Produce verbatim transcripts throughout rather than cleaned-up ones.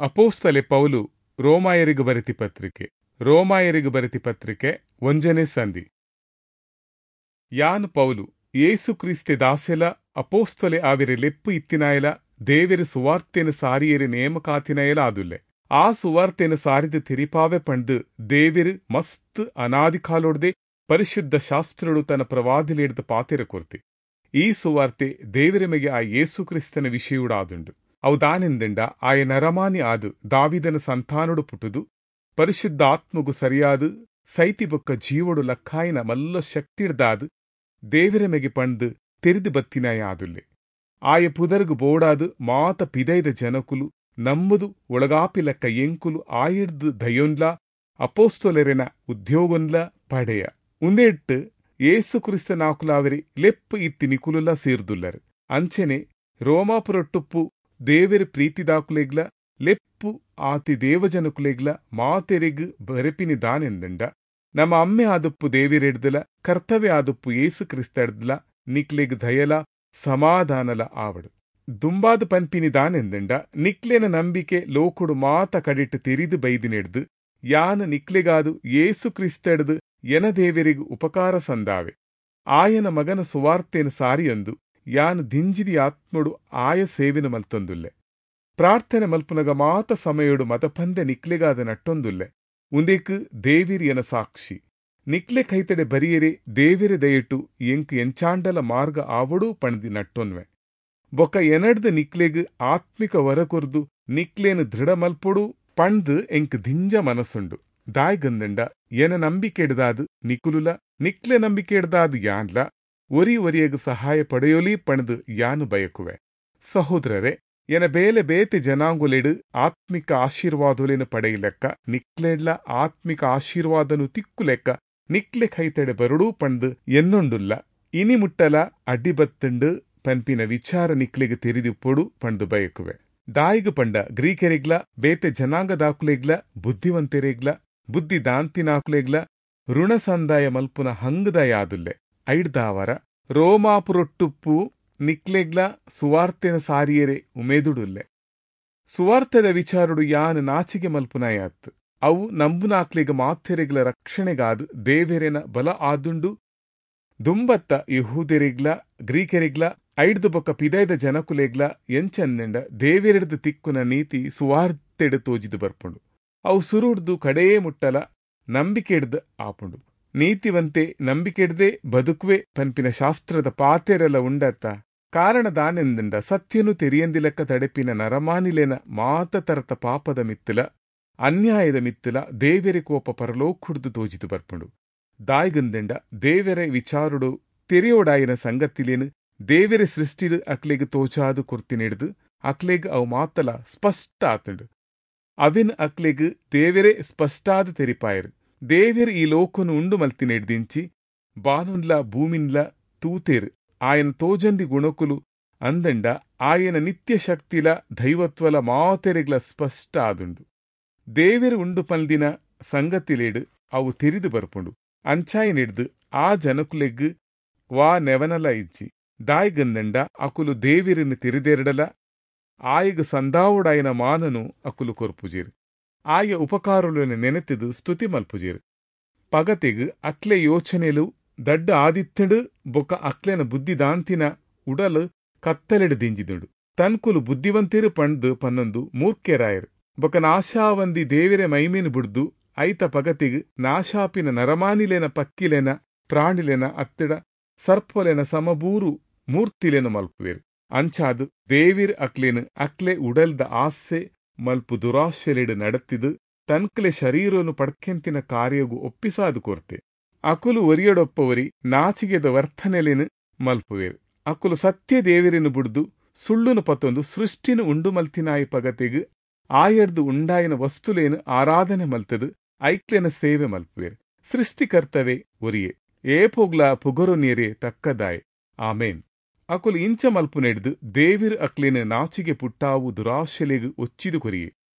ಅಪೋಸ್ತಲೆ ಪೌಲು ರೋಮಾಯರಿಗೆ ಬರೆತಿ ಪತ್ರಿಕೆ ರೋಮಾಯರಿಗೆ ಬರೆತಿ ಪತ್ರಿಕೆ ಒಂಜನೇ ಸಂಧಿ. ಯಾನ್ ಪೌಲು ಯೇಸು ಕ್ರಿಸ್ತೆ ದಾಸೆಲ ಅಪೋಸ್ತಲೆ ಆವಿರೆ ಲೆಪ್ಪು ಇತ್ತಿನಾಯಲ ದೇವೆರು ಸುವಾರ್ತೆನ ಸಾರಿಯರೆ ನೇಮಕಾತಿನಾಯಲ ಆದುಲ್ಲೆ. ಆ ಸುವಾರ್ತೆನ ಸಾರಿದ ತೆರಿಪಾವೆ ಪಂಡು ದೇವೆರು ಮಸ್ತ್ ಅನಾದಿಕಾಲೋಡ್ದೆ ಪರಿಶುದ್ಧ ಶಾಸ್ತ್ರಡು ತನ್ನ ಪ್ರವಾದಿಲೆಡ್ದು ಪಾತೆರ ಕೊರ್ತೆ. ಈ ಸುವಾರ್ತೆ ದೇವರ ಮೆಗೆ ಆ ಯೇಸು ಕ್ರಿಸ್ತನ ವಿಷಯುಡಾದುಂಡು. ಅವು ದಾನೆಂದಂಡ ಆಯ ನರಮಾನಿ ಆದು ದಾವಿದನ ಸಂತಾನೊಡು ಪುಟುದು ಪರಿಶುದ್ಧ ಆತ್ಮಗು ಸರಿಯಾದ ಸೈತಿ ಬೊಕ್ಕ ಜೀವಡು ಲಕ್ಕಾಯಿನ ಮಲ್ಲ ಶಕ್ತಿಡ್ದಾದು ದೇವರ ಮೆಗೆ ಪಂಡು ತೆರಿದು ಬತ್ತಿನಾಯ ಆದುಲ್ಲೆ. ಆಯ ಪುದರ್ಗು ಬೋಡಾದು ಮಾತ ಪಿದೈದ ಜನಕುಲು ನಮ್ಮದು ಒಳಗಾಪಿ ಲೆಕ್ಕ ಎಂಕುಲು ಆಯಿಡ್ದು ದಯೊನ್ಲ ಅಪೋಸ್ತೊಲೆರೆನ ಉದ್ಯೋಗನ್ಲ ಪಡೆಯ ಉಂದೆಟ್ಟು ಯೇಸು ಕ್ರಿಸ್ತನಾಕುಲಾವರಿ ಲೆಪ್ಪು ಇತ್ತಿ ನಿಕುಲುಲ ಸೇರ್ದುಲ್ಲರು. ಅಂಚೆನೆ ರೋಮಾಪುರೊಟ್ಟುಪ್ಪು ದೇವೆರ್ ಪ್ರೀತಿದಾಕುಲೆಗ್ಲ ಲೆಪ್ಪು ಆತಿ ದೇವಜನಕುಲೆಗ್ಲ ಮಾತೆರೆಗ್ ಬರೆಪಿನಿ ದಾನೆಂದಂಡ ನಮ್ಮ ಅಮ್ಮೆ ಆದುಪ್ಪು ದೇವಿರೆಡ್ದಲ ಕರ್ತವ್ಯ ಆದುಪ್ಪು ಯೇಸು ಕ್ರಿಸ್ತಡ್ದಲ ನಿಕ್ಲೆಗ್ ದಯಲ ಸಮಾಧಾನಲ ಆವಡು. ದುಂಬಾದ ಪನ್ಪಿನಿ ದಾನೆಂದಂಡ ನಿಕ್ಲೆನ ನಂಬಿಕೆ ಲೋಕುಡು ಮಾತ ಕಡಿಟ್ಟು ತೆರಿದು ಬೈದಿನೆಡ್ದು ಯಾನ್ ನಿಕ್ಲೆಗಾದು ಯೇಸು ಕ್ರಿಸ್ತಡ್ದು ಎನ ದೇವರಿಗೂ ಉಪಕಾರ ಸಂದಾವೆ. ಆಯನ ಮಗನ ಸುವಾರ್ತೆನ ಸಾರಿಯೊಂದು ಯಾನ್ ದಿಂಜಿದಿ ಆತ್ಮಡು ಆಯ ಸೇವಿನ ಮಲ್ತೊಂದುಲ್ಲೆ. ಪ್ರಾರ್ಥನೆ ಮಲ್ಪುನಗ ಮಾತ ಸಮಯಡು ಮತಪಂದೆ ನಿಕ್ಲೆಗಾದ ನಟ್ಟೊಂದುಲ್ಲೆ. ಉಂದೆಕ್ ದೇವಿರ್ ಎನ ಸಾಕ್ಷಿ. ನಿಕ್ಲೆ ಕೈತಡೆ ಬರಿಯರೆ ದೇವಿರ ದಯಟು ಎಂಕ್ ಎಂಚಾಂಡಲ ಮಾರ್ಗ ಆವಡು ಪಣದಿ ನಟ್ಟೊನ್ವೆ. ಬೊಕ್ಕ ಎನಡ್ದು ನಿಕ್ಲೆಗ್ ಆತ್ಮಿಕ ವರ ಕೊರ್ದು ನಿಕ್ಲೇನು ದೃಢ ಮಲ್ಪೊಡು ಪಂಡ್ ಎಂಕ್ ದಿಂಜ ಮನಸ್ಸುಂಡು. ದಾಯ್ಗಂದಂಡ ಎನ ನಂಬಿಕೆಡ್ದಾದು ನಿಕುಲುಲ ನಿಕ್ಲೆ ನಂಬಿಕೆಡ್ದಾದು ಯಾನ್ಲ ಒರಿ ಒರಿಯಗ್ ಸಹಾಯ ಪಡೆಯೊಲಿ ಪಣದು ಯಾನು ಬಯಕುವೆ. ಸಹೋದರರೇ, ಎನ ಬೇಲೆ ಬೇತೆ ಜನಾಂಗುಲೆಡು ಆತ್ಮಿಕ ಆಶೀರ್ವಾದೊಲೆನು ಪಡೆಯಲೆಕ್ಕ ನಿಕ್ಲೆಡ್ಲ ಆತ್ಮಿಕ ಆಶೀರ್ವಾದನು ತಿಕ್ಕುಲೆಕ್ಕ ನಿಕ್ಲೆ ಕೈತಡೆ ಬರುಡು ಪಂದು ಎನ್ನೊಂಡುಲ್ಲ. ಇನಿ ಮುಟ್ಟಲ ಅಡ್ಡಿಬತ್ತುಂಡು ಪನ್ಪಿನ ವಿಚಾರ ನಿಕ್ಲೆಗ್ ತೆರಿದಿಪ್ಪೊಡು ಪಂದು ಬಯಕುವೆ. ದಾಯಿಗು ಪಂಡ ಗ್ರೀಕೆರೆಗ್ಲ ಬೇತೆ ಜನಾಂಗದಾಕುಲೆಗ್ಲ ಬುದ್ಧಿವಂತೆರೆಗ್ಲ ಬುದ್ಧಿ ದಾಂತಿನಾಕುಲೆಗ್ಲ ಋಣ ಸಂದಾಯ ಮಲ್ಪುನ ಹಂಗದಯಾದುಲ್ಲೆ. ಐಡ್ದಾವರ ರೋಮಾಪುರೊಟ್ಟುಪ್ಪು ನಿಕ್ಲೆಗ್ಲ ಸುವಾರ್ತೆನ ಸಾರಿಯರೆ ಉಮೇದುಡುಲ್ಲೆ. ಸುವಾರ್ತೆದ ವಿಚಾರಡು ಯಾನ್ ನಾಚಿಗೆ ಮಲ್ಪುನಾಯಾತ್. ಅವು ನಂಬುನಾಕ್ಲೆಗ್ ಮಾತೆರೆಗ್ಲ ರಕ್ಷಣೆಗಾದು ದೇವೆರೆನ ಬಲ ಆದುಂಡು. ದುಂಬತ್ತ ಯಹೂದೆರೆಗ್ಲ ಗ್ರೀಕೆರೆಗ್ಲ ಐಡ್ದು ಬೊಕ್ಕ ಪಿದೈದ ಜನಕುಲೆಗ್ಲ ಎಂಚಂದೆಂಡ ದೇವೆರೆಡ್ದು ತಿಕ್ಕುನ ನೀತಿ ಸುವಾರ್ತೆಡು ತೋಜಿದು ಬರ್ಪುಂಡು. ಅವು ಸುರುಡ್ದು ಕಡೇ ಮುಟ್ಟಲ ನಂಬಿಕೆಡ್ದು ಆಪುಂಡು. ನೀತಿವಂತೆ ನಂಬಿಕೆಡ್ದೆ ಬದುಕುವೆ ಪನ್ಪಿನ ಶಾಸ್ತ್ರದ ಪಾತೆರೆಲ ಉಂಡತ್ತ. ಕಾರಣ ದಾನೆಂದಂಡ ಸತ್ಯನು ತೆರಿಯಂದಿಲೆಕ್ಕ ತಡೆಪಿನ ನರಮಾನಿಲೆನ ಮಾತ ತರತ ಪಾಪದ ಮಿತ್ತಲ ಅನ್ಯಾಯದ ಮಿತ್ತಲ ದೇವೆರೆ ಕೋಪ ಪರಲೋಕುಡ್ದು ತೋಜಿದು ಬರ್ಪುಂಡು. ದಾಯ್ಗಂದೆಂಡ ದೇವೆರೆ ವಿಚಾರುಡು ತೆರೆಯೋಡಾಯಿನ ಸಂಗತಿಲೇನು ದೇವೆರೆ ಸೃಷ್ಟಿಡು ಅಕ್ಲೆಗ್ ತೋಚಾದು ಕೊರ್ತಿನೆಡ್ದು ಅಕ್ಲೆಗ್ ಅವು ಮಾತಲ ಸ್ಪಷ್ಟ ಆತುಂಡು. ಅವಿನ್ ಅಕ್ಲೆಗ್ ದೇವೆರೆ ಸ್ಪಷ್ಟಾದ ತೆರಿಪಾಯರು. ದೇವೆರ್ ಈ ಲೋಕನು ಉಂಡು ಮಲ್ತಿನೆಡ್ದಿಂಚಿ ಬಾನುನ್ಲ ಭೂಮಿನ್ಲ ತೂತೇರು. ಆಯನ ತೋಜಂದಿ ಗುಣಕುಲು ಅಂದಂಡ ಆಯನ ನಿತ್ಯ ಶಕ್ತಿಲ ದೈವತ್ವಲ ಮಾತೆರೆಗ್ಲ ಸ್ಪಷ್ಟ ಆದುಂಡು. ದೇವೆರು ಉಂಡು ಪಲ್ದಿನ ಸಂಗತಿಲೇಡು ಅವು ತೆರಿದು ಬರ್ಪುಂಡು. ಅಂಚಾಯಿನೆಡ್ದು ಆ ಜನಕುಲೆಗ್ ವಾ ನೆವನಲ ಇಜ್ಜಿ. ದಾಯ್ಗಂದಂಡ ಅಕುಲು ದೇವಿರನ್ನು ತೆರಿದೆರಡಲ ಆಯಗ್ ಸಂದಾವುಡಾಯನ ಮಾನನು ಅಕುಲು ಕೊರ್ಪುಜೀರು. ಆಯ ಉಪಕಾರುలను ನೆನೆತಿದು ಸ್ತುತಿ ಮಲ್ಪುಜೀರು. ಪಗತೆಗ್ ಅಕ್ಲೆ ಯೋಚನೆಲು ದಡ್ಡ ಆದಿತ್ತಡು ಬೊಕ್ಕ ಅಕ್ಲೆನ ಬುದ್ಧಿದಾಂತಿನ ಉಡಲು ಕತ್ತಲೆಡು ದಿಂಜಿದುಂಡು. ತನ್ಕುಲು ಬುದ್ಧಿವಂತಿರು ಪಂಡ್ದು ಪನ್ನೊಂದು ಮೂರ್ಖೆರಾಯರು. ಬೊಕ್ಕ ನಾಶಾವಂದಿ ದೇವಿರೆ ಮೈಮೇನು ಬುಡ್ದು ಐತ ಪಗತಿಗ್ ನಾಶಾಪಿನ ನರಮಾನಿಲೆನ ಪಕ್ಕಿಲೆನ ಪ್ರಾಣಿಲೆನ ಅತ್ತಿಡ ಸರ್ಪೊಲೆನ ಸಮಬೂರು ಮೂರ್ತಿಲೆನು ಮಲ್ಪುವೆರು. ಅಂಚಾದು ದೇವಿರ್ ಅಕ್ಲೆನು ಅಕ್ಲೆ ಉಡಲ್ದ ಆಸೆ ಮಲ್ಪು ದುರಾಶೆಲೆಡು ನಡತಿದು ತನ್ಕಲೆ ಶರೀರನು ಪಡ್ಕೆಂತಿನ ಕಾರ್ಯಗು ಒಪ್ಪಿಸಾದು ಕೊರ್ತೆ. ಅಕುಲು ಒರಿಯಡೊಪ್ಪವರಿ ನಾಚಿಗೆದ ವರ್ತನೆಲೆನು ಮಲ್ಪುವೆರು. ಅಕುಲು ಸತ್ಯ ದೇವಿರನ್ನು ಬುಡ್ದು ಸುಳ್ಳುನು ಪತ್ತೊಂದು ಸೃಷ್ಟಿನು ಉಂಡು ಮಲ್ತಿನಾಯಿ ಪಗತೆಗ್ ಆಯಡ್ದು ಉಂಡಾಯಿನ ವಸ್ತುಲೇನು ಆರಾಧನೆ ಮಲ್ತದು ಐಕ್ಲೆನ ಸೇವೆ ಮಲ್ಪುವೆರು. ಸೃಷ್ಟಿಕರ್ತವೇ ಒರಿಯೆ ಏಪೋಗ್ಲ ಪುಗರು ನೀರೇ ತಕ್ಕದಾಯೆ. ಆಮೇನ್. ಅಕುಲು ಇಂಚ ಮಲ್ಪುನೆಡ್ದು ದೇವಿರ್ ಅಕ್ಲೆನ ನಾಚಿಗೆ ಪುಟ್ಟಾವು ದುರಾಶೆಲೆಗ್ ಒಚ್ಚಿದು ಕೊರಿಯೆ.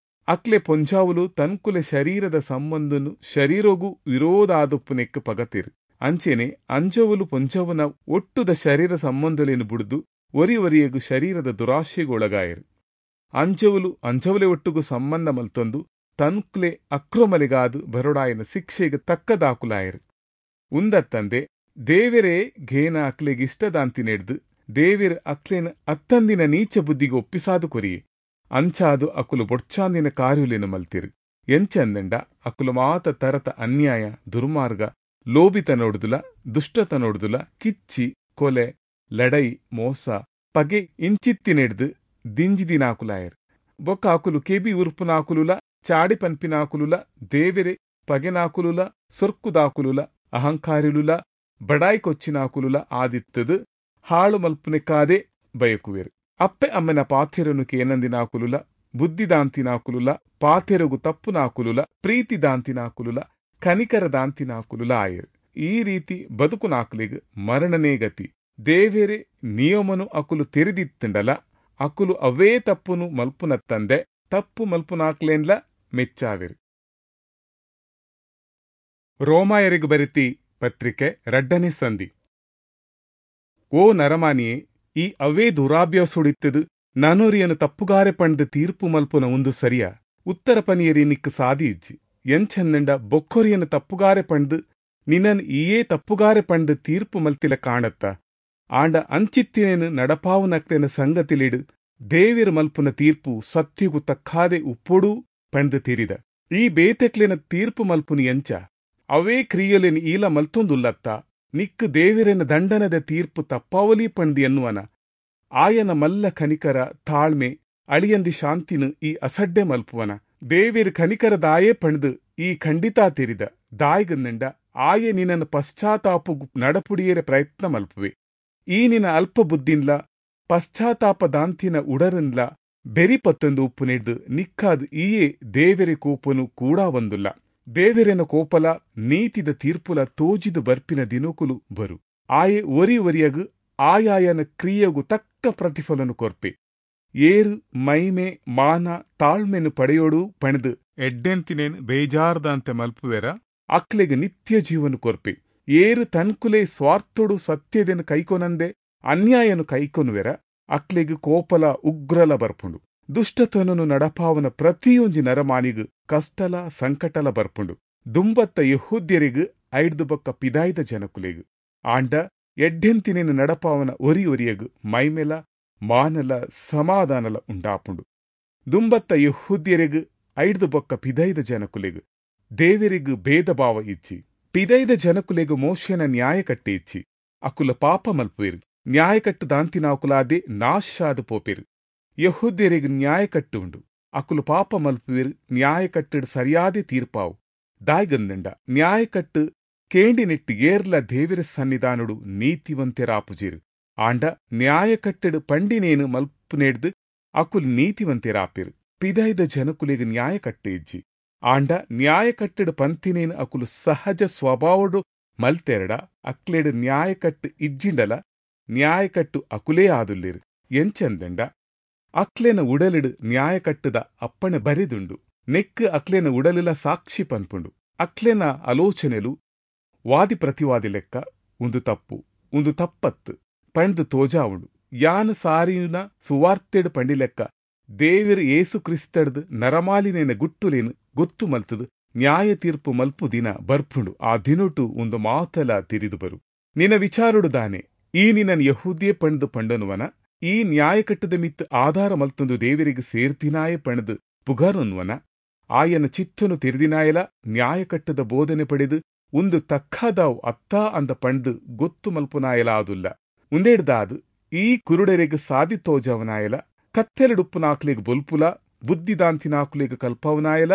ಅಕ್ಲೆ ಪೊಂಜಾವುಲು ತನ್ಕುಲೆ ಶರೀರದ ಸಂಬಂಧನು ಶರೀರೊಗು ವಿರೋಧಾದುಪ್ಪುನೆಕ್ ಪಗತಿರು. ಅಂಚೆನೆ ಅಂಜವುಲು ಪೊಂಜವುನ ಒಟ್ಟುದ ಶರೀರ ಸಂಬಂಧಲೇನು ಬುಡ್ದು ಒರಿ ಒರಿಯಗು ಶರೀರದ ದುರಾಶೆಗೊಳಗಾಯರು. ಅಂಜವುಲು ಅಂಜವುಲೆ ಒಟ್ಟುಗು ಸಂಬಂಧ ಮಲ್ತೊಂದು ತನ್ಕ್ಲೆ ಅಕ್ರಮಲೆಗಾದ್ ಬರೊಡಾಯಿನ ಶಿಕ್ಷೆಗೆ ತಕ್ಕದಾಕುಲಾಯರು. ಉಂದತ್ತಂದೆ ದೇವರೇ ಘೇನ ಅಕ್ಲೆಗ್ ಇಷ್ಟದಾಂತಿನೆಡ್ದು ದೇವೆರ್ ಅಕ್ಲೆನ ಅತ್ತಂದಿನ ನೀಚ ಬುದ್ಧಿಗೆ ಒಪ್ಪಿಸಾದು ಕೊರಿಯೆ. ಅಂಚಾದು ಅಕುಲು ಬೊಡ್ಚಾಂದಿನ ಕಾರ್ಯುಲೆನು ಮಲ್ತಿರು. ಎಂಚಂದಂಡ ಅಕುಲು ಮಾತ ತರತ ಅನ್ಯಾಯ, ದುರ್ಮಾರ್ಗ, ಲೋಭಿತನೊಡ್ದುಲ, ದುಷ್ಟತನೊಡ್ದುಲ, ಕಿಚ್ಚಿ, ಕೊಲೆ, ಲಡೈ, ಮೋಸ, ಪಗೆ ಇಂಚಿತ್ತಿನೆಡ್ದು ದಿಂಜಿದಿನಾಕುಲಾಯರು. ಬೊಕ್ಕ ಅಕುಲು ಕೆಬಿ ಉರ್ಪುನಾಕುಲುಲ, ಚಾಡಿ ಪನ್ಪಿನಾಕುಲುಲ, ದೇವೆರೆ ಪಗೆನಾಕುಲುಲ, ಸೊರ್ಕುದಾಕುಲುಲ, ಅಹಂಕಾರಿಲುಲ, ಬಡಾಯಿ ಕೊಚ್ಚಿನಾಕುಲುಲ ಆದಿತ್ತದು ಹಾಳು ಮಲ್ಪುನೆಕ್ಕಾದೆ ಬಯಕುವೆರು. ಅಪ್ಪೆ ಅಮ್ಮನ ಪಾಥೆರನು ಕೇನಂದಿನಾಕುಲುಲ, ಬುದ್ಧಿದಾಂತಿನಾಕುಲುಲ, ಪಾಥೆರಗು ತಪ್ಪುನಾಕುಲುಲ, ಪ್ರೀತಿದಾಂತಿನಾಕುಲುಲ, ಕನಿಕರದಾಂತಿನಾಕುಲುಲ ಆಯರು. ಈ ರೀತಿ ಬದುಕುನಾಕುಲಿಗೆ ಮರಣನೇ ಗತಿ. ದೇವೆರೆ ನಿಯಮನು ಅಕುಲು ತೆರೆದಿತ್ತಂಡಲ ಅಕುಲು ಅವೇ ತಪ್ಪುನು ಮಲ್ಪುನತ್ತಂದೆ ತಪ್ಪು ಮಲ್ಪುನಾಕ್ಲೇನ್ಲ ಮೆಚ್ಚಾವೆರು. ರೋಮಾಯರಿಗೆ ಬರೆತಿ ಪತ್ರಿಕೆ ರಡ್ಡನೇ ಸಂಧಿ. ಓ ನರಮಾನಿಯೇ, ಈ ಅವೇ ದುರಾಭ್ಯಾಸೊಡಿತ್ತದು ನಾನೂರಿಯನ್ನು ತಪ್ಪುಗಾರೆ ಪಂಡ್ ತೀರ್ಪು ಮಲ್ಪುನ ಒಂದು ಸರಿಯಾ? ಉತ್ತರ ಪನಿಯರಿ ನಿಕ್ಕು ಸಾದಿ ಇಜ್ಜಿ. ಎಂಚಂದಂಡ ಬೊಕ್ಕೊರಿಯನ್ನು ತಪ್ಪುಗಾರೆ ಪಂಡ್ ನಿನ್ನನ್ ಈಯೇ ತಪ್ಪುಗಾರೆ ಪಂಡ್ ತೀರ್ಪು ಮಲ್ತಿಲ ಕಾಣತ್ತ. ಆಂಡ ಅಂಚಿತ್ತಿನೇನು ನಡಪಾವುನಕ್ತೆನ ಸಂಗತಿಲಿಡು ದೇವಿರ್ ಮಲ್ಪುನ ತೀರ್ಪು ಸತ್ಯಗು ತಕ್ಕಾದೆ ಉಪ್ಪೊಡು ಪಂಡ್ ತೀರಿದ. ಈ ಬೇತೆಕ್ಲೆನ ತೀರ್ಪು ಮಲ್ಪುನಿ ಎಂಚ? ಅವೇ ಕ್ರಿಯೆಲೆನ್ ಈಲ ಮಲ್ತೊಂದುಲ್ಲತ್ತ. ನಿಕ್ಕು ದೇವಿರನ ದಂಡನದ ತೀರ್ಪು ತಪ್ಪಾವಲಿ ಪಂಡ್ ಎನ್ನುವನ. ಆಯನ ಮಲ್ಲ ಕನಿಕರ, ತಾಳ್ಮೆ, ಅಳಿಯಂದಿ ಶಾಂತಿನು ಈ ಅಸಡ್ಡೆ ಮಲ್ಪುವನ. ದೇವಿರ್ ಕನಿಕರ ದಾಯೇ ಪಂಡ್ದು ಈ ಖಂಡಿತಾ ತೆರಿದ. ದಾಯಿಗಂದಂಡ ಆಯೆ ನಿನ್ನನ್ನು ಪಶ್ಚಾತ್ತಾಪು ನಡಪುಡಿಯರೆ ಪ್ರಯತ್ನ ಮಲ್ಪುವೆ. ಈ ನಿನ್ನ ಅಲ್ಪ ಬುದ್ಧಿನ್ಲ ಪಶ್ಚಾತ್ತಾಪದಾಂತಿನ ಉಡರನ್ಲ ಬೆರಿ ಪತ್ತೊಂದು ಉಪ್ಪು ನೆಡ್ದು ನಿಕ್ಕಾದ್ ಈಯೇ ದೇವೆರೆ ಕೋಪನು ಕೂಡ ಒಂದುಲ್ಲ. ದೇವೆರೆನ ಕೋಪಲ ನೀತಿದ ತೀರ್ಪುಲ ತೋಜಿದು ಬರ್ಪಿನ ದಿನಕುಲು ಬರು. ಆಯೆ ಒರಿ ಒರಿಯಗು ಆಯಾಯನ ಕ್ರಿಯೆಗು ತಕ್ಕ ಪ್ರತಿಫಲನು ಕೊರ್ಪೆ. ಏರು ಮೈಮೆ ಮಾನ ತಾಳ್ಮೆನು ಪಡೆಯೋಡು ಪಣದು ಎಡ್ಡೆಂತಿನೇನ್ ಬೇಜಾರ್ದಂತೆ ಮಲ್ಪುವೆರ ಅಕ್ಲೆಗ್ ನಿತ್ಯ ಜೀವನ ಕೊರ್ಪೆ. ಏರು ತನ್ಕುಲೆ ಸ್ವಾರ್ಥೋಡು ಸತ್ಯದೆನು ಕೈಕೊನಂದೆ ಅನ್ಯಾಯನು ಕೈಕೊನುವೆರ ಅಕ್ಲೆಗ್ ಕೋಪಲ ಉಗ್ರಲ ಬರ್ಪುಂಡು. ದುಷ್ಟತನನು ನಡಪಾವನ ಪ್ರತಿಯೊಂಜಿ ನರಮಾನಿಗ್ ಕಷ್ಟಲ ಸಂಕಟಲ ಬರ್ಪುಂಡು. ದುಂಬತ್ತ ಯೆಹೂದ್ಯರಿಗ್ ಐಡ್ದು ಬೊಕ್ಕ ಪಿದಾಯ್ದ ಜನಕುಲೆಗ್. ಆಂಡ ಎಡ್ಡೆಂತಿನೇನು ನಡಪಾವನ ಒರಿ ಒರಿಯಗ್ ಮೈಮೆಲ ಮಾನಲ ಸಮಾಧಾನಲ ಉಂಡಾಪುಂಡು. ದುಂಬತ್ತ ಯೆಹೂದ್ಯರಿಗ್ ಐಡ್ದು ಬೊಕ್ಕ ಪಿದೈದ ಜನಕುಲೆಗ್ ದೇವರಿಗ್ ಭೇದ ಭಾವ ಇಚ್ಚಿ. ಪಿದೈದ ಜನಕುಲೆಗ್ ಮೋಶೆನ ನ್ಯಾಯ ಕಟ್ಟೆ ಇಚ್ಚಿ. ಅಕುಲ ಪಾಪ ಮಲ್ಪುವೆರು. ನ್ಯಾಯಕಟ್ಟು ದಾಂತಿನಾಕುಲಾದೆ ನಾಶಾದ ಪೋಪೆರು. ಯೆಹೂದ್ಯರಿಗ್ ನ್ಯಾಯ ಕಟ್ಟು ಉಂಡು. ಅಕುಲು ಪಾಪ ಮಲ್ಪುವೆರು. ನ್ಯಾಯಕಟ್ಟಡ್ ಸರಿಯಾದೆ ತೀರ್ಪಾವು. ದಾಯ್ಗಂದಂಡ ನ್ಯಾಯಕಟ್ಟು ಕೇಂಡಿನೆಟ್ಟು ಏರ್ಲ ದೇವಿರ ಸನ್ನಿಧಾನುಡು ನೀತಿವಂತೆರಾಪುಜೇರು. ಆಂಡ ನ್ಯಾಯಕಟ್ಟಡ್ ಪಂಡಿನೇನು ಮಲ್ಪುನೆಡ್ದು ಅಕುಲು ನೀತಿವಂತೆರಾಪೆರು. ಪಿದೈದ ಜನಕುಲೆಗ್ ನ್ಯಾಯಕಟ್ಟು ಇಜ್ಜಿ. ಆಂಡ ನ್ಯಾಯಕಟ್ಟಡ್ ಪಂತಿನೇನು ಅಕುಲು ಸಹಜ ಸ್ವಭಾವಡು ಮಲ್ತೆರಡ ಅಕ್ಲೆಡ್ ನ್ಯಾಯಕಟ್ಟು ಇಜ್ಜಿಂಡಲ ನ್ಯಾಯಕಟ್ಟು ಅಕುಲೇ ಆದುಲ್ಲೇರು. ಎಂಚಂದಂಡ ಅಕ್ಲೆನ ಉಡಲಿಡು ನ್ಯಾಯಕಟ್ಟದ ಅಪ್ಪಣೆ ಬರೆದುಂಡು. ನೆಕ್ಕು ಅಕ್ಲೆನ ಉಡಲಿಲ ಸಾಕ್ಷಿ ಪನ್ಪುಂಡು. ಅಕ್ಲೆನ ಆಲೋಚನೆಲು ವಾದಿ ಪ್ರತಿವಾದಿ ಲೆಕ್ಕ ಉಂದು ತಪ್ಪು ಉಂದು ತಪ್ಪತ್ತು ಪಂಡ್ದು ತೋಜಾವುಂಡು. ಯಾನ್ ಸಾರಿನ ಸುವಾರ್ತೆಡ್ ಪಂಡಿಲೆಕ್ಕ ದೇವಿರ್ ಏಸು ಕ್ರಿಸ್ತಡ್ದು ನರಮಾಲಿನೇನ ಗುಟ್ಟುಲೇನು ಗೊತ್ತು ಮಲ್ತದು ನ್ಯಾಯ ತೀರ್ಪು ಮಲ್ಪು ದಿನ ಬರ್ಪುಂಡು. ಆ ದಿನೊಟು ಒಂದು ಮಾತಲ ತಿರಿದು ಬರು. ನಿನ್ನ ವಿಚಾರುಡು ದಾನೆ ಈ ನಿನ್ನನ್ ಯಹೂದ್ಯೇ ಪಂಡ್ದು ಪಂಡನುವನ? ಈ ನ್ಯಾಯಕಟ್ಟದ ಮಿತ್ತು ಆಧಾರ ಮಲ್ತೊಂದು ದೇವರಿಗೆ ಸೇರ್ತಿನಾಯೆ ಪಣದು ಪುಗರನ್ವನ? ಆಯನ ಚಿತ್ತನು ತೆರೆದಿನಾಯಲ ನ್ಯಾಯಕಟ್ಟದ ಬೋಧನೆ ಪಡೆದು ಒಂದು ತಕ್ಕದಾವ್ ಅತ್ತಾ ಅಂದ ಪಂಡ್ದು ಗೊತ್ತು ಮಲ್ಪುನಾಯಲ ಆದುಲ್ಲ. ಉಂದೇಡ್ದಾದು ಈ ಕುರುಡರೆಗ್ ಸಾದಿ ತೋಜವನಾಯಲ, ಕತ್ತೆಲಡುಪ್ಪುನಾಕುಲೆಗ್ ಬೊಲ್ಪುಲ, ಬುದ್ಧಿದಾಂತಿನಾಕುಲೆಗ್ ಕಲ್ಪವನಾಯಲ,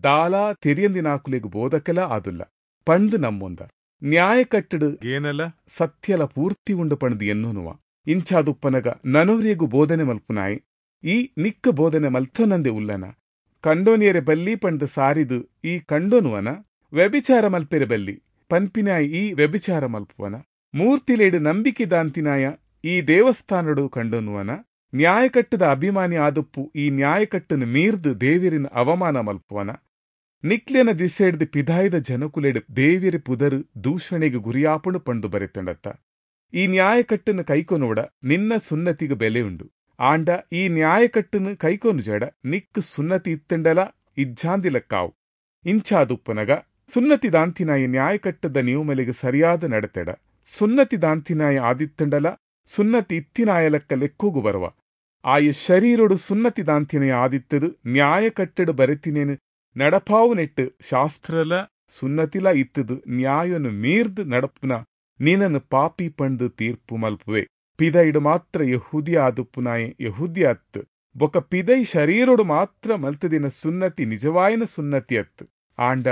ದಾಲಾ ತೆರಿಯಂದಿನಾಕುಲೆಗ್ ಬೋಧಕೆಲ ಆದುಲ್ಲ ಪಂಡ್ದು ನಮ್ಮೊಂದ. ನ್ಯಾಯಕಟ್ಟಡು ಏನಲ ಸತ್ಯಲ ಪೂರ್ತಿ ಉಂಡು ಪಂಡ್ದು ಎನ್ನುನುವ. ಇಂಚಾದುಪ್ಪನಗ ನನೊರಿಯಗು ಬೋಧನೆ ಮಲ್ಪುನಾಯಿ ಈ ನಿಕ್ಕ ಬೋಧನೆ ಮಲ್ತೊನಂದೆ ಉಲ್ಲನ? ಕಂಡೋನಿಯರೆ ಬಲ್ಲಿ ಪಂಡ್ದು ಸಾರಿದು ಈ ಕಂಡೋನುವನ? ವ್ಯಭಿಚಾರ ಮಲ್ಪೆರೆ ಬಲ್ಲಿ ಪನ್ಪಿನಾಯಿ ಈ ವ್ಯಭಿಚಾರ ಮಲ್ಪುವನ? ಮೂರ್ತಿಲೇಡು ನಂಬಿಕೆ ದಾಂತಿನಾಯ ಈ ದೇವಸ್ಥಾನಡು ಕಂಡೋನುವನ? ನ್ಯಾಯಕಟ್ಟದ ಅಭಿಮಾನಿ ಆದುಪ್ಪು ಈ ನ್ಯಾಯಕಟ್ಟನು ಮೀರ್ದು ದೇವಿರಿನ ಅವಮಾನ ಮಲ್ಪುವನ? ನಿಕ್ಲೆನ ದಿಸೆಡ್ದು ಪಿದಾಯ್ದ ಜನಕುಲೆಡು ದೇವಿರ ಪುದರು ದೂಷಣೆಗೆ ಗುರಿಯಾಪುಣು ಪಂಡು ಬರೆತಂಡತ್ತ. ಈ ನ್ಯಾಯಕಟ್ಟನ್ನು ಕೈಕೊನೋಡ ನಿನ್ನ ಸುನ್ನತಿಗೆ ಬೆಲೆ ಉಂಡು. ಆಂಡ ಈ ನ್ಯಾಯಕಟ್ಟನ್ನು ಕೈಕೊನು ಜಡ ನಿಕ್ಕು ಸುನ್ನತಿ ಇತ್ತಂಡಲ ಇಜ್ಜಾಂದಿಲಕ್ಕಾವು. ಇಂಚಾದುಪ್ಪನಗ ಸುನ್ನತಿ ದಾಂತಿನಾಯ ನ್ಯಾಯಕಟ್ಟದ ನಿಯಮಲೆಗೆ ಸರಿಯಾದ ನಡತೆಡ ಸುನ್ನತಿ ದಾಂತಿನಾಯ ಆದಿತ್ತಂಡಲ ಸುನ್ನತಿ ಇತ್ತಿನಾಯಲಕ್ಕ ಲೆಕ್ಕೋಗು ಬರುವ. ಆಯ ಶರೀರೊಡು ಸುನ್ನತಿ ದಾಂತಿನಾಯ ಆದಿತ್ತದು ನ್ಯಾಯಕಟ್ಟಡು ಬರೆತಿನೇನು ನಡಪಾವು ನೆಟ್ಟು ಶಾಸ್ತ್ರಲ ಸುನ್ನತಿಲ ಇತ್ತದು ನ್ಯಾಯನು ಮೀರ್ದು ನಡಪುನ ನೀನನ್ನು ಪಾಪಿ ಪಂಡು ತೀರ್ಪು ಮಲ್ಪುವೆ. ಪಿದೈಡು ಮಾತ್ರ ಯಹೂದಿ ಆದುಪ್ಪುನಾಯೆ ಯಹೂದಿ ಅತ್ತು ಬೊಕ ಪಿದೈ ಶರೀರೊಡು ಮಾತ್ರ ಮಲ್ತದಿನ ಸುನ್ನತಿ ನಿಜವಾಯನ ಸುನ್ನತಿ ಅತ್ತು. ಆಂಡ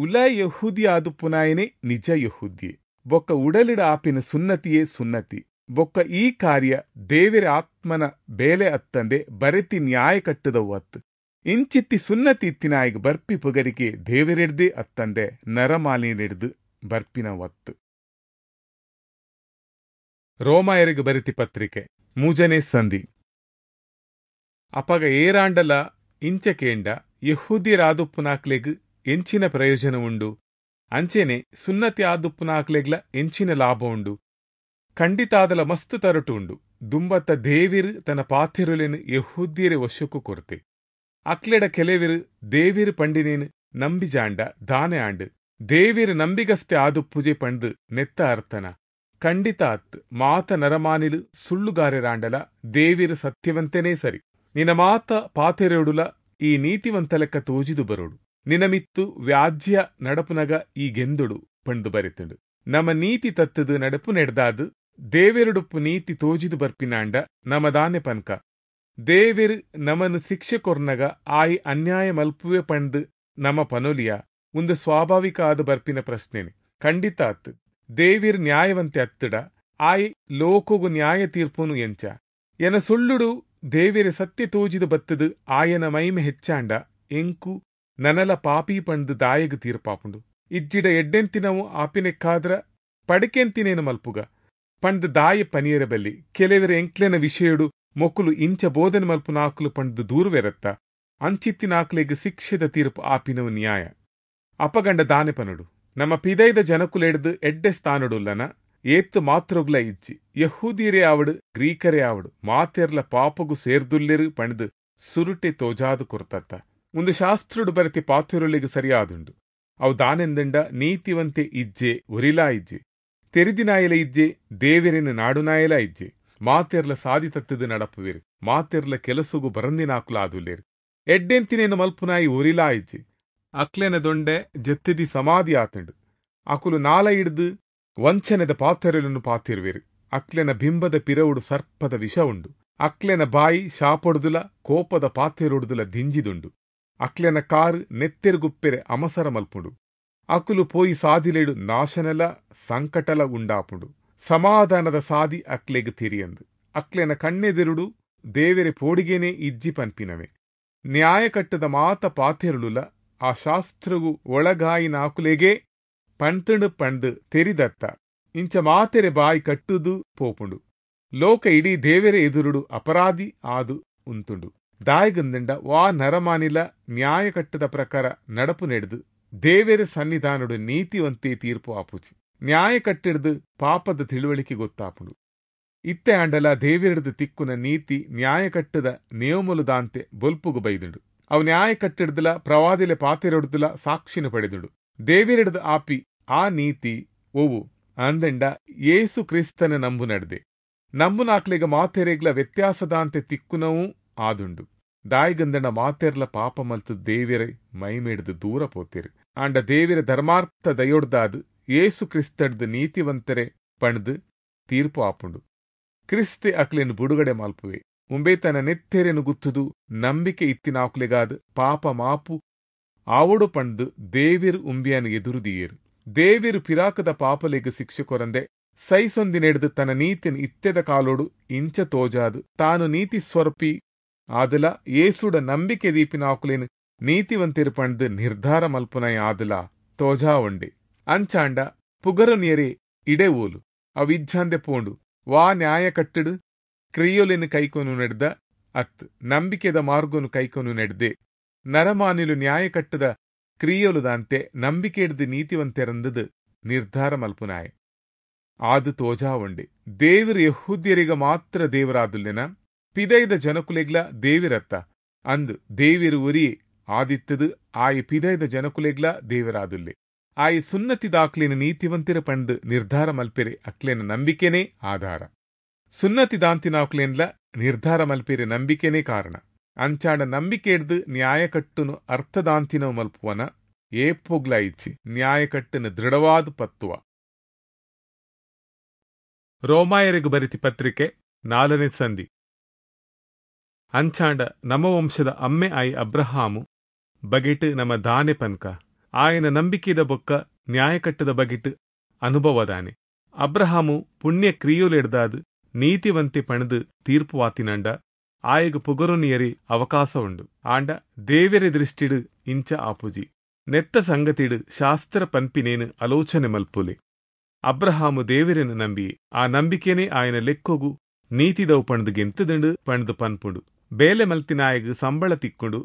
ಉಲ ಯಹೂದಿ ಆದುಪ್ಪುನಾಯನೇ ನಿಜ ಯಹೂದಿಯೇ. ಬೊಕ್ಕ ಉಡಲಿಡ ಆಪಿನ ಸುನ್ನತಿಯೇ ಸುನ್ನತಿ. ಬೊಕ್ಕ ಈ ಕಾರ್ಯ ದೇವರ ಆತ್ಮನ ಬೇಲೆ ಅತ್ತಂದೆ ಬರೆತಿ ನ್ಯಾಯ ಕಟ್ಟದವು ಅತ್ತು. ಇಂಚಿತ್ತಿ ಸುನ್ನತಿ ಇತ್ತಿನಾಯಿಗೆ ಬರ್ಪಿ ಪುಗರಿಕೆ ದೇವರೆಡ್ದೇ ಅತ್ತಂದೆ ನರಮಾಲಿನೆಡ್ದು ಬರ್ಪಿನ ಒತ್ತು. ರೋಮಾಯರಿಗೆ ಬರೆತಿ ಪತ್ರಿಕೆ ಮೂಜನೇ ಸಂಧಿ. ಅಪಗ ಏರಾಂಡಲ ಇಂಚಕೇಂಡ ಯಹೂದ್ಯರಾದುಪ್ಪುನಾಕ್ಲೆಗ್ ಎಂಚಿನ ಪ್ರಯೋಜನ ಉಂಡು, ಅಂಚೆನೆ ಸುನ್ನತಿ ಆದುಪ್ಪುನಾಕ್ಲೆಗ್ಲ ಎಂಚಿನ ಲಾಭ ಉಂಡು? ಖಂಡಿತಾದಲ ಮಸ್ತ್ ತರಟು ಉಂಡು. ದುಂಬತ್ತ ದೇವಿರು ತನ್ನ ಪಾಥೆರುಲೆನು ಯಹೂದ್ಯರೆ ವಶಕ್ಕೂ ಕೊರತೆ. ಅಕ್ಲೆಡ ಕೆಲವಿರು ದೇವಿರು ಪಂಡಿನೇನು ನಂಬಿಜಾಂಡ ದಾನೆ ಆಂಡು ದೇವಿರು ನಂಬಿಗಸ್ತೆ ಆದುಪ್ಪುಜೆ ಪಂಡು ನೆತ್ತ ಅರ್ಥನ ಖಂಡಿತ ಅತ್. ಮಾತ ನರಮಾನಿಲು ಸುಳ್ಳುಗಾರೆರಾಂಡಲ ದೇವಿರು ಸತ್ಯವಂತನೇ ಸರಿ. ನಿನ್ನ ಮಾತ ಪಾತೆರೆಡುಲ ಈ ನೀತಿವಂತಲೆಕ್ಕ ತೋಜಿದು ಬರೋಡು. ನಿನಮಿತ್ತು ವ್ಯಾಜ್ಯ ನಡಪುನಗ ಈ ಗೆಂದುಡು ಪಂಡು ಬರೆತುಂಡು. ನಮ್ಮ ನೀತಿ ತತ್ತದು ನಡಪು ನೆಡ್ದಾದು ದೇವೆರುಡುಪ್ಪು ನೀತಿ ತೋಜಿದು ಬರ್ಪಿನಾಂಡ ನಮದಾನೆ ಪನ್ಕ. ದೇವೆರು ನಮನು ಶಿಕ್ಷೆ ಕೊರ್ನಗ ಆಯಿ ಅನ್ಯಾಯ ಮಲ್ಪುವೆ ಪಂಡು ನಮ ಪನೊಲಿಯ ಒಂದು ಸ್ವಾಭಾವಿಕ ಆದ ಬರ್ಪಿನ ಪ್ರಶ್ನೆನೆ ಖಂಡಿತ ಅತ್ತು. ದೇವಿರ್ ನ್ಯಾಯವಂತೆ ಅತ್ತಡ ಆಯಿ ಲೋಕಗು ನ್ಯಾಯ ತೀರ್ಪುನು ಎಂಚ ಎನ ಸುಳ್ಳುಡು ದೇವಿರ ಸತ್ಯ ತೋಜಿದು ಬತ್ತದು ಆಯನ ಮೈಮೆ ಹೆಚ್ಚಾಂಡ ಎಂಕು ನನಲ ಪಾಪಿ ಪಂಡು ದಾಯಗು ತೀರ್ಪಾಪುಂಡು. ಇಜ್ಜಿಡ ಎಡ್ಡೆಂತಿನವು ಆಪಿನೆಕ್ಕಾದ್ರ ಪಡಿಕೆಂತಿನೇನು ಮಲ್ಪುಗ ಪಂಡು ದಾಯ ಪನಿಯರ ಬಲ್ಲಿ. ಕೆಲವರ ಎಂಕ್ಲೆನ ವಿಷಯಡು ಮೊಕ್ಕುಲು ಇಂಚ ಬೋಧನೆ ಮಲ್ಪು ನಾಕುಲು ಪಂಡು ದೂರವೆರತ್ತ ಅಂಚಿತ್ತಿನಾಕ್ಲೆಗ್ ಶಿಕ್ಷೆದ ತೀರ್ಪು ಆಪಿನವು ನ್ಯಾಯ. ಅಪಗಂಡ ದಾನೆ ಪನುಡು ನಮ್ಮ ಪಿದೈದ ಜನಕುಲೆಡ್ದು ಎಡ್ಡೆ ಸ್ಥಾನಡುಲ್ಲನ ಏತ್ತು ಮಾತ್ರೊಗ್ಲ ಇಜ್ಜಿ. ಯಹೂದಿಯರೇ ಆವಡು ಗ್ರೀಕರೇ ಆವಡು ಮಾತೆರ್ಲ ಪಾಪಗು ಸೇರ್ದುಲ್ಲೆರು ಪಂಡ್ದು ಸುರುಟೆ ತೋಜಾದು ಕೊರ್ತತ್ತ. ಒಂದು ಶಾಸ್ತ್ರುಡು ಬರತಿ ಪಾಥೆರುಲಿಗೆ ಸರಿಯಾದುಂಡು. ಅವು ದಾನೆಂದಂಡ ನೀತಿವಂತೆ ಇಜ್ಜೆ ಒರಿಲಾ ಇಜ್ಜೆ ತೆರಿದಿನಾಯಲ ಇಜ್ಜೆ ದೇವೆರೆನು ನಾಡುನಾಯಲ ಇಜ್ಜೆ. ಮಾತೆರ್ಲ ಸಾದಿ ತತ್ತದು ನಡಪುವಿರು ಮಾತೆರ್ಲ ಕೆಲಸುಗು ಬರಂದಿನಾಕುಲ ಆದುಲ್ಲೇರು. ಎಡ್ಡೆಂತಿನೇನು ಮಲ್ಪುನಾಯಿ ಒರಿಲಾ ಇಜ್ಜೆ. ಅಕ್ಲೆನ ದೊಂಡೆ ಜತ್ತಿದಿ ಸಮಾಧಿ ಆತಂಡು. ಅಕುಲು ನಾಲ ಹಿಡ್ದು ವಂಚನೆದ ಪಾತೆರಲನ್ನು ಪಾತಿರುವಿರು. ಅಕ್ಲೆನ ಬಿಂಬದ ಪಿರವುಡು ಸರ್ಪದ ವಿಷ ಉಂಡು. ಅಕ್ಲೆನ ಬಾಯಿ ಶಾಪೊಡುದುಲ ಕೋಪದ ಪಾತೆರೊಡುದುಲ ದಿಂಜಿದುಂಡು. ಅಕ್ಲೆನ ಕಾರು ನೆತ್ತೆರುಗುಪ್ಪೆರೆ ಅಮಸರ ಮಲ್ಪುಂಡು. ಅಕುಲು ಪೋಯಿ ಸಾದಿಲೆಡು ನಾಶನಲ ಸಂಕಟಲ ಉಂಡಾಪುಂಡು. ಸಮಾಧಾನದ ಸಾದಿ ಅಕ್ಲೆಗ್ ತಿರಿಯಂದು. ಅಕ್ಲೆನ ಕಣ್ಣೆದಿರುಡು ದೇವೆರೆ ಪೋಡಿಗೆನೆ ಇಜ್ಜಿ ಪನ್ಪಿನವೆ. ನ್ಯಾಯಕಟ್ಟದ ಮಾತ ಪಾತೆರುಳುಲ ಆ ಶಾಸ್ತ್ರವು ಒಳಗಾಯಿನಾಕುಲೆಗೆ ಪಂತುಂಡು ಪಂಡು ತೆರಿದತ್ತ. ಇಂಚ ಮಾತೆರೆ ಬಾಯಿ ಕಟ್ಟುದು ಪೋಪುಂಡು. ಲೋಕ ಇಡೀ ದೇವೆರೆ ಎದುರುಡು ಅಪರಾಧಿ ಆದು ಉಂತುಂಡು. ದಾಯಗಂದಂಡ ವಾ ನರಮಾನಿಲ ನ್ಯಾಯಕಟ್ಟದ ಪ್ರಕಾರ ನಡಪು ನೆಡ್ದು ದೇವೆರೆ ಸನ್ನಿಧಾನಡು ನೀತಿವಂತೆ ತೀರ್ಪು ಆಪುಚಿ. ನ್ಯಾಯ ಕಟ್ಟಿಡ್ದು ಪಾಪದ ತಿಳುವಳಿಕೆ ಗೊತ್ತಾಪುಂಡು. ಇತ್ತೆ ಆಂಡಲ ದೇವೆರಡ್ದು ತಿಕ್ಕುನ ನೀತಿ ನ್ಯಾಯಕಟ್ಟದ ನಿಯಮಲು ದಾಂತೆ ಬೊಲ್ಪುಗು ಬೈದುಂಡು. ಅವು ನ್ಯಾಯ ಕಟ್ಟಿಡ್ದಲ ಪ್ರವಾದಿಲೆ ಪಾತೆರೊಡ್ದುಲ ಸಾಕ್ಷಿನ ಪಡೆದುಂಡು. ದೇವೆರಡ್ದು ಆಪಿ ಆ ನೀತಿ ಓವು ಅಂದಂಡ ಯೇಸು ಕ್ರಿಸ್ತನ ನಂಬು ನಡ್ದೆ ನಂಬುನಾಕ್ಲೆಗ ಮಾತೆರೆಗ್ಲ ವ್ಯತ್ಯಾಸದಾಂತೆ ತಿಕ್ಕುನವೂ ಆದುಂಡು. ದಾಯಿಗಂದಣ ಮಾತೆರ್ಲ ಪಾಪ ಮಲ್ತು ದೇವೆರೆ ಮೈಮೇಡ್ದು ದೂರ ಪೋತೇರು. ಆಂಡ ದೇವೆರ ಧರ್ಮಾರ್ಥ ದಯೊಡ್ದಾದು ಯೇಸು ಕ್ರಿಸ್ತಡ್ದು ನೀತಿವಂತರೆ ಪಣ್ದು ತೀರ್ಪು ಆಪುಂಡು. ಕ್ರಿಸ್ತೆ ಅಕ್ಲೆನು ಬುಡುಗಡೆ ಮಲ್ಪುವೆ. ಉಂಬೆ ತನ್ನ ನೆತ್ತೆರೆನು ಗುತ್ತುದು ನಂಬಿಕೆ ಇತ್ತಿನಾಕುಲೆಗಾದ ಪಾಪ ಮಾಪು ಆವಡು ಪಂಡು ದೇವಿರು ಉಂಬಿಯನು ಎದುರುದಿಯೇರು. ದೇವಿರು ಪಿರಾಕದ ಪಾಪಲೆಗ್ ಶಿಕ್ಷೆ ಕೊರಂದೆ ಸೈಸೊಂದಿನೆಡ್ದು ತನ್ನ ನೀತಿನ ಇತ್ತೆದ ಕಾಲೋಡು ಇಂಚ ತೋಜಾದು ತಾನು ನೀತಿ ಸ್ವರ್ಪಿ ಆದಲ ಏಸುಡ ನಂಬಿಕೆ ದೀಪಿನಾಕುಲೇನು ನೀತಿವಂತಿರು ಪಂಡು ನಿರ್ಧಾರ ಮಲ್ಪುನೈ ಆದಲ ತೋಜಾ ಉಂಡೆ. ಅಂಚಾಂಡ ಪುಗರು ಇಡೆ ಓಲು ಅವಿಜ್ಜಾಂದೆ ಪೋಂಡು ವಾ ನ್ಯಾಯ ಕಟ್ಟಡು ಕ್ರಿಯೊಲೆನು ಕೈಕೊನು ನೆಡ್ದ ಅತ್ ನಂಬಿಕೆದ ಮಾರ್ಗೊನು ಕೈಕೊನು ನೆಡ್ದೆ. ನರಮಾನಿಲು ನ್ಯಾಯ ಕಟ್ಟದ ಕ್ರಿಯೊಲುದಾಂತೆ ನಂಬಿಕೆ ಹಿಡ್ದು ನೀತಿವಂತೆರಂದದು ನಿರ್ಧಾರ ಮಲ್ಪುನಾಯೆ ಆದು ತೋಜಾ ಉಂಡೆ. ದೇವರು ಯಹೂದ್ಯರಿಗ ಮಾತ್ರ ದೇವರಾದುಲ್ಲೆನ ಪಿದೈದ ಜನಕುಲೆಗ್ಲ ದೇವಿರತ್ತ ಅಂದ್ ದೇವಿರು ಒರಿಯೆ ಆದಿತ್ತದು ಆಯಿ ಪಿದೈದ ಜನಕುಲೆಗ್ಲ ದೇವರಾದುಲ್ಲೆ. ಆಯಿ ಸುನ್ನತಿದಾಕ್ಲೆನ ನೀತಿವಂತಿರ ಪಂಡ್ ನಿರ್ಧಾರ ಮಲ್ಪೆರೆ ಅಕ್ಲೆನ ನಂಬಿಕೆನೇ ಆಧಾರ. ಸುನ್ನತಿದಾಂತಿನಾಕ್ಲೆನ್ಲ ನಿರ್ಧಾರ ಮಲ್ಪೆರೆ ನಂಬಿಕೆನೇ ಕಾರಣ. ಅಂಚಾಂಡ ನಂಬಿಕೆಡ್ದು ನ್ಯಾಯಕಟ್ಟುನು ಅರ್ಥದಾಂತಿನವು ಮಲ್ಪುವನ ಏಪೊಗ್ಲ ಇಚ್ಚಿ ನ್ಯಾಯಕಟ್ಟುನು ದೃಢವಾದ ಪತ್ತುವ. ರೋಮಾಯರಿಗೆ ಬರಿತಿ ಪತ್ರಿಕೆ ನಾಲ್ಕನೇ ಸಂಧಿ. ಅಂಚಾಂಡ ನಮ ವಂಶದ ಅಮ್ಮೆ ಆಯಿ ಅಬ್ರಹಾಮು ಬಗೆಟ್ ನಮ ದಾನೆ ಪನ್ಕ ಆಯನ ನಂಬಿಕೆದ ಬೊಕ್ಕ ನ್ಯಾಯಕಟ್ಟದ ಬಗೆಟ್ ಅನುಭವದಾನೆ. ಅಬ್ರಹಾಮು ಪುಣ್ಯ ಕ್ರಿಯೊಲೆಡ್ದಾದ್ ನೀತಿವಂತೆ ಪಣದು ತೀರ್ಪುವಾತಿನಂಡ ಆಯಗ್ ಪುಗರುನಿಯರಿ ಅವಕಾಶ ಉಂಡು. ಆಂಡ ದೇವೆರೆ ದೃಷ್ಟಿಡು ಇಂಚ ಆಪುಜಿ. ನೆತ್ತ ಸಂಗತಿಡು ಶಾಸ್ತ್ರ ಪನ್ಪಿನೇನು ಆಲೋಚನೆ ಮಲ್ಪುಲೆ. ಅಬ್ರಹಾಮು ದೇವೆರೆನು ನಂಬಿಯೆ, ಆ ನಂಬಿಕೆನೇ ಆಯನ ಲೆಕ್ಕೊಗು ನೀತಿದವು ಪಣದು ಗೆಂತದುಂಡು ಪಣದು ಪನ್ಪುಂಡು. ಬೇಲೆ ಮಲ್ತಿನಾಯಗ್ ಸಂಬಳ ತಿಕ್ಕೊಂಡು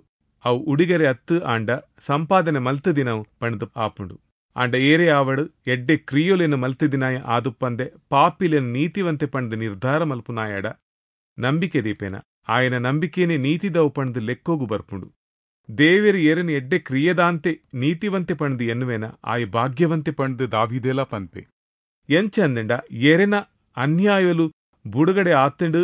ಅವು ಉಡಿಗೆರೆ ಅತ್ತು ಆಂಡ ಸಂಪಾದನೆ ಮಲ್ತದಿನವು ಪಣದು ಆಪುಂಡು. ಆಂಡ ಏರೇ ಆವಡು ಎಡ್ಡೆ ಕ್ರಿಯೊಲೆನ ಮಲ್ತದಿನಾಯ ಆದುಪ್ಪಂದೆ ಪಾಪಿಲೆನ ನೀತಿವಂತೆ ಪಣದು ನಿರ್ಧಾರ ಮಲ್ಪುನಾಯಡ ನಂಬಿಕೆ ದೀಪೇನ ಆಯನ ನಂಬಿಕೆನೇ ನೀತಿದವು ಪಣದು ಲೆಕ್ಕೋಗು ಬರ್ಪುಂಡು. ದೇವೆರು ಏರನು ಎಡ್ಡೆ ಕ್ರಿಯೆದಾಂತೆ ನೀತಿವಂತೆ ಪಣದು ಎನ್ನುವೇನ ಆಯ ಭಾಗ್ಯವಂತೆ ಪಣದು ದಾವಿದೆಲ ಪನ್ಪೆ. ಎಂಚ ಅಂದಂಡ ಎರೆನ ಅನ್ಯಾಯಲು ಬುಡುಗಡೆ ಆತಂಡು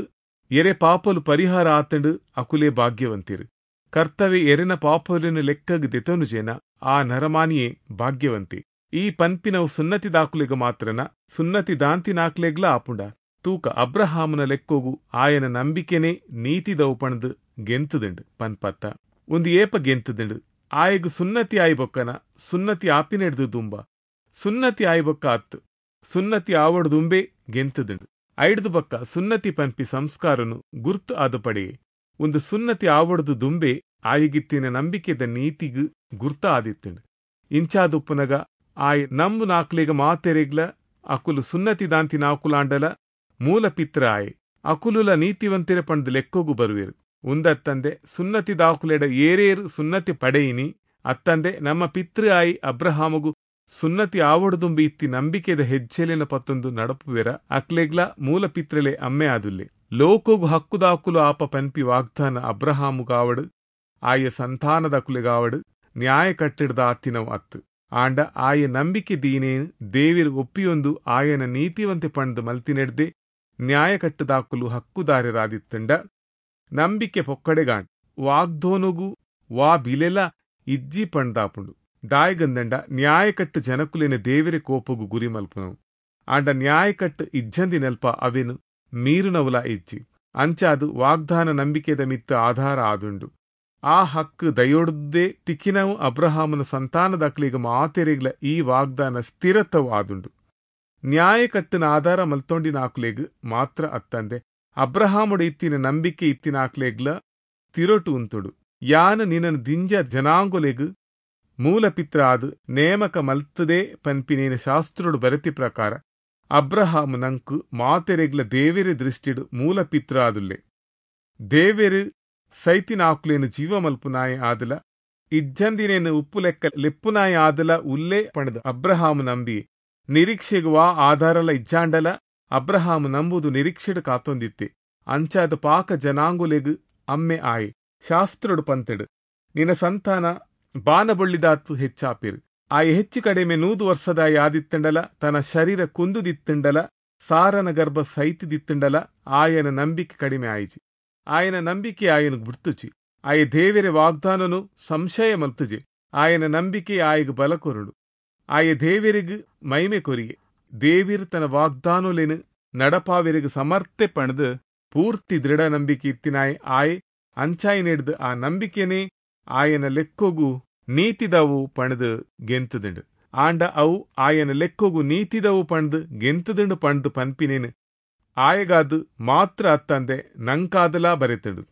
ಎರೆ ಪಾಪಲು ಪರಿಹಾರ ಆತಂಡು ಅಕುಲೇ ಭಾಗ್ಯವಂತಿರು. ಕರ್ತವ್ಯ ಎರೆನ ಪಾಪಲಿನ ಲೆಕ್ಕಗ್ ದೆತನುಜೇನ ಆ ನರಮಾನಿಯೇ ಭಾಗ್ಯವಂತೆ. ಈ ಪನ್ಪಿನವು ಸುನ್ನತಿ ದಾಕುಲೆಗ ಮಾತ್ರನ ಸುನ್ನತಿ ದಾಂತಿನಾಕ್ಲೆಗ್ಲ ಆಪುಂಡ. ತೂಕ ಅಬ್ರಹಾಮನ ಲೆಕ್ಕೋಗು ಆಯನ ನಂಬಿಕೆನೇ ನೀತಿದವು ಪಣದು ಗೆಂತುದುಂಡು ಪನ್ಪತ್ತ. ಒಂದು ಏಪ ಗೆಂತುದುಂಡು ಆಯಗ್ ಸುನ್ನತಿ ಆಯ್ಬೊಕ್ಕನ ಸುನ್ನತಿ ಆಪಿನೆಡ್ದು ದುಂಬ ಸುನ್ನತಿ ಆಯ್ಬೊಕ್ಕ ಅತ್ತು ಸುನ್ನತಿ ಆವಡ್ದುಂಬೆ ಗೆಂತುದುಂಡು. ಐಡ್ದು ಬೊಕ್ಕ ಸುನ್ನತಿ ಪನ್ಪಿ ಸಂಸ್ಕಾರನು ಗುರ್ತು ಆದ ಪಡೆಯೆ. ಒಂದು ಸುನ್ನತಿ ಆವಡ್ದು ದುಂಬೆ ಆಯಿಗಿತ್ತಿನ ನಂಬಿಕೆದ ನೀತಿಗು ಗುರ್ತ ಆದಿತ್ತುಂಡು. ಇಂಚಾದುಪ್ಪುನಗ ಆಯ್ ನಂಬು ನಾಕ್ಲೆಗ ಮಾತೆರೆಗ್ಲ ಅಕುಲು ಸುನ್ನತಿ ದಾಂತಿ ನಾಕುಲಾಂಡಲ ಮೂಲ ಪಿತ್ರ ಆಯೆ ಅಕುಲುಲ ನೀತಿವಂತಿರ ಪಂಡ್ ಲೆಕ್ಕೋಗು ಬರುವೆರು. ಉಂದತ್ತಂದೆ ಸುನ್ನತಿ ದಾಕುಲೆಡ ಏರೇರು ಸುನ್ನತಿ ಪಡೆಯಿನಿ ಅತ್ತಂದೆ ನಮ್ಮ ಪಿತೃ ಆಯಿ ಅಬ್ರಹಾಮಗು ಸುನ್ನತಿ ಆವಡ್ದುಂಬಿ ಇತ್ತಿ ನಂಬಿಕೆದ ಹೆಜ್ಜೆಲಿನ ಪತ್ತೊಂದು ನಡಪುವೆರ ಅಕ್ಲೆಗ್ಲ ಮೂಲ ಪಿತ್ರಲೆ ಅಮ್ಮೆ ಆದುಲ್ಲೆ. ಲೋಕೋಗು ಹಕ್ಕುದಾಕುಲು ಆಪ ಪನ್ಪಿ ವಾಗ್ದಾನ ಅಬ್ರಹಾಮುಗಾವಡು ಆಯ ಸಂತಾನದಕುಲೆಗಾವಡು ನ್ಯಾಯ ಕಟ್ಟಿಡ್ದ ಆತಿನವು ಅತ್ತು. ಆಂಡ ಆಯ ನಂಬಿಕೆ ದೀನೇನು ದೇವಿರು ಒಪ್ಪಿಯೊಂದು ಆಯನ ನೀತಿವಂತೆ ಪಂಡ್ ಮಲ್ತಿನೆಡ್ದೆ ನ್ಯಾಯ ಕಟ್ಟುದಾಕುಲು ಹಕ್ಕುದಾರರಾದಿತ್ತಂಡ ನಂಬಿಕೆ ಪೊಕ್ಕಡೆಗಾಂಡ್ ವಾಗ್ದೋನುಗು ವಾ ಬಿಲೆಲ ಇಜ್ಜಿ ಪಂಡ್ದಾಪುಂಡು. ದಾಯಗಂದಂಡ ನ್ಯಾಯಕಟ್ಟು ಜನಕುಲೆನ ದೇವಿರೆ ಕೋಪಗು ಗುರಿ ಮಲ್ಪುನವು. ಆಂಡ ನ್ಯಾಯಕಟ್ಟು ಇಜ್ಜಂದಿನಲ್ಪ ಅವೆನು ಮೀರುನವುಲ ಇಜ್ಜಿ. ಅಂಚಾದು ವಾಗ್ದಾನ ನಂಬಿಕೆದ ಮಿತ್ತ ಆಧಾರ ಆದುಂಡು. ಆ ಹಕ್ಕು ದಯೋಡ್ದೇ ತಿಕ್ಕಿನವು ಅಬ್ರಹಾಮನ ಸಂತಾನದಕ್ಲಿಗ ಮಾತೆರೆಗ್ಲ ಈ ವಾಗ್ದಾನ ಸ್ಥಿರತ್ವವು ಆದುಂಡು. ನ್ಯಾಯಕಟ್ಟಿನ ಆಧಾರ ಮಲ್ತೊಂಡಿನಾಕ್ಲೆಗ್ ಮಾತ್ರ ಅತ್ತಂದೆ ಅಬ್ರಹಾಮುಡು ಇತ್ತಿನ ನಂಬಿಕೆ ಇತ್ತಿನಾಕ್ಲೆಗ್ಲ ತಿರೊಟು ಉಂತುಡು. ಯಾನ ನಿನ್ನ ದಿಂಜ ಜನಾಂಗೊಲೆಗ್ ಮೂಲ ಪಿತ್ರ ಆದ್ ನೇಮಕ ಮಲ್ತದೆ ಪನ್ಪಿನೇನ ಶಾಸ್ತ್ರೋಡು ಬರತಿ ಪ್ರಕಾರ ಅಬ್ರಹಾಮು ನಂಕು ಮಾತೆರೆಗ್ಲ ದೇವೆರೆ ದೃಷ್ಟಿಡು ಮೂಲ ಪಿತ್ರ ಆದುಲ್ಲೆ. ದೇವೆರು ಸೈತಿನಾಕುಲೇನು ಜೀವ ಮಲ್ಪುನಾಯ ಆದಲ ಇಜ್ಜಂದಿನೇನು ಉಪ್ಪು ಲೆಕ್ಕ ಲೆಪ್ಪುನಾಯ ಆದಲ ಉಲ್ಲೇ ಪಣದ ಅಬ್ರಹಾಮು ನಂಬಿ. ನಿರೀಕ್ಷೆಗೂ ವಾ ಆಧಾರಲ ಇಜ್ಜಾಂಡಲ ಅಬ್ರಹಾಮು ನಂಬುದು ನಿರೀಕ್ಷೆಡು ಕಾತೊಂದಿತ್ತೆ. ಅಂಚಾದ ಪಾಕ ಜನಾಂಗುಲೆಗ್ ಅಮ್ಮೆ ಆಯೆ. ಶಾಸ್ತ್ರಡು ಪಂತೆಡು ನಿನ್ನ ಸಂತಾನ ಬಾನಬೊಳ್ಳಿದಾತು ಹೆಚ್ಚಾಪಿರು. ಆಯೆ ಹೆಚ್ಚು ಕಡಿಮೆ ನೂದು ವರ್ಷದ ಯಾದಿತ್ತಂಡಲ ತನ್ನ ಶರೀರ ಕುಂದುದಿತ್ತಂಡಲ ಸಾರನ ಗರ್ಭ ಸೈತಿದಿತ್ತಂಡಲ ಆಯನ ನಂಬಿಕೆ ಕಡಿಮೆ ಆಯಿಜಿ. ಆಯನ ನಂಬಿಕೆ ಆಯನ ಗುರ್ತುಚಿ. ಆಯ ದೇವೆರೆ ವಾಗ್ದಾನನು ಸಂಶಯ ಮಲ್ತುಜೆ. ಆಯನ ನಂಬಿಕೆ ಆಯಗ್ ಬಲ ಕೊರುಡು. ಆಯ ದೇವೆರಿಗ್ ಮೈಮೆ ಕೊರಿಯೆ. ದೇವಿರ್ ತನ್ನ ವಾಗ್ದಾನೊಲೆನು ನಡಪಾವೆರಿಗ್ ಸಮರ್ಥೆ ಪಣದು ಪೂರ್ತಿ ದೃಢ ನಂಬಿಕೆ ಇತ್ತಿನಾಯ ಆಯೆ ಅಂಚಾಯಿನೆಡ್ದು ಆ ನಂಬಿಕೆನೇ ಆಯನ ಲೆಕ್ಕೊಗು ನೀತಿದವು ಪಣದು ಗೆಂತುದುಂಡು. ಆಂಡ ಅವು ಆಯನ ಲೆಕ್ಕೊಗು ನೀತಿದವು ಪಣದು ಗೆಂತುದುಂಡು ಪಣದು ಪನ್ಪಿನೇನು ಆಯಗಾದು ಮಾತ್ರ ಅತ್ತಂದೆ ನಂಕಾದಲಾ ಬರೆತುಂಡು.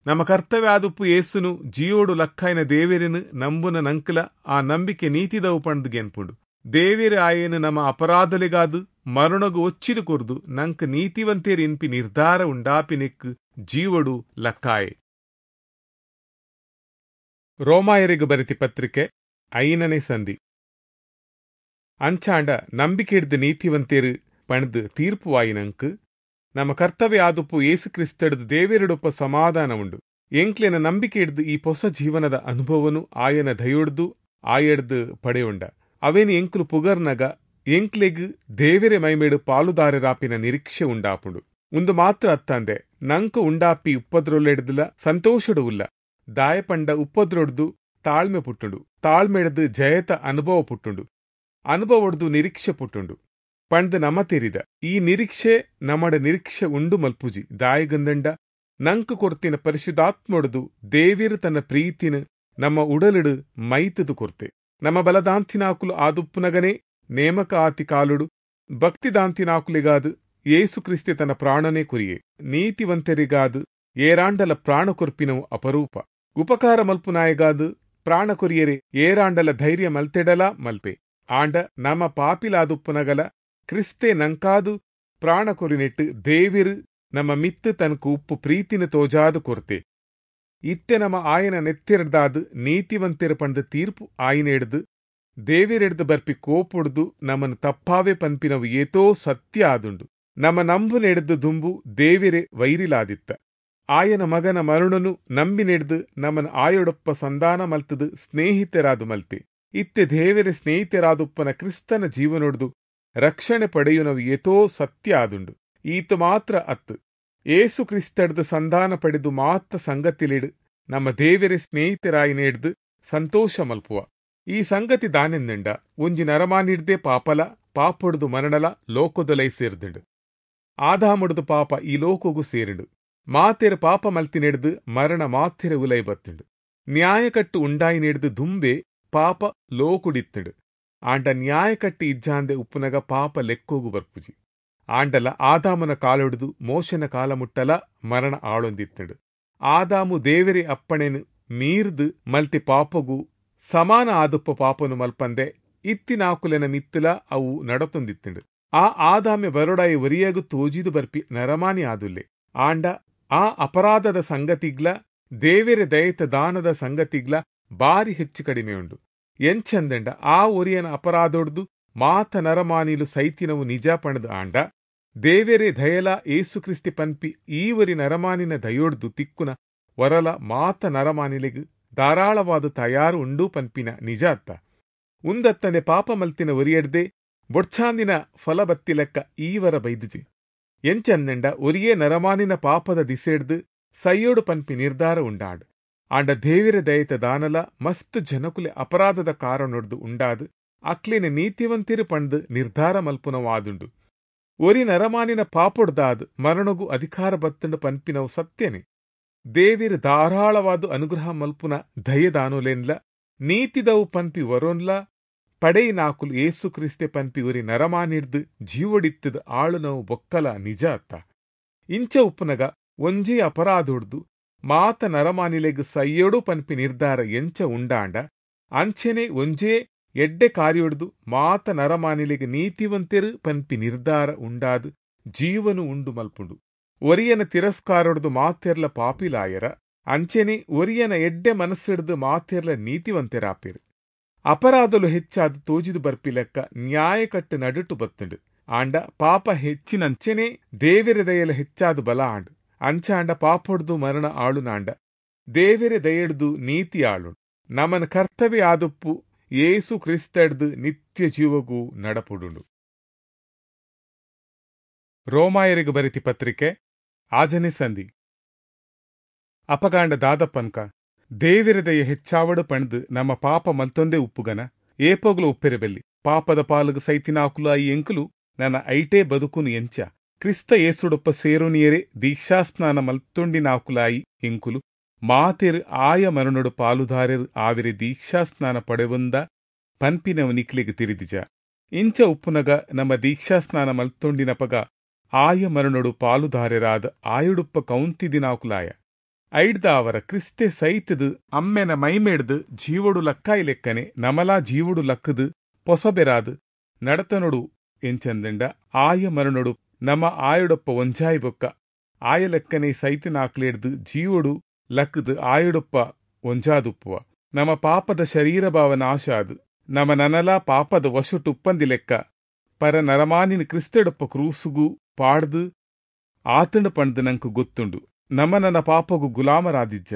ನಮ್ಮ ಕರ್ತವ್ಯ ಆದುಪ್ಪು ಯೇಸುನು ಜಿಯೋಡು ಲಕ್ಕಾಯನ ದೇವೆರೆನು ನಂಬುನ ನಂಕಲ ಆ ನಂಬಿಕೆ ನೀತಿದವು ಪಣದು ಗೆನ್ಪುಂಡು. ದೇವೆರು ಆಯನು ನಮ್ಮ ಅಪರಾಧಲೆಗಾದು ಮರಣಗು ಒಚ್ಚಿದು ಕೊರ್ದು ನಂಕ್ ನೀತಿವಂತೇರು ಇನ್ಪಿ ನಿರ್ಧಾರ ಉಂಡಾಪಿನೆಕ್ ಜೀವಡು ಲಕ್ಕಾಯೆ. ರೋಮಾಯರಿಗೆ ಬರೆತಿ ಪತ್ರಿಕೆ ಐನನೇ ಸಂಧಿ. ಅಂಚಾಂಡ ನಂಬಿಕೆ ಹಿಡ್ದು ನೀತಿವಂತೇರು ಪಣದು ತೀರ್ಪುವಾಯಿನಂಕ್ ನಮ್ಮ ಕರ್ತವ್ಯ ಆದುಪ್ಪು ಯೇಸು ಕ್ರಿಸ್ತಡ್ದು ದೇವೆರಡೊಪ್ಪ ಸಮಾಧಾನ ಉಂಡು. ಎಂಕ್ಲೆನ ನಂಬಿಕೆ ಹಿಡ್ದು ಈ ಹೊಸ ಜೀವನದ ಅನುಭವನು ಆಯನ ದಯೊಡ್ದು ಆಯಡ್ದು ಪಡೆಯುಂಡ. ಅವೇನು ಎಂಕ್ಲು ಪುಗರ್ನಗ ಎಂಕ್ಲೆಗ್ ದೇವೆರೆ ಮೈಮೇಡು ಪಾಲುದಾರರಾಪಿನ ನಿರೀಕ್ಷೆ ಉಂಡಾಪುಂಡು. ಉಂದು ಮಾತ್ರ ಅತ್ತಂದೆ ನಂಕು ಉಂಡಾಪಿ ಉಪ್ಪದ್ರೊಲ್ಲೆಡ್ದುಲ ಸಂತೋಷಡು ಉಲ್ಲ. ದಾಯಪಂಡ ಉಪ್ಪದ್ರೊಡ್ದು ತಾಳ್ಮೆ ಪುಟ್ಟುಂಡು, ತಾಳ್ಮೆಡ್ದು ಜಯತ ಅನುಭವ ಪುಟ್ಟುಂಡು, ಅನುಭವಡ್ದು ನಿರೀಕ್ಷೆ ಪುಟ್ಟುಂಡು ಪಂಡ್ ನಮ ತೆರಿದ. ಈ ನಿರೀಕ್ಷೆ ನಮಡ ನಿರೀಕ್ಷೆ ಉಂಡು ಮಲ್ಪುಜಿ. ದಾಯಗಂದಂಡ ನಂಕು ಕೊರ್ತಿನ ಪರಿಶುದ್ಧಾತ್ಮೊಡ್ದು ದೇವಿರು ತನ್ನ ಪ್ರೀತಿನ ನಮ್ಮ ಉಡಲಿಡು ಮೈತದು ಕೊರ್ತೆ. ನಮ್ಮ ಬಲದಾಂತಿನಾಕುಲು ಆದುಪ್ಪುನಗನೇ ನೇಮಕ ಆತಿ ಕಾಲುಡು ಭಕ್ತಿದಾಂತಿನಾಕುಲಿಗಾದು ಯೇಸು ಕ್ರಿಸ್ತೆ ತನ್ನ ಪ್ರಾಣನೇ ಕುರಿಯೆ. ನೀತಿವಂತರಿಗಾದು ಏರಾಂಡಲ ಪ್ರಾಣ ಕೊರ್ಪಿನವು ಅಪರೂಪ. ಉಪಕಾರ ಮಲ್ಪುನಾಯಗಾದು ಪ್ರಾಣ ಕೊರಿಯರೆ ಏರಾಂಡಲ ಧೈರ್ಯ ಮಲ್ತೆಡಲ ಮಲ್ಪೆ. ಆಂಡ ನಮ ಪಾಪಿಲಾದುಪ್ಪುನಗಲ ಕ್ರಿಸ್ತೆ ನಂಕಾದು ಪ್ರಾಣ ಕೊರಿನೆಟ್ಟು ದೇವಿರು ನಮ್ಮ ಮಿತ್ತು ತನಕು ಉಪ್ಪು ಪ್ರೀತಿನ ತೋಜಾದು ಕೊರ್ತೆ. ಇತ್ತೆ ನಮ್ಮ ಆಯನ ನೆತ್ತಿರದಾದು ನೀತಿವಂತೆರ ಪಂಡ ತೀರ್ಪು ಆಯನ ಹಿಡ್ದು ದೇವಿರೆಡ್ದು ಬರ್ಪಿ ಕೋಪುಡ್ದು ನಮ್ಮನ್ನು ತಪ್ಪಾವೆ ಪನ್ಪಿನವು ಏತೋ ಸತ್ಯ ಆದುಂಡು. ನಮ್ಮ ನಂಬು ನೆಡ್ದು ದುಂಬು ದೇವಿರೆ ವೈರಿಲಾದಿತ್ತ. ಆಯನ ಮಗನ ಮರುಣನು ನಂಬಿ ನೆಡ್ದು ನಮ್ಮನ ಆಯೊಡೊಪ್ಪ ಸಂಧಾನ ಮಲ್ತದು ಸ್ನೇಹಿತರಾದು ಮಲ್ತೆ. ಇತ್ತೆ ದೇವಿರೆ ಸ್ನೇಹಿತರಾದುಪ್ಪನ ಕ್ರಿಸ್ತನ ಜೀವನೊಡ್ದು ರಕ್ಷಣೆ ಪಡೆಯುನವು ಏತೋ ಸತ್ಯ ಆದುಂಡು. ಈತ ಮಾತ್ರ ಅತ್ತು ಏಸು ಕ್ರಿಸ್ತಡ್ದು ಸಂಧಾನ ಪಡೆದು ಮಾತ್ರ ಸಂಗತಿಲಿಡು ನಮ್ಮ ದೇವರೆ ಸ್ನೇಹಿತರಾಯಿನೇಡ್ದು ಸಂತೋಷ ಮಲ್ಪುವ. ಈ ಸಂಗತಿ ದಾನೆಂದಂಡ ಒಂಜಿ ನರಮಾನಿಡ್ದೆ ಪಾಪಲ ಪಾಪೊಡ್ದು ಮರಣಲ ಲೋಕದೊಲೈ ಸೇರ್ದುಂಡು. ಆದಾಮುಡ್ದು ಪಾಪ ಈ ಲೋಕಗೂ ಸೇರಿಂಡು. ಮಾತೆರ ಪಾಪ ಮಲ್ತಿನೆಡ್ದು ಮರಣ ಮಾತೆರ ಉಲೈ ಬತ್ತುಂಡು. ನ್ಯಾಯಕಟ್ಟು ಉಂಡಾಯಿನೆಡ್ದು ದುಂಬೆ ಪಾಪ ಲೋಕುಡಿತ್ತುಂಡು. ಆಂಡ ನ್ಯಾಯಕಟ್ಟು ಇಜ್ಜಾಂದೆ ಉಪ್ಪುನಗ ಪಾಪ ಲೆಕ್ಕೋಗು ಬರ್ಪುಜಿ. ಆಂಡಲ ಆದಾಮನ ಕಾಲೊಡ್ದು ಮೋಶನ ಕಾಲ ಮುಟ್ಟಲ ಮರಣ ಆಳೊಂದಿತ್ತುಂಡು. ಆದಾಮು ದೇವರೆ ಅಪ್ಪಣೆನು ಮೀರ್ದು ಮಲ್ತಿ ಪಾಪಗು ಸಮಾನ ಆದುಪ್ಪ ಪಾಪನು ಮಲ್ಪಂದೆ ಇತ್ತಿನಾಕುಲೆನ ಮಿತ್ತಲ ಅವು ನಡತೊಂದಿತ್ತುಂಡು. ಆ ಆದಾಮೆ ಬರೋಡಾಯಿ ಒರಿಯಗು ತೋಜಿದು ಬರ್ಪಿ ನರಮಾನಿ ಆದುಲ್ಲೆ. ಆಂಡ ಆ ಅಪರಾಧದ ಸಂಗತಿಗ್ಲ ದೇವೆರೆ ದಯತ ದಾನದ ಸಂಗತಿಗ್ಲ ಬಾರಿ ಹೆಚ್ಚು ಕಡಿಮೆ ಉಂಡು. ಎಂಚಂದಂಡ ಆ ಒರಿಯನ ಅಪರಾಧೊಡ್ದು ಮಾತ ನರಮಾನಿಲು ಸೈತಿನವು ನಿಜ ಪಣದು ಆಂಡ ದೇವೆರೆ ದಯಲ ಏಸು ಕ್ರಿಸ್ತಿ ಪನ್ಪಿ ಈವರಿ ನರಮಾನಿನ ದಯೊಡ್ದು ತಿಕ್ಕುನ ವರಲ ಮಾತ ನರಮಾನಿಲೆಗ್ ಧಾರಾಳವಾದ ತಯಾರು ಉಂಡು ಪನ್ಪಿನ ನಿಜ ಅತ್ತ. ಉಂದತ್ತನೆ ಪಾಪ ಮಲ್ತಿನ ಒರಿಯಡ್ದೆ ಬೊಡ್ಚಾಂದಿನ ಫಲ ಬತ್ತಿಲೆಕ್ಕ ಈವರ ಬೈದುಜಿ. ಎಂಚಂದಂಡ ಒರಿಯೇ ನರಮಾನಿನ ಪಾಪದ ದಿಸೆಡ್ದು ಸೈಯೋಡು ಪನ್ಪಿ ನಿರ್ಧಾರ ಉಂಡಾಡ್. ಆಂಡ ದೇವಿರ ದಯತ ದಾನಲ ಮಸ್ತ್ ಜನಕುಲೆ ಅಪರಾಧದ ಕಾರಣೊಡ್ದು ಉಂಡಾದು ಅಕ್ಲಿನ ನೀತಿವಂತಿರು ಪಂಡ್ ನಿರ್ಧಾರ ಮಲ್ಪುನವಾದುಂಡು. ಒರಿ ನರಮಾನಿನ ಪಾಪೊಡ್ದಾದ್ ಮರಣಗು ಅಧಿಕಾರ ಬತ್ತಂಡು ಪನ್ಪಿನವು ಸತ್ಯನೆ. ದೇವಿರ ಧಾರಾಳವಾದ ಅನುಗ್ರಹ ಮಲ್ಪುನ ದಯದಾನುಲೆನ್ಲ ನೀತಿದವು ಪನ್ಪಿ ವರೋನ್ಲ ಪಡೆಯಿನಾಕುಲು ಏಸು ಕ್ರಿಸ್ತೆ ಪನ್ಪಿ ಒರಿ ನರಮಾನಿಡ್ದು ಜೀವಡಿತ್ತದ ಆಳುನವು ಬೊಕ್ಕಲ ನಿಜ ಅತ್ತ. ಇಂಚ ಉಪ್ಪುನಗ ಒಂಜಿ ಅಪರಾಧೊಡ್ದು ಮಾತ ನರಮಾನಿಲೆಗ್ ಸೈಯೋಡು ಪನ್ಪಿ ನಿರ್ಧಾರ ಎಂಚ ಉಂಡಾಂಡ ಅಂಚೆನೆ ಒಂಜೇ ಎಡ್ಡೆ ಕಾರ್ಯೊಡ್ದು ಮಾತ ನರಮಾನಿಲೆಗ್ ನೀತಿವಂತೆರು ಪನ್ಪಿ ನಿರ್ಧಾರ ಉಂಡಾದು ಜೀವನು ಉಂಡು ಮಲ್ಪುಂಡು. ಒರಿಯನ ತಿರಸ್ಕಾರೊಡ್ದು ಮಾತೆರ್ಲ ಪಾಪಿಲಾಯರ ಅಂಚೆನೆ ಒರಿಯನ ಎಡ್ಡೆ ಮನಸ್ಸಿಡ್ದು ಮಾತೆರ್ಲ ನೀತಿವಂತೆರಾಪಿರು. ಅಪರಾಧಲು ಹೆಚ್ಚಾದ ತೋಜಿದು ಬರ್ಪಿಲೆಕ್ಕ ನ್ಯಾಯಕಟ್ಟು ನಡುಟು ಬತ್ತುಂಡು. ಆಂಡ ಪಾಪ ಹೆಚ್ಚಿನಂಚೆನೆ ದೇವೆರೆ ದಯಲ ಹೆಚ್ಚಾದ ಬಲ ಆಂಡು. ಅಂಚಾಂಡ ಪಾಪೊಡ್ದು ಮರಣ ಆಳುನಾಂಡ ದೇವೆರೆ ದಯಡ್ದು ನೀತಿ ಆಳುಂಡು. ನಮನ ಕರ್ತವ್ಯ ಆದುಪ್ಪು ಯೇಸು ಕ್ರಿಸ್ತಡ್ದು ನಿತ್ಯ ಜೀವಗೂ ನಡಪುಡುಂಡು. ರೋಮಾಯರಿಗೆ ಬರಿತಿ ಪತ್ರಿಕೆ ಆಜನೆ ಸಂಧಿ. ಅಪಗಾಂಡ ದಾದಪ್ಪನ್ಕ ದೇವಿರದಯ ಹೆಚ್ಚಾವಡು ಪಣ್ದು ನಮ್ಮ ಪಾಪ ಮಲ್ತೊಂದೇ ಉಪ್ಪುಗನ ಏಪೋಗ್ಲು ಉಪ್ಪಿರಬೆಲ್ಲಿ ಪಾಪದ ಪಾಲುಗು ಸೈತಿನಾಕುಲು I ಎಂಕುಲು ನನ್ನ ಐಟೇ ಬದುಕುನು ಎಂಚ ಕ್ರಿಸ್ತ ಏಸುಡೊಪ್ಪ ಸೇರುನಿಯರೆ ದೀಕ್ಷಾಸ್ನಾನ ಮಲ್ತೊಂಡಿನಾಕುಲಾಯಿ ಎಂಕುಲು ಮಾತೆರು ಆಯ ಮರಣೊಡು ಪಾಲುದಾರರು ಆವಿರೆ ದೀಕ್ಷಾಸ್ನಾನ ಪಡೆವಂದ ಪನ್ಪಿನವು ನಿಕ್ಲೆಗ್ ತಿರಿದಿಜ. ಇಂಚ ಉಪ್ಪುನಗ ನಮ್ಮ ದೀಕ್ಷಾಸ್ನಾನ ಮಲ್ತೊಂಡಿನಪಗ ಆಯ ಮರಣೊಡು ಪಾಲುದಾರರಾದ ಆಯುಡುಪ್ಪ ಕೌಂತಿದಿನಾಕುಲಾಯ ಐಡ್ದ ಅವರ ಕ್ರಿಸ್ತೆ ಸೈತದು ಅಮ್ಮೆನ ಮೈಮೇಡ್ದು ಜೀವೊಡು ಲಕ್ಕಾಯಿ ಲೆಕ್ಕನೆ ನಮಲಾ ಜೀವೊಡು ಲಕ್ಕದು ಪೊಸಬೆರಾದು ನಡತನೊಡು ಎಂಚಂದಂಡ ಆಯ ಮರಣೊಡು ನಮ ಆಯುಡೊಪ್ಪ ಒಂಜಾಯಿ ಬೊಕ್ಕ ಆಯ ಲೆಕ್ಕನೆ ಸೈತಿನಾಕ್ಲೇಡ್ದು ಜೀವೊಡು ಲಕ್ಕದು ಆಯುಡೊಪ್ಪ ಒಂಜಾದುಪ್ಪುವ. ನಮ ಪಾಪದ ಶರೀರ ಭಾವ ನಾಶ ಅದು ನಮ ನನಲ ಪಾಪದ ವಶುಟುಪ್ಪಂದಿ ಲೆಕ್ಕ ಪರ ನರಮಾನಿನ ಕ್ರಿಸ್ತೆಡೊಪ್ಪ ಕ್ರೂಸುಗು ಪಾಡ್ದು ಆತಂಡು ಪಂಡ್ದ್ ನಂಕ್ ಗೊತ್ತುಂಡು. ನಮ ನನ ಪಾಪಗು ಗುಲಾಮರಾದಿಜ್ಜ,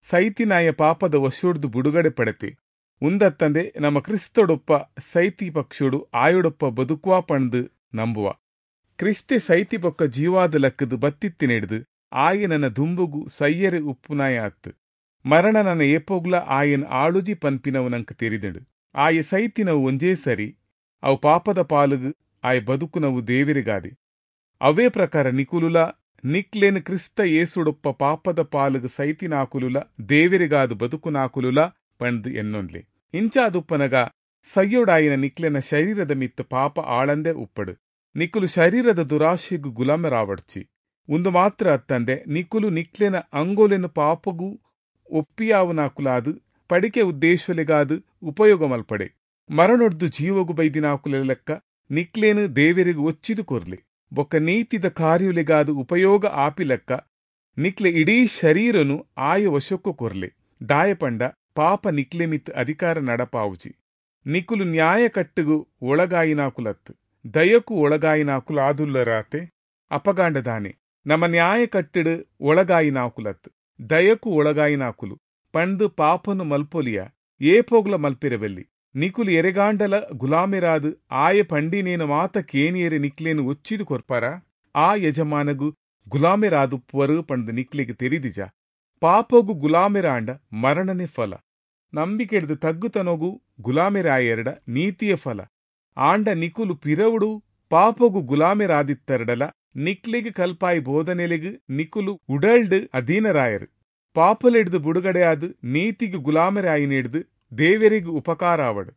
ಸೈತಿನಾಯ ಪಾಪದ ವಶೊಡ್ದು ಬುಡುಗಡೆ ಪಡೆತೆ. ಉಂದತ್ತಂದೆ ನಮ ಕ್ರಿಸ್ತಡೊಪ್ಪ ಸೈತಿ ಪಕ್ಷೊಡು ಆಯೊಡೊಪ್ಪ ಬದುಕುವ ಪಂಡ್ದ್ ನಂಬುವ. ಕ್ರಿಸ್ತೆ ಸೈತಿ ಬೊಕ್ಕ ಜೀವಾದ ಲಕ್ಕದ್ ಬತ್ತಿತ್ತಿನೆಡ್ದ್ ಆಯೆ ನನ ದುಂಬುಗು ಸೈಯೆರೆ ಉಪ್ಪುನಾಯ ಅತ್ತ್. ಮರಣ ನನ ಏಪೊಗ್ಲಾ ಆಯನ್ ಆಳುಜಿ ಪನ್ಪಿನವು ನಂಕ್ ತೆರಿದ್ಂಡ್. ಆಯೆ ಸೈತಿನವು ಒಂಜೇ ಸರಿ, ಅವು ಪಾಪದ ಪಾಲ್ಗ್, ಆಯೆ ಬದುಕುನವು ದೇವೆರೆಗಾದೆ. ಅವ್ವೇ ಪ್ರಕಾರ ನಿಕುಲುಲಾ ನಿಕ್ಲೆನ್ ಕ್ರಿಸ್ತ ಯೇಸುಡೊಪ್ಪ ಪಾಪದ ಪಾಲ್ಗ್ ಸೈತಿನಾಕುಲುಲಾ ದೇವೆರೆಗಾದ್ ಬದುಕುನಾಕುಲುಲಾ ಪಂಡ್ದ್ ಎನ್ನೊನ್ಲೆ. ಇಂಚಾದುಪ್ಪುನಗ ಸೈಯೊಡಾಯಿನ ನಿಕ್ಲೆನ ಶರೀರದ ಮಿತ್ತ್ ಪಾಪ ಆಳಂದೆ ಉಪ್ಪಡ್. ನಿಕುಲು ಶರೀರದ ದುರಾಶೆಗ್ ಗುಲಾಮೆರಾವೊಡ್ಚಿ. ಉಂದು ಮಾತ್ರ ಅತ್ತಂದೆ ನಿಕುಲು ನಿಕ್ಲೆನ ಅಂಗೊಲೆನ್ ಪಾಪೊಗು ಒಪ್ಪಿಯಾವುನಾಕುಲಾದ್ ಪಡಿಕೆ ಉದ್ದೇಶೊಲೆಗಾದ್ ಉಪಯೋಗ ಮಲ್ಪಡೆ. ಮರಣೊಡ್ದು ಜೀವೊಗು ಬೈದಿನಾಕುಲೆ ಲೆಕ್ಕ ನಿಕ್ಲೆನ್ ದೇವೆರೆಗ್ ಒಚ್ಚಿದ್ ಕೊರ್ಲೆ. ಬೊಕ್ಕ ನೀತಿದ ಕಾರ್ಯೊಲೆಗಾದ್ ಉಪಯೋಗ ಆಪಿಲೆಕ್ಕ ನಿಕ್ಲೆ ಇಡೀ ಶರೀರೊನು ಆಯ ವಶೊಕ್ಕು ಕೊರ್ಲೆ. ದಾಯೆ ಪಂಡ ಪಾಪ ನಿಕ್ಲೆ ಮಿತ್ತ್ ಅಧಿಕಾರ ನಡಪಾವುಜಿ. ನಿಕುಲು ನ್ಯಾಯಕಟ್ಟ್ಗ್ ಒಳಗಾಯಿನಾಕುಲತ್ತ್, ದಯೊಕು ಒಳಗಾಯಿನಾಕುಲು ಆದುಲ್ಲರಾತೆ. ಅಪಗಾಂಡ ದಾನೆ? ನಮ ನ್ಯಾಯಕಟ್ಟ್ಡ್ ಒಳಗಾಯಿನಾಕುಲತ್ತ್, ದಯೊಕು ಒಳಗಾಯಿನಾಕುಲು ಪಂಡ್ದ್ ಪಾಪೊನು ಮಲ್ಪೊಲಿಯಾ? ಏಪೊಗ್ಲ ಮಲ್ಪೆರೆ ಬಲ್ಲಿ. ನಿಕುಲು ಎರೆಗಾಂಡಲ ಗುಲಾಮೆರಾದ್ ಆಯೆ ಪಂಡಿನೇನ್ ಮಾತ ಕೇನಿಯೆರೆ ನಿಕ್ಲೆನ್ ಒಚ್ಚಿದ್ ಕೊರ್ಪರಾ? ಆ ಯಜಮಾನಗ್ ಗುಲಾಮೆರಾದುಪ್ಪುವರ್ ಪಂಡ್ದ್ ನಿಕ್ಲೆಗ್ ತೆರಿದಿಜಾ? ಪಾಪೊಗು ಗುಲಾಮೆರಾಂಡ ಮರಣನೇ ಫಲ. ನಂಬಿಕೆಡ್ದ್ ತಗ್ಗುತನೊಗು ಗುಲಾಮೆರಾಯರ್ಡ ನೀತಿಯೇ ಫಲ. ಆಂಡ ನಿಕುಲು ಪಿರವುಡು ಪಾಪೊಗು ಗುಲಾಮೆರಾದಿತ್ತರ್ಡಲಾ ನಿಕ್ಲೆಗ್ ಕಲ್ಪಾಯಿ ಬೋಧನೆಲೆಗ್ ನಿಕುಲು ಉಡಲ್ಡ್ ಅಧೀನರಾಯರ್. ಪಾಪೊಲೆಡ್ದ್ ಬುಡುಗಡೆ ಆದ್ ನೀತಿಗ್ ಗುಲಾಮೆರಾಯಿನೆಡ್ದ್ ದೇವೆರೆಗ್ ಉಪಕಾರ ಆವಡ್.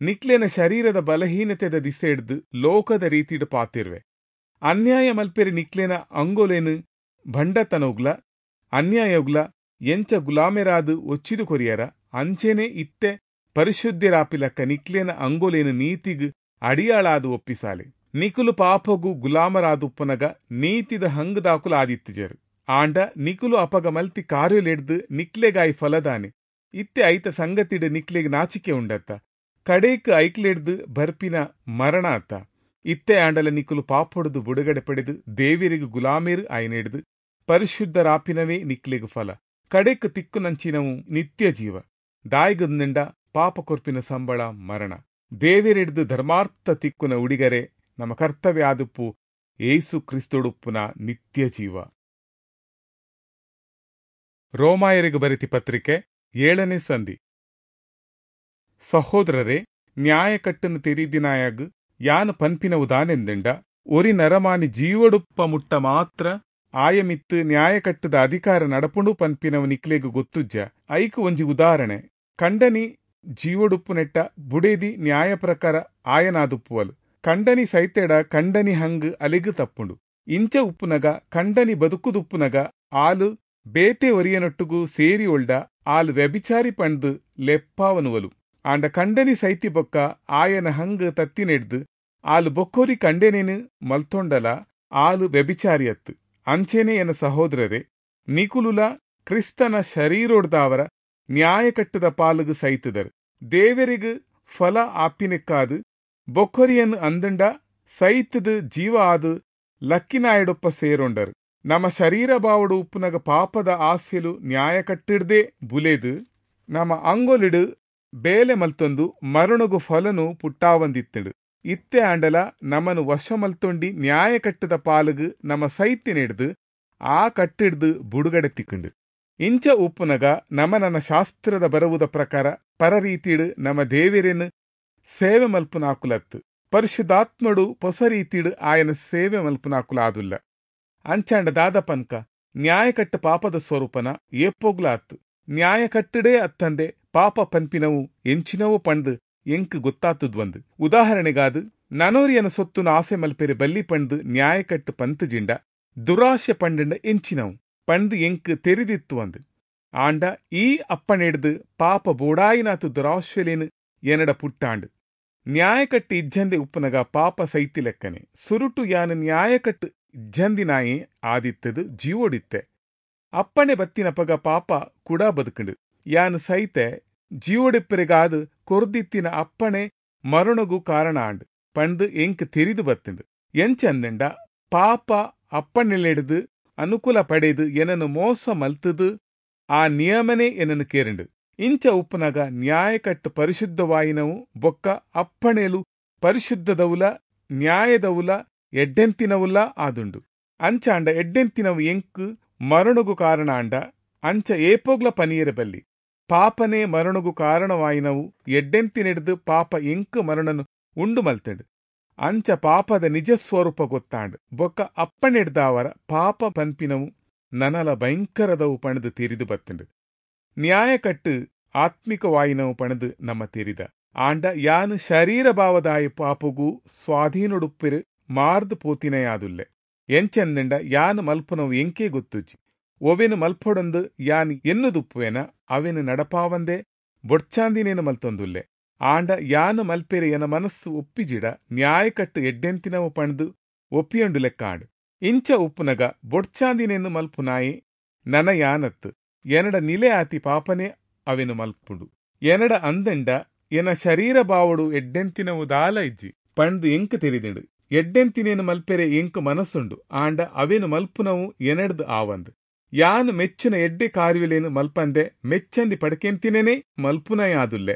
ನಿಕ್ಲೆನ ಶರೀರದ ಬಲಹೀನತೆದ ದಿಸೆಡ್ದ್ ಲೋಕದ ರೀತಿಡ್ ಪಾತೆರ್ವೆ. ಅನ್ಯಾಯ ಮಲ್ಪೆರೆ ನಿಕ್ಲೆನ ಅಂಗೊಲೆನ್ ಭಂಡತನೊಗ್ಲಾ ಅನ್ಯಾಯೊಗ್ಲಾ ಎಂಚ ಗುಲಾಮೆರಾದ್ ಒಚ್ಚಿದ್ ಕೊರಿಯರ ಅಂಚೆನೇ ಇತ್ತೆ ಪರಿಶುದ್ಧೆರಾಪಿಲಕ್ಕ ನಿಕ್ಲೆನ ಅಂಗೊಲೆನ್ ನೀತಿಗ್ ಅಡಿಯಾಳಾದ್ ಒಪ್ಪಿಸಾಲೆ. ನಿಕುಲು ಪಾಪೊಗು ಗುಲಾಮರಾದುಪ್ಪುನಗ ನೀತಿದ ಹಂಗ್ದಾಕುಲು ಆದಿತ್ತಿಜರ್. ಆಂಡ ನಿಕುಲು ಅಪಗ ಮಲ್ತಿ ಕಾರ್ಯೊಲೆಡ್ದ್ ನಿಕ್ಲೆಗಾಯಿ ಫಲದಾನೆ? ಇತ್ತೆ ಐತ ಸಂಗತಿಡ್ ನಿಕ್ಲೆಗ್ ನಾಚಿಕೆ ಉಂಡತ್ತ? ಕಡೇಕ್ ಐಕ್ಲೆಡ್ದ್ ಬರ್ಪಿನ ಮರಣ ಅತ್ತ? ಇತ್ತೆ ಆಂಡಲ ನಿಕುಲು ಪಾಪೊಡ್ದು ಬುಡುಗಡೆ ಪಡೆದ್ ದೇವೆರೆಗ್ ಗುಲಾಮೆರ್ ಆಯಿನೆಡ್ದ್ ಪರಿಶುದ್ಧರಾಪಿನವೇ ನಿಕ್ಲೆಗ್ ಫಲ. ಕಡೆಕ್ ತಿಕ್ಕುನಂಚಿನವು ನಿತ್ಯ ಜೀವ. ದಾಯೆಗಂದ್ಂಡ ಪಾಪ ಕೊರ್ಪಿನ ಸಂಬಳ ಮರಣ. ದೇವೆರೆಡ್ದ್ ಧರ್ಮಾರ್ಥ ತಿಕ್ಕುನ ಉಡಿಗರೆ ನಮ್ಮ ಕರ್ತವ್ಯ ಆದುಪ್ಪು ಯೇಸು ಕ್ರಿಸ್ತೊಡುಪ್ಪುನ ನಿತ್ಯ ಜೀವ. ರೋಮಾಯರಿಗೆ ಬರೆತಿ ಪತ್ರಿಕೆ ಏಳನೇ ಸಂಧಿ. ಸಹೋದರರೇ, ನ್ಯಾಯಕಟ್ಟನ್ನು ತೆರಿದಿನಾಯಾಗ್ ಯಾನ್ ಪನ್ಪಿನವು ದಾನೆಂದಿಂಡ, ಒರಿ ನರಮಾನಿ ಜೀವಡುಪ್ಪ ಮುಟ್ಟ ಮಾತ್ರ ಆಯಮಿತ್ತು ನ್ಯಾಯಕಟ್ಟದ ಅಧಿಕಾರ ನಡಪುಂಡು ಪನ್ಪಿನವು ನಿಕ್ಲೆಗ್ ಗೊತ್ತುಜ್ಜ. ಐಕ್ ಒಂಜಿ ಉದಾಹರಣೆ, ಕಂಡನಿ ಜೀವಡುಪ್ಪುನೆಟ್ಟ ಬುಡೇದಿ ನ್ಯಾಯ ಪ್ರಕಾರ ಆಯನಾದುಪ್ಪುವಲು. ಕಂಡನಿ ಸೈತೆಡ ಕಂಡನಿ ಹಂಗ್ ಅಲೆಗ್ ತಪ್ಪುಂಡು. ಇಂಚ ಉಪ್ಪುನಗ ಕಂಡನಿ ಬದುಕುದುಪ್ಪುನಗ ಆಲು ಬೇತೆ ಒರಿಯನೊಟ್ಟುಗು ಸೇರಿ ಒಲ್ಡ ಆಲ್ ವ್ಯಭಿಚಾರಿ ಪಂಡ್ದ್ ಲೆಪ್ಪಾವನುವಲು. ಆಂಡ ಕಂಡನಿ ಸೈತಿ ಬೊಕ್ಕ ಆಯನ ಹಂಗ್ ತತ್ತಿನೆಡ್ದ್ ಆಲ್ ಬೊಕ್ಕೋರಿ ಕಂಡನೇನು ಮಲ್ತೊಂಡಲ ಆಲ್ ವ್ಯಭಿಚಾರಿಯತ್ತು. ಅಂಚೆನೇ ಎನ್ನ ಸಹೋದರರೇ, ನಿಕುಲುಲ ಕ್ರಿಸ್ತನ ಶರೀರೊಡ್ದಾವರ ನ್ಯಾಯಕಟ್ಟದ ಪಾಲುಗು ಸೈತದರು. ದೇವರಿಗ್ ಫಲ ಆಪಿನೆಕ್ಕಾದು ಬೊಕ್ಕೊರಿಯನ್ ಅಂದಂಡ ಸೈತದು ಜೀವ ಆದು ಲಕ್ಕಿನಾಯಡೊಪ್ಪ ಸೇರೊಂಡರು. ನಮ್ಮ ಶರೀರ ಬಾವಡು ಉಪ್ಪುನಗ ಪಾಪದ ಆಸೆಲು ನ್ಯಾಯಕಟ್ಟಿಡ್ದೇ ಬುಲೆದು ನಮ್ಮ ಅಂಗೊಲಿಡು ಬೇಲೆ ಮಲ್ತೊಂದು ಮರಣಗು ಫಲನು ಪುಟ್ಟಾವಂದಿತ್ತುಂಡು. ಇತ್ತೆ ಆಂಡಲ ನಮನು ವಶ ಮಲ್ತೊಂಡಿ ನ್ಯಾಯಕಟ್ಟದ ಪಾಲುಗು ನಮ್ಮ ಸೈತಿನೆಡ್ದು ಆ ಕಟ್ಟಿಡ್ದು ಬುಡುಗಡೆ ತಿಕ್ಕುಂಡು. ಇಂಚ ಉಪ್ಪುನಗ ನಮ ನನ್ನ ಶಾಸ್ತ್ರದ ಬರವುದ ಪ್ರಕಾರ ಪರರೀತಿಡು ನಮ್ಮ ದೇವೆರೆನ್ ಸೇವೆ ಮಲ್ಪುನಾಕುಲತ್ತು, ಪರಿಶುದ್ಧಾತ್ಮಡು ಹೊಸ ರೀತಿಡು ಆಯನ ಸೇವೆ ಮಲ್ಪುನಾಕುಲಾದುಲ್ಲ. ಅಂಚಾಂಡ ದಾದ ಪನ್ಕ, ನ್ಯಾಯಕಟ್ಟು ಪಾಪದ ಸ್ವರೂಪನ ಏಪೋಗ್ಲಾತ್ತು. ನ್ಯಾಯಕಟ್ಟಡೇ ಅತ್ತಂದೆ ಪಾಪ ಪನ್ಪಿನವು ಎಂಚಿನವು ಪಂಡ್ ಎಂಕ್ ಗೊತ್ತಾತದ್ವಂದು. ಉದಾಹರಣೆಗಾದ್, ನನೋರಿಯನ ಸೊತ್ತುನ ಆಸೆ ಮಲ್ಪೆರೆ ಬಲ್ಲಿ ಪಂಡ್ ನ್ಯಾಯಕಟ್ಟು ಪಂತುಜಿಂಡ ದುರಾಶೆ ಪಂಡಂಡ ಎಂಚಿನವು ಪಂಡ್ ಎಂಕ್ ತೆರಿದಿತ್ತು ಅಂದು. ಆಂಡ ಈ ಅಪ್ಪಣೆಡ್ದು ಪಾಪ ಬೋಡಾಯಿನಾತು ದುರಾಶೆಲೇನು ಎನಡ ಪುಟ್ಟಾಂಡು. ನ್ಯಾಯಕಟ್ಟು ಇಜ್ಜಂದೆ ಉಪ್ಪುನಗ ಪಾಪ ಸೈತಿ ಲೆಕ್ಕನೆ. ಸುರುಟು ಯಾನು ನ್ಯಾಯಕಟ್ಟು ಇಜ್ಜಂದಿನಾಯೇ ಆದಿತ್ತದು ಜೀವೋಡಿತ್ತೆ. ಅಪ್ಪಣೆ ಬತ್ತಿನಪಗ ಪಾಪ ಕೂಡ ಬದುಕಂಡು. ಯಾನು ಸೈತೆ ಜೀವೋಡಿಪ್ಪರೆಗಾದು ಕೊರ್ದಿತ್ತಿನ ಅಪ್ಪಣೆ ಮರಣಗು ಕಾರಣ ಆಂಡ್ ಪಂಡ್ ಎಂಕ್ ತೆರಿದು ಬತ್ತುಂಡು. ಎಂಚಂದಂಡ ಪಾಪ ಅಪ್ಪಣೆಲೆಡ್ದ್ ಅನುಕೂಲ ಪಡೆದು ಎನನು ಮೋಸ ಮಲ್ತುದು ಆ ನಿಯಮನೇ ಎನನು ಕೇರಿಂಡು. ಇಂಚ ಉಪ್ಪುನಗ ನ್ಯಾಯಕಟ್ಟು ಪರಿಶುದ್ಧವಾಯಿನವು ಬೊಕ್ಕ ಅಪ್ಪಣೆಲು ಪರಿಶುದ್ಧದವುಲ ನ್ಯಾಯದವುಲ ಎಡ್ಡೆಂತಿನವುಲ ಆದುಂಡು. ಅಂಚಾಂಡ ಎಡ್ಡೆಂತಿನವು ಎಂಕ್ ಮರಣಗು ಕಾರಣ ಆಂಡ ಅಂಚ ಏಪೋಗ್ಲ ಪನಿಯೆರೆ ಬಲ್ಲಿ. ಪಾಪನೇ ಮರಣಗು ಕಾರಣವಾಯಿನವು ಎಡ್ಡೆಂತಿನೆಡ್ದ್ ಪಾಪ ಎಂಕ್ ಮರಣನು ಉಂಡು ಮಲ್ತಂಡು. ಅಂಚ ಪಾಪದ ನಿಜ ಸ್ವರೂಪ ಗೊತ್ತಾಂಡ್ ಬೊಕ್ಕ ಅಪ್ಪಣೆಡ್ದಾವರ ಪಾಪ ಪನ್ಪಿನವು ನನಲ ಭಯಂಕರದವು ಪಣದು ತೆರಿದು ಬತ್ತಂಡು. ನ್ಯಾಯಕಟ್ಟು ಆತ್ಮಿಕವಾಯಿನವು ಪಣದು ನಮ್ಮ ತೆರಿದ. ಆಂಡ ಯಾನು ಶರೀರ ಭಾವದಾಯ ಪಾಪಗು ಸ್ವಾಧೀನೊಡುಪ್ಪಿರು ಮಾರ್ದು ಪೋತಿನೆಯಾದುಲ್ಲೆ. ಎಂಚೆಂದಂಡ ಯಾನು ಮಲ್ಪುನವು ಎಂಕೇ ಗೊತ್ತುಜ್ಜಿ. ಒವೆನು ಮಲ್ಪೊಡೊಂದು ಯಾನ್ ಎನ್ನುದುಪ್ಪುವೆನ ಅವೆನು ನಡಪಾವಂದೆ ಬೊಡ್ಚಾಂದಿನೇನು ಮಲ್ತೊಂದುಲ್ಲೆ. ಆಂಡ ಯಾನು ಮಲ್ಪೆರೆ ಎನ ಮನಸ್ಸು ಒಪ್ಪಿಜಿಡ ನ್ಯಾಯಕಟ್ಟು ಎಡ್ಡೆಂತಿನವು ಪಣದು ಒಪ್ಪಿಯೊಂಡು ಲೆಕ್ಕಾಂಡು. ಇಂಚ ಉಪ್ಪುನಗ ಬೊಡ್ಚಾಂದಿನೇನು ಮಲ್ಪುನಾಯೆ ನನ ಯಾನತ್ತು ಎನಡ ನಿಲೆ ಆತಿ ಪಾಪನೇ ಅವೆನು ಮಲ್ಪುಂಡು. ಎನಡ ಅಂದಂಡ ಎನ ಶರೀರ ಬಾವಡು ಎಡ್ಡೆಂತಿನವು ದಾಲ ಇಜ್ಜಿ ಪಂದು ಎಂಕ್ ತೆರಿದಿಂಡು. ಎಡ್ಡೆಂತಿನೇನು ಮಲ್ಪೆರೆ ಎಂಕ್ ಮನಸ್ಸುಂಡು, ಆಂಡ ಅವೆನು ಮಲ್ಪುನವು ಎನಡ್ದು ಆವಂದು. ಯಾನು ಮೆಚ್ಚುನ ಎಡ್ಡೆ ಕಾರ್ಯಲೇನು ಮಲ್ಪಂದೆ ಮೆಚ್ಚಂದಿ ಪಡಕೆಂತಿನೇನೆ ಮಲ್ಪುನಯಾದುಲ್ಲೆ.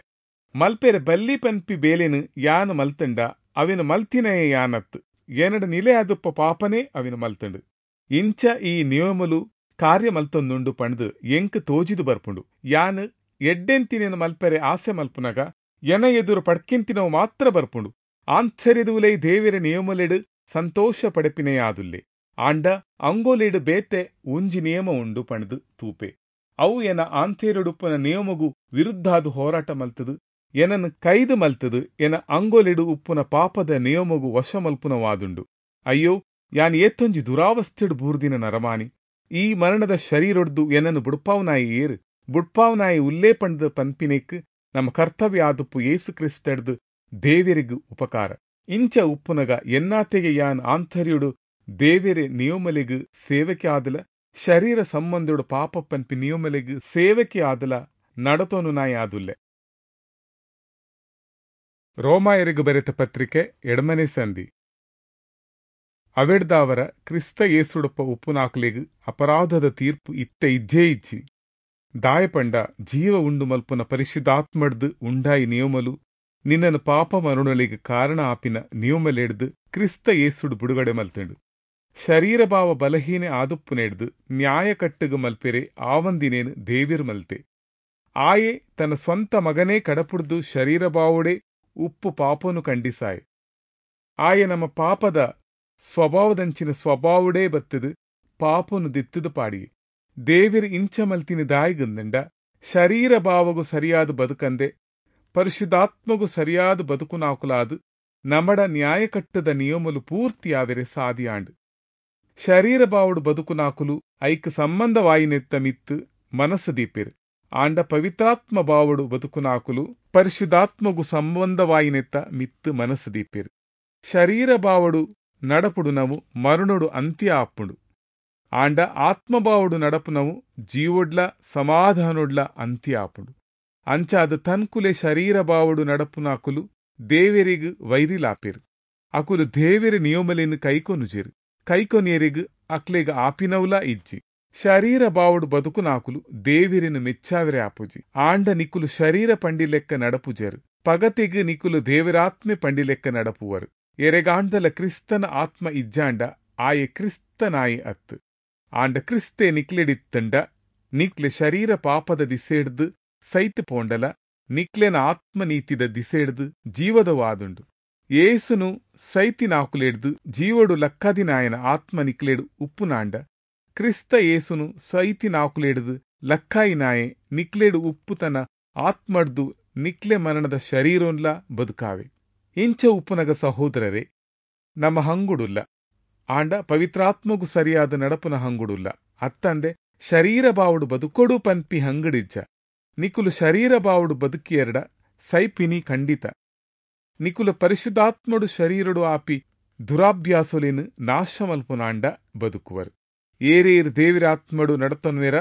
ಮಲ್ಪೆರೆ ಬಲ್ಲಿ ಪನ್ಪಿ ಬೇಲೆನು ಯಾನು ಮಲ್ತಂಡ ಅವೆನು ಮಲ್ತಿನಯೇ ಯಾನತ್ತು, ಎನಡ ನಿಲೆ ಆದುಪ್ಪ ಪಾಪನೇ ಅವೆನು ಮಲ್ತಂಡು. ಇಂಚ ಈ ನಿಯಮಲು ಕಾರ್ಯ ಮಲ್ತೊಂದುಂಡು ಪಂಡ್ದು ಎಂಕ್ ತೋಜಿದು ಬರ್ಪುಂಡು. ಯಾನು ಎಡ್ಡೆಂತಿನೇನು ಮಲ್ಪೆರೆ ಆಸೆ ಮಲ್ಪುನಗ ಎನ ಎದುರು ಪಡ್ಕೆಂತಿನವು ಮಾತ್ರ ಬರ್ಪುಂಡು. ಆಂತರ್ಯದುಲೈ ದೇವೆರೆ ನಿಯಮಲೆಡು ಸಂತೋಷ ಪಡೆಪಿನೆಯಾದುಲ್ಲೆ. ಆಂಡ ಅಂಗೋಲೆಡು ಬೇತೆ ಒಂಜಿ ನಿಯಮ ಉಂಡು ಪಂಡ್ದು ತೂಪೆ. ಅವು ಎನ ಆಂತರ್ಯಡುಪ್ಪನ ನಿಯಮಗು ವಿರುದ್ಧಾದು ಹೋರಾಟ ಮಲ್ತದು ಎನನ್ನು ಕೈದು ಮಲ್ತದು ಎನ ಅಂಗೋಲೆಡು ಉಪ್ಪುನ ಪಾಪದ ನಿಯಮಗು ವಶ ಮಲ್ಪುನವಾದುಂಡು. ಅಯ್ಯೋ, ಯಾನ್ ಏತೊಂಜಿ ದುರಾವಸ್ಥೆಡು ಬೂರ್ದಿನ ನರಮಾನಿ. ಈ ಮರಣದ ಶರೀರೊಡ್ದು ಎನನ್ನು ಬುಡ್ಪಾವ್ನಾಯಿ ಏರು ಬುಡ್ಪಾವ್ನಾಯಿ ಉಲ್ಲೇ ಪಂಡ್ದು ಪನ್ಪಿನೇಕ್ ನಮ್ಮ ಕರ್ತವ್ಯ ಆದುಪ್ಪು ಯೇಸು ಕ್ರಿಸ್ತಡ್ದು ದೇವೆರಿಗು ಉಪಕಾರ. ಇಂಚ ಉಪ್ಪುನಗ ಎನ್ನಾತೆಗೆ ಯಾನ್ ಆಂತರ್ಯುಡು ದೇವೆರೆ ನಿಯಮಲೆಗು ಸೇವಕೆ ಆದಲ ಶರೀರ ಸಂಬಂಧುಡು ಪಾಪ ಪನ್ಪಿ ನಿಯಮಲೆಗು ಸೇವಕೆ ಆದಲ ನಡತೋನು ನಾಯಿ ಆದುಲ್ಲೆ. ರೋಮಾಯರಿಗು ಬರೆತ ಪತ್ರಿಕೆ ಎಡಮನೆ ಸಂಧಿ. ಅವೆಡ್ದಾವರ ಕ್ರಿಸ್ತ ಯೇಸುಡಪ್ಪ ಉಪ್ಪುನಾಕುಲೆಗು ಅಪರಾಧದ ತೀರ್ಪು ಇತ್ತ ಇಜ್ಜೇ ಇಜ್ಜಿ. ದಾಯಪಂಡ ಜೀವ ಉಂಡು ಮಲ್ಪುನ ಪರಿಶುದ್ಧಾತ್ಮಡ್ದು ಉಂಡಾಯಿ ನಿಯಮಲು ನಿನ್ನನು ಪಾಪ ಮರುಣಲಿಗೆ ಕಾರಣ ಆಪಿನ ನಿಯಮಲೆಡ್ದು ಕ್ರಿಸ್ತ ಯೇಸುಡು ಬಿಡುಗಡೆ ಮಲ್ತಂಡು. ಶರೀರಭಾವ ಬಲಹೀನೆ ಆದುಪ್ಪುನೆಡ್ದು ನ್ಯಾಯಕಟ್ಟುಗು ಮಲ್ಪೆರೆ ಆವಂದಿನೇನು ದೇವಿರು ಮಲ್ತೆ. ಆಯೆ ತನ್ನ ಸ್ವಂತ ಮಗನೇ ಕಡಪುಡ್ದು ಶರೀರಭಾವೋಡೆ ಉಪ್ಪು ಪಾಪನು ಖಂಡಿಸಾಯೆ. ಆಯೆ ನಮ್ಮ ಪಾಪದ ಸ್ವಭಾವದಂಚಿನ ಸ್ವಭಾವಡೇ ಬತ್ತದು ಪಾಪನು ದಿತ್ತದು ಪಾಡಿಯೆ. ದೇವಿರು ಇಂಚ ಮಲ್ತಿನ ದಾಯಿಗಂದಂಡ ಶರೀರ ಭಾವಗು ಸರಿಯಾದ ಬದುಕಂದೆ ಪರಿಶುದ್ಧಾತ್ಮಗು ಸರಿಯಾದ ಬದುಕುನಾಕುಲಾದು ನಮಡ ನ್ಯಾಯಕಟ್ಟದ ನಿಯಮಲು ಪೂರ್ತಿಯಾವೆರೆ ಸಾದಿಯಾಂಡು. ಶರೀರ ಭಾವಡು ಬದುಕುನಾಕುಲು ಐಕ್ ಸಂಬಂಧವಾಯಿನೆತ್ತ ಮಿತ್ತು ಮನಸ್ಸು ದೀಪೆರು. ಆಂಡ ಪವಿತ್ರಾತ್ಮ ಭಾವಡು ಬದುಕುನಾಕುಲು ಪರಿಶುದ್ಧಾತ್ಮಗು ಸಂಬಂಧವಾಯಿನೆತ್ತ ಮಿತ್ತು ಮನಸ್ಸು ದೀಪೆರು. ಶರೀರ ಭಾವಡು ನಡಪುಡು ನಾವು ಮರುಣುಡು ಅಂತ್ಯ ಆಪ್ಪುಂಡು. ಆಂಡ ಆತ್ಮಭಾವಡು ನಡಪುನವು ಜೀವೊಡ್ಲ ಸಮಾಧಾನೊಡ್ಲ ಅಂತ್ಯ ಆಪುಂಡು. ಅಂಚಾದ ತನ್ಕುಲೆ ಶರೀರ ಭಾವಡು ನಡಪುನಾಕುಲು ದೇವೆರಿಗು ವೈರಿಲಾಪೆರು. ಅಕುಲು ದೇವೆರೆ ನಿಯಮಲೆನು ಕೈಕೊನುಜೆರು. ಕೈಕೊನಿಯರಿಗು ಅಕ್ಲೆಗ್ ಆಪಿನವುಲ ಇಜ್ಜಿ. ಶರೀರ ಭಾವಡು ಬದುಕುನಾಕುಲು ದೇವೆರೆನು ಮೆಚ್ಚಾವೆರೆ ಆಪುಜಿ. ಆಂಡ ನಿಕುಲು ಶರೀರ ಪಂಡಿಲೆಕ್ಕ ನಡಪುಜೆರು. ಪಗತೆಗ್ ನಿಕುಲು ದೇವರಾತ್ಮೆ ಪಂಡಿಲೆಕ್ಕ ನಡಪುವರು. ಎರೆಗಾಂಡಲ ಕ್ರಿಸ್ತನ ಆತ್ಮ ಇಜ್ಜಾಂಡ ಆಯೆ ಕ್ರಿಸ್ತನಾಯಿ ಅತ್ತು. ಆಂಡ ಕ್ರಿಸ್ತೆ ನಿಕ್ಲೆಡಿತ್ತಂಡ ನಿಕ್ಲೆ ಶರೀರ ಪಾಪದ ದಿಸೆಡ್ದು ಸೈತು ಪೋಂಡಲ ನಿಕ್ಲೆನ ಆತ್ಮನೀತಿದ ದಿಸೆಡ್ದು ಜೀವದವಾದುಂಡು. ಏಸುನು ಸೈತಿನಾಕುಲೆಡ್ದು ಜೀವಡು ಲಕ್ಕದಿನಾಯನ ಆತ್ಮ ನಿಕ್ಲೆಡು ಉಪ್ಪುನಾಂಡ ಕ್ರಿಸ್ತ ಏಸುನು ಸೈತಿನಾಕುಲೆಡ್ದು ಲಕ್ಕಾಯಿನಾಯೆ ನಿಕ್ಲೆಡು ಉಪ್ಪುತನ ಆತ್ಮಡ್ದು ನಿಕ್ಲೆ ಮರಣದ ಶರೀರೊನ್ಲ ಬದುಕಾವೆ. ಇಂಚ ಉಪ್ಪುನಗ ಸಹೋದರರೇ, ನಮ್ಮ ಹಂಗುಡುಲ್ಲ, ಆಂಡ ಪವಿತ್ರಾತ್ಮಗು ಸರಿಯಾದ ನಡಪುನ ಹಂಗುಡುಲ್ಲ. ಅತ್ತಂದೆ ಶರೀರ ಬಾವುಡು ಬದುಕೊಡು ಪನ್ಪಿ ಹಂಗಡಿಜ್ಜ. ನಿಕುಲು ಶರೀರ ಬಾವುಡು ಬದುಕಿಯರ್ಡ ಸೈಪಿನಿ ಖಂಡಿತ. ನಿಕುಲು ಪರಿಶುದ್ಧಾತ್ಮಡು ಶರೀರಡು ಆಪಿ ದುರಾಭ್ಯಾಸೊಲೇನು ನಾಶಮಲ್ಪುನಾಂಡ ಬದುಕುವರು. ಏರೇರು ದೇವಿರಾತ್ಮಡು ನಡತನ್ವೇರ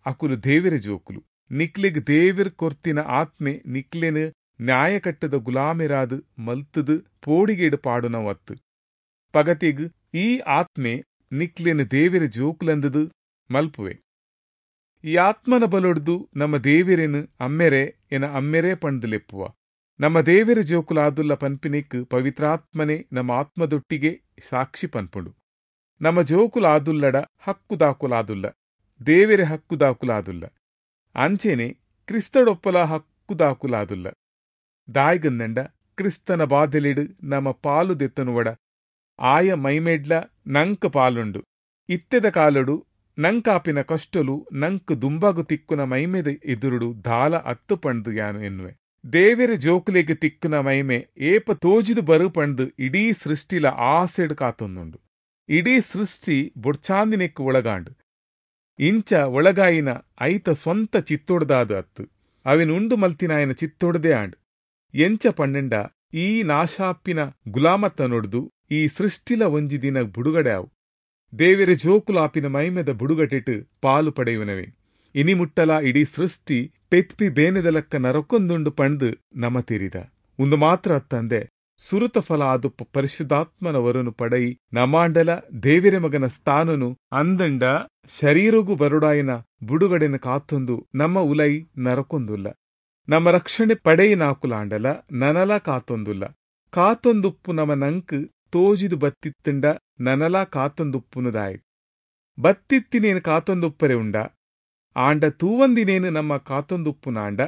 ಅಕುಲು ದೇವಿರ ಜೋಕುಲು. ನಿಕ್ಲಿಗ್ ದೇವಿರ್ ಕೊರ್ತಿನ ಆತ್ಮೆ ನಿಕ್ಲೆನು ನ್ಯಾಯಕಟ್ಟದ ಗುಲಾಮೆರಾದು ಮಲ್ತದು ಪೋಡಿಗೇಡು ಪಾಡುನವತ್ತು. ಪಗತಿಗ್ ಈ ಆತ್ಮೆ ನಿಕ್ಲೆನ್ ದೇವೆರೆ ಜೋಕುಲಂದುದು ಮಲ್ಪುವೆ. ಈ ಆತ್ಮನ ಬಲೊಡ್ದು ನಮ ದೇವೆರೆನ್ ಅಮ್ಮೆರೇ, ಎನ ಅಮ್ಮೆರೇ ಪಂಡ್ದ್ ಲೆಪ್ಪುವ. ನಮ್ಮ ದೇವೆರೆ ಜೋಕುಲಾದುಲ್ಲ ಪನ್ಪಿನೆಕ್ ಪವಿತ್ರಾತ್ಮನೆ ನಮ್ಮ ಆತ್ಮದೊಟ್ಟಿಗೆ ಸಾಕ್ಷಿ ಪನ್ಪುಂಡು. ನಮ್ಮ ಜೋಕುಲಾದುಲ್ಲಡ ಹಕ್ಕುದಾಕುಲಾದುಲ್ಲ, ದೇವೆರೆ ಹಕ್ಕುದಾಕುಲಾದುಲ್ಲ, ಅಂಚೆನೆ ಕ್ರಿಸ್ತಡೊಪ್ಪಲ ಹಕ್ಕುದಾಕುಲಾದುಲ್ಲ. ದಾಯ್ಗಂದಂಡ ಕ್ರಿಸ್ತನ ಬಾಧೆಲೆಡ್ ನಮ ಪಾಲು ದೆತ್ತನುವಡ ಆಯ ಮೈಮೆಡ್ಲ ನಂಕ್ ಪಾಲುಂಡು. ಇತ್ತೆದ ಕಾಲೊಡು ನಂಕಾಪಿನ ಕಷ್ಟಲು ನಂಕ್ ದುಂಬಾಗು ತಿಕ್ಕುನ ಮೈಮೆದ ಎದುರುಡು ದಾಲ ಅತ್ತು ಪಂಡ್ದ್ ಯಾನು ಎನ್ನುವೆ. ದೇವೆರೆ ಜೋಕುಲೆಗ್ ತಿಕ್ಕುನ ಮೈಮೆ ಏಪ ತೋಜಿದು ಬರು ಪಂಡ್ದ್ ಇಡೀ ಸೃಷ್ಟಿಲ ಆಸೆಡ್ ಕಾತೊಂದುಂಡು. ಇಡೀ ಸೃಷ್ಟಿ ಬೊಡ್ಚಾಂದಿನೆಕ್ ಒಳಗಾಂಡ್. ಇಂಚ ಒಳಗಾಯಿನ ಐತ ಸ್ವಂತ ಚಿತ್ತೊಡ್ದಾದ್ ಅತ್ತು, ಅವೆನ್ ಉಂಡು ಮಲ್ತಿನಾಯನ ಚಿತ್ತೊಡ್ದೇ ಆಂಡ್. ಎಂಚ ಪಂಡಂಡ ಈ ನಾಶಾಪಿನ ಗುಲಾಮತನೊಡ್ದು ಈ ಸೃಷ್ಟಿಲ ಒಂಜಿ ದಿನ ಬುಡುಗಡೆ ಆವು. ದೇವೆರೆ ಜೋಕುಲಾಪಿನ ಮೈಮೆದ ಬುಡುಗಟೆಟ್ ಪಾಲು ಪಡೆಯುವನವೇ. ಇನಿ ಮುಟ್ಟಲ ಇಡೀ ಸೃಷ್ಟಿ ಪೆತ್ಪಿ ಬೇನೆದಲಕ್ಕ ನರಕೊಂದುಂಡು ಪಂಡ್ದ್ ನಮ ತೆರಿದ. ಉಂದು ಮಾತ್ರ ಅತ್ತಂದೆ ಸುರುತ ಫಲ ಆದುಪ್ಪ ಪರಿಶುದ್ಧಾತ್ಮನ ವರನು ಪಡೈ ನಮಾಂಡಲ ದೇವೆರೆ ಮಗನ ಸ್ಥಾನನು ಅಂದಂಡ ಶರೀರಗು ಬರುಡಾಯಿನ ಬುಡುಗಡೆನ ಕಾತೊಂದು ನಮ್ಮ ಉಲೈ ನರಕೊಂದುಲ್ಲ. ನಮ್ಮ ರಕ್ಷಣೆ ಪಡೆಯಿನಾಕುಲಾಂಡಲ ನನಲ ಕಾತೊಂದುಲ್ಲ. ಕಾತೊಂದುಪ್ಪು ನಮ ನಂಕ್ ತೋಜಿದು ಬತ್ತಿತ್ತಂಡ ನನಲ ಕಾತೊಂದುಪ್ಪುನುದಾಯ್. ಬತ್ತಿತ್ತಿನೇನು ಕಾತೊಂದುಪ್ಪರೆ ಉಂಡ, ಆಂಡ ತೂವಂದಿನೇನು ನಮ್ಮ ಕಾತೊಂದುಪ್ಪುನಾಂಡ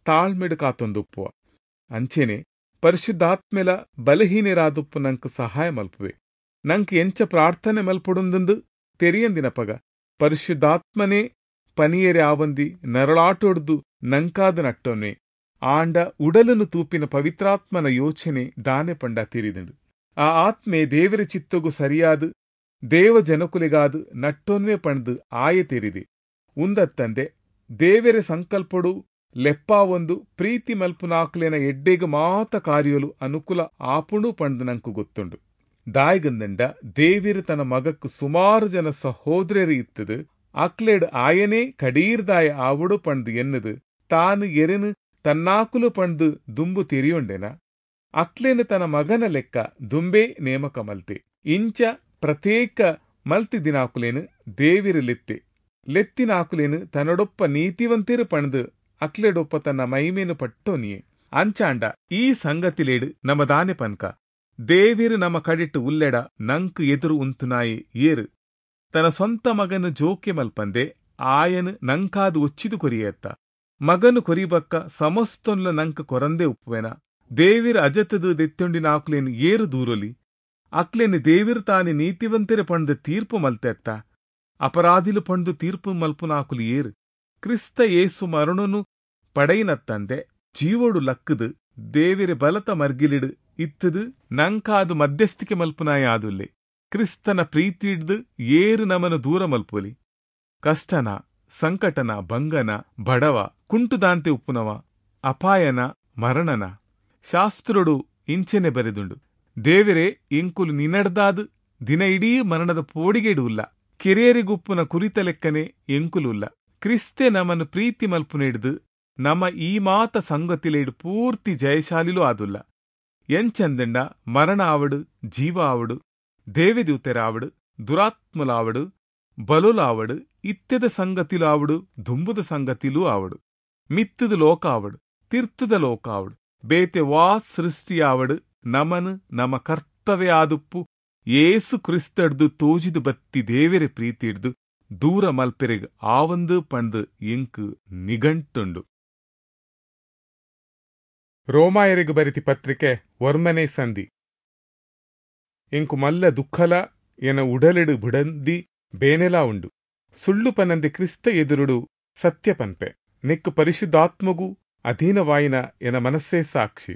ತಾಳ್ಮೆಡು ಕಾತೊಂದುಪ್ಪುವ. ಅಂಚೆನೆ ಪರಿಶುದ್ಧಾತ್ಮೆಲ ಬಲಹೀನರಾದುಪ್ಪು ನಂಕ್ ಸಹಾಯ ಮಲ್ಪುವೆ. ನಂಕ್ ಎಂಚ ಪ್ರಾರ್ಥನೆ ಮಲ್ಪೊಡುಂದು ತೆರಿಯಂದಿನ ಪಗ ಪರಿಶುದ್ಧಾತ್ಮನೇ ಪನಿಯರೆ ಆವಂದಿ ನರಳಾಟೊಡ್ದು ನಂಕಾದ ನಟ್ಟೊನ್ವೆ. ಆಂಡ ಉಡಲನು ತೂಪಿನ ಪವಿತ್ರಾತ್ಮನ ಯೋಚನೆ ದಾನೆ ಪಂಡ ತಿರಿದಂಡು. ಆ ಆತ್ಮೆ ದೇವರ ಚಿತ್ತೊಗು ಸರಿಯಾದ ದೇವ ಜನಕುಲೆಗಾದ ನಟ್ಟೊನ್ವೆ ಪಂಡ್ದು ಆಯೆ ತೆರಿದೆ. ಉಂದತ್ತಂದೆ ದೇವೆರೆ ಸಂಕಲ್ಪೊಡು ಲೆಪ್ಪಾವೊಂದು ಪ್ರೀತಿ ಮಲ್ಪುನಾಕ್ಲೆನ ಎಡ್ಡೆಗ್ ಮಾತ ಕಾರ್ಯಲು ಅನುಕೂಲ ಆಪುಂಡು ಪಂಡ್ದು ನಂಕು ಗೊತ್ತುಂಡು. ದಾಯ್ಗಂದಂಡ ದೇವಿರು ತನ್ನ ಮಗಕ್ಕು ಸುಮಾರು ಜನ ಸಹೋದರರು ಇತ್ತದು ಅಕ್ಲೆಡ್ ಆಯನೇ ಕಡೀರ್ದಾಯ ಆವುಡು ಪಂಡ್ದು ಎನ್ನದು ತಾನು ಎರೆನು ತನ್ನಾಕುಲು ಪಂಡ್ದು ದುಂಬು ತೆರಿಯೊಂಡೆನ ಅಕ್ಲೇನು ತನ್ನ ಮಗನ ಲೆಕ್ಕ ದುಂಬೇ ನೇಮಕ ಮಲ್ತೆ. ಇಂಚ ಪ್ರತ್ಯೇಕ ಮಲ್ತಿದಿನಾಕುಲೇನು ದೇವಿರು ಲೆತ್ತೆ ಲೆತ್ತಿನಾಕುಲೇನು ತನ್ನಡೊಪ್ಪ ನೀತಿವಂತಿರು ಪಂಡ್ದು ಅಕ್ಲೆಡೊಪ್ಪ ತನ್ನ ಮೈಮೇನು ಪಟ್ಟೋನಿಯೇ. ಅಂಚಾಂಡ ಈ ಸಂಗತಿಲೇಡು ನಮ ದಾನೆ ಪನ್ಕ ದೇವಿರು ನಮ್ಮ ಕಡಿಟ್ಟು ಉಲ್ಲೆಡ ನಂಕ್ ಎದುರು ಉಂತುನಾಯಿ ಏರು ತನ್ನ ಸ್ವಂತ ಮಗನು ಜೋಕೆ ಮಲ್ಪಂದೆ ಆಯನು ನಂಕಾದು ಒಚ್ಚಿದು ಕೊರಿಯತ್ತ ಮಗನು ಕೊರಿಬಕ್ಕ ಸಮಸ್ತೊನ್ಲ ನಂಕ್ ಕೊರಂದೆ ಉಪ್ಪುವೆನ. ದೇವಿರ ಅಜತದು ದೆತ್ತೊಂಡಿನ ಆಕ್ಲೇನು ಏರು ದೂರೊಲಿ ಅಕ್ಲೇನು ದೇವಿರು ತಾನೆ ನೀತಿವಂತೆರೆ ಪಂಡ್ದು ತೀರ್ಪು ಮಲ್ತೆತ್ತ ಅಪರಾಧಿಲು ಪಂಡ್ದು ತೀರ್ಪು ಮಲ್ಪುನಾಕುಲು ಏರು. ಕ್ರಿಸ್ತ ಯೇಸು ಮರಣನು ಪಡೆಯಿನತ್ತಂದೆ ಜೀವೋಡು ಲಕ್ಕದು ದೇವಿರ ಬಲತ ಮರ್ಗಿಲಿಡು ಇತ್ತದು ನಂಕಾದು ಮಧ್ಯಸ್ಥಿಕೆ ಮಲ್ಪುನಾಯ ಆದುಲ್ಲೆ. ಕ್ರಿಸ್ತನ ಪ್ರೀತಿಡ್ದು ಏರು ನಮನು ದೂರ ಮಲ್ಪೊಲಿ. ಕಷ್ಟನ ಸಂಕಟನ ಭಂಗನ ಬಡವ ಕುಂಟುದಾಂತೆ ಉಪ್ಪುನವ ಅಪಾಯನ ಮರಣನ ಶಾಸ್ತ್ರುಡು ಇಂಚೆನೆ ಬರೆದುಂಡು. ದೇವಿರೇ ಇಂಕುಲು ನಿನಡ್ದಾದು ದಿನ ಇಡೀ ಮರಣದ ಪೋಡಿಗೆಡು ಉಲ್ಲ ಕೆರಿಯರಿಗುಪ್ಪುನ ಕುರಿತ ಲೆಕ್ಕನೆ ಎಂಕುಲು ಉಲ್ಲ. ಕ್ರಿಸ್ತೆ ನಮನು ಪ್ರೀತಿ ಮಲ್ಪುನೆಡ್ದು ನಮ ಈ ಮಾತ ಸಂಗತಿಲೇಡು ಪೂರ್ತಿ ಜಯಶಾಲಿಲೂ ಆದುಲ್ಲ. ಎಂಚಂದಂಡ ಮರಣ ಆವಡು ಜೀವ ಆವಡು ದೇವದೂತರಾವಡು ದುರಾತ್ಮಲಾವಡು ಬಲುಲಾವಡು ಇತ್ಯದ ಸಂಗತಿಲು ಆವಡು ದುಂಬುದ ಸಂಗತಿಲೂ ಆವಡು ಮಿತ್ತದ ಲೋಕ ಆವಡು ತಿರ್ತದ ಲೋಕ ಆವಡು ಬೇತೆ ವಾ ಸೃಷ್ಟಿಯಾವಡು ನಮನು ನಮ ಕರ್ತವ್ಯ ಆದುಪ್ಪು ಏಸು ಕ್ರಿಸ್ತಡ್ದು ತೋಜಿದು ಬತ್ತಿ ದೇವೆರೆ ಪ್ರೀತಿಡ್ದು ದೂರ ಮಲ್ಪೆರೆಗ್ ಆವಂದು ಪಂದು ಎಂಕು ನಿಘಂಟುಂಡು. ರೋಮಾಯರಿಗೆ ಬರಿತಿ ಪತ್ರಿಕೆ ವರ್ಮನೆ ಸಂಧಿ. ಎಂಕು ಮಲ್ಲ ದುಃಖಲ ಎನ ಉಡಲೆಡು ಬುಡಂದಿ ಬೇನೆಲಾ ಉಂಡು. ಸುಳ್ಳು ಪನಂದೆ ಕ್ರಿಸ್ತ ಎದುರುಡು ಸತ್ಯ ಪನ್ಪೆ. ನೆಕ್ಕು ಪರಿಶುದ್ಧಾತ್ಮಗೂ ಅಧೀನವಾಯಿನ ಎನ ಮನಸ್ಸೇ ಸಾಕ್ಷಿ.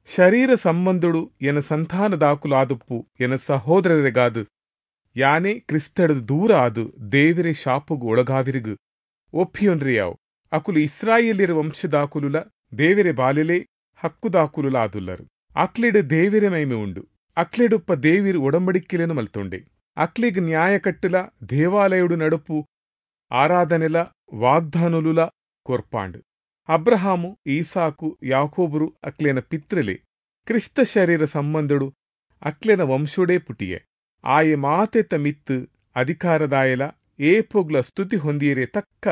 ಶರೀರ ಸಂಬಂಧುಡು ಎನ ಸಂತಾನದಾಕುಲು ಆದುಪ್ಪು ಎನ ಸಹೋದರರಿಗಾದು ಯಾನೇ ಕ್ರಿಸ್ತಡದು ದೂರ ಆದು ದೇವಿರೆ ಶಾಪಗು ಒಳಗಾವಿರಿಗು ಒಪ್ಪಿಯೊನ್ರಿಯಾವು. ಅಕುಲು ಇಸ್ರಾಯೇಲಿರ ವಂಶದಾಕುಲುಲ ದೇವಿರೆ ಬಾಲೆಲೆ ಹಕ್ಕುದಾಕುಲುಲ ಆದುಲ್ಲರು. ಅಕ್ಲೆಡು ದೇವಿರೆ ಮೈಮೆ ಉಂಡು. ಅಕ್ಲೆಡುಪ್ಪ ದೇವಿರು ಒಡಂಬಡಿಕೆಲೇನು ಮಲ್ತೊಂಡೆ. ಅಕ್ಲೆಗ್ ನ್ಯಾಯ ಕಟ್ಟುಲ ದೇವಾಲಯುಡು ನಡುಪು ಆರಾಧನೆಲ ವಾಗ್ದಾನುಲುಲ ಕೊರ್ಪಾಂಡು. ಅಬ್ರಹಾಮು ಈಸಾಕು ಯಾಕೋಬರು ಅಕ್ಲೇನ ಪಿತ್ರಲೆ ಕ್ರಿಸ್ತ ಶರೀರ ಸಂಬಂಧಡು ಅಕ್ಲೆನ ವಂಶೋಡೇ ಪುಟಿಯೆ. ಆಯೆ ಮಾತೆತ ಮಿತ್ತು ಅಧಿಕಾರದಾಯಲ ಏಪೊಗ್ಲ ಸ್ತುತಿ ಹೊಂದಿಯರೆ ತಕ್ಕ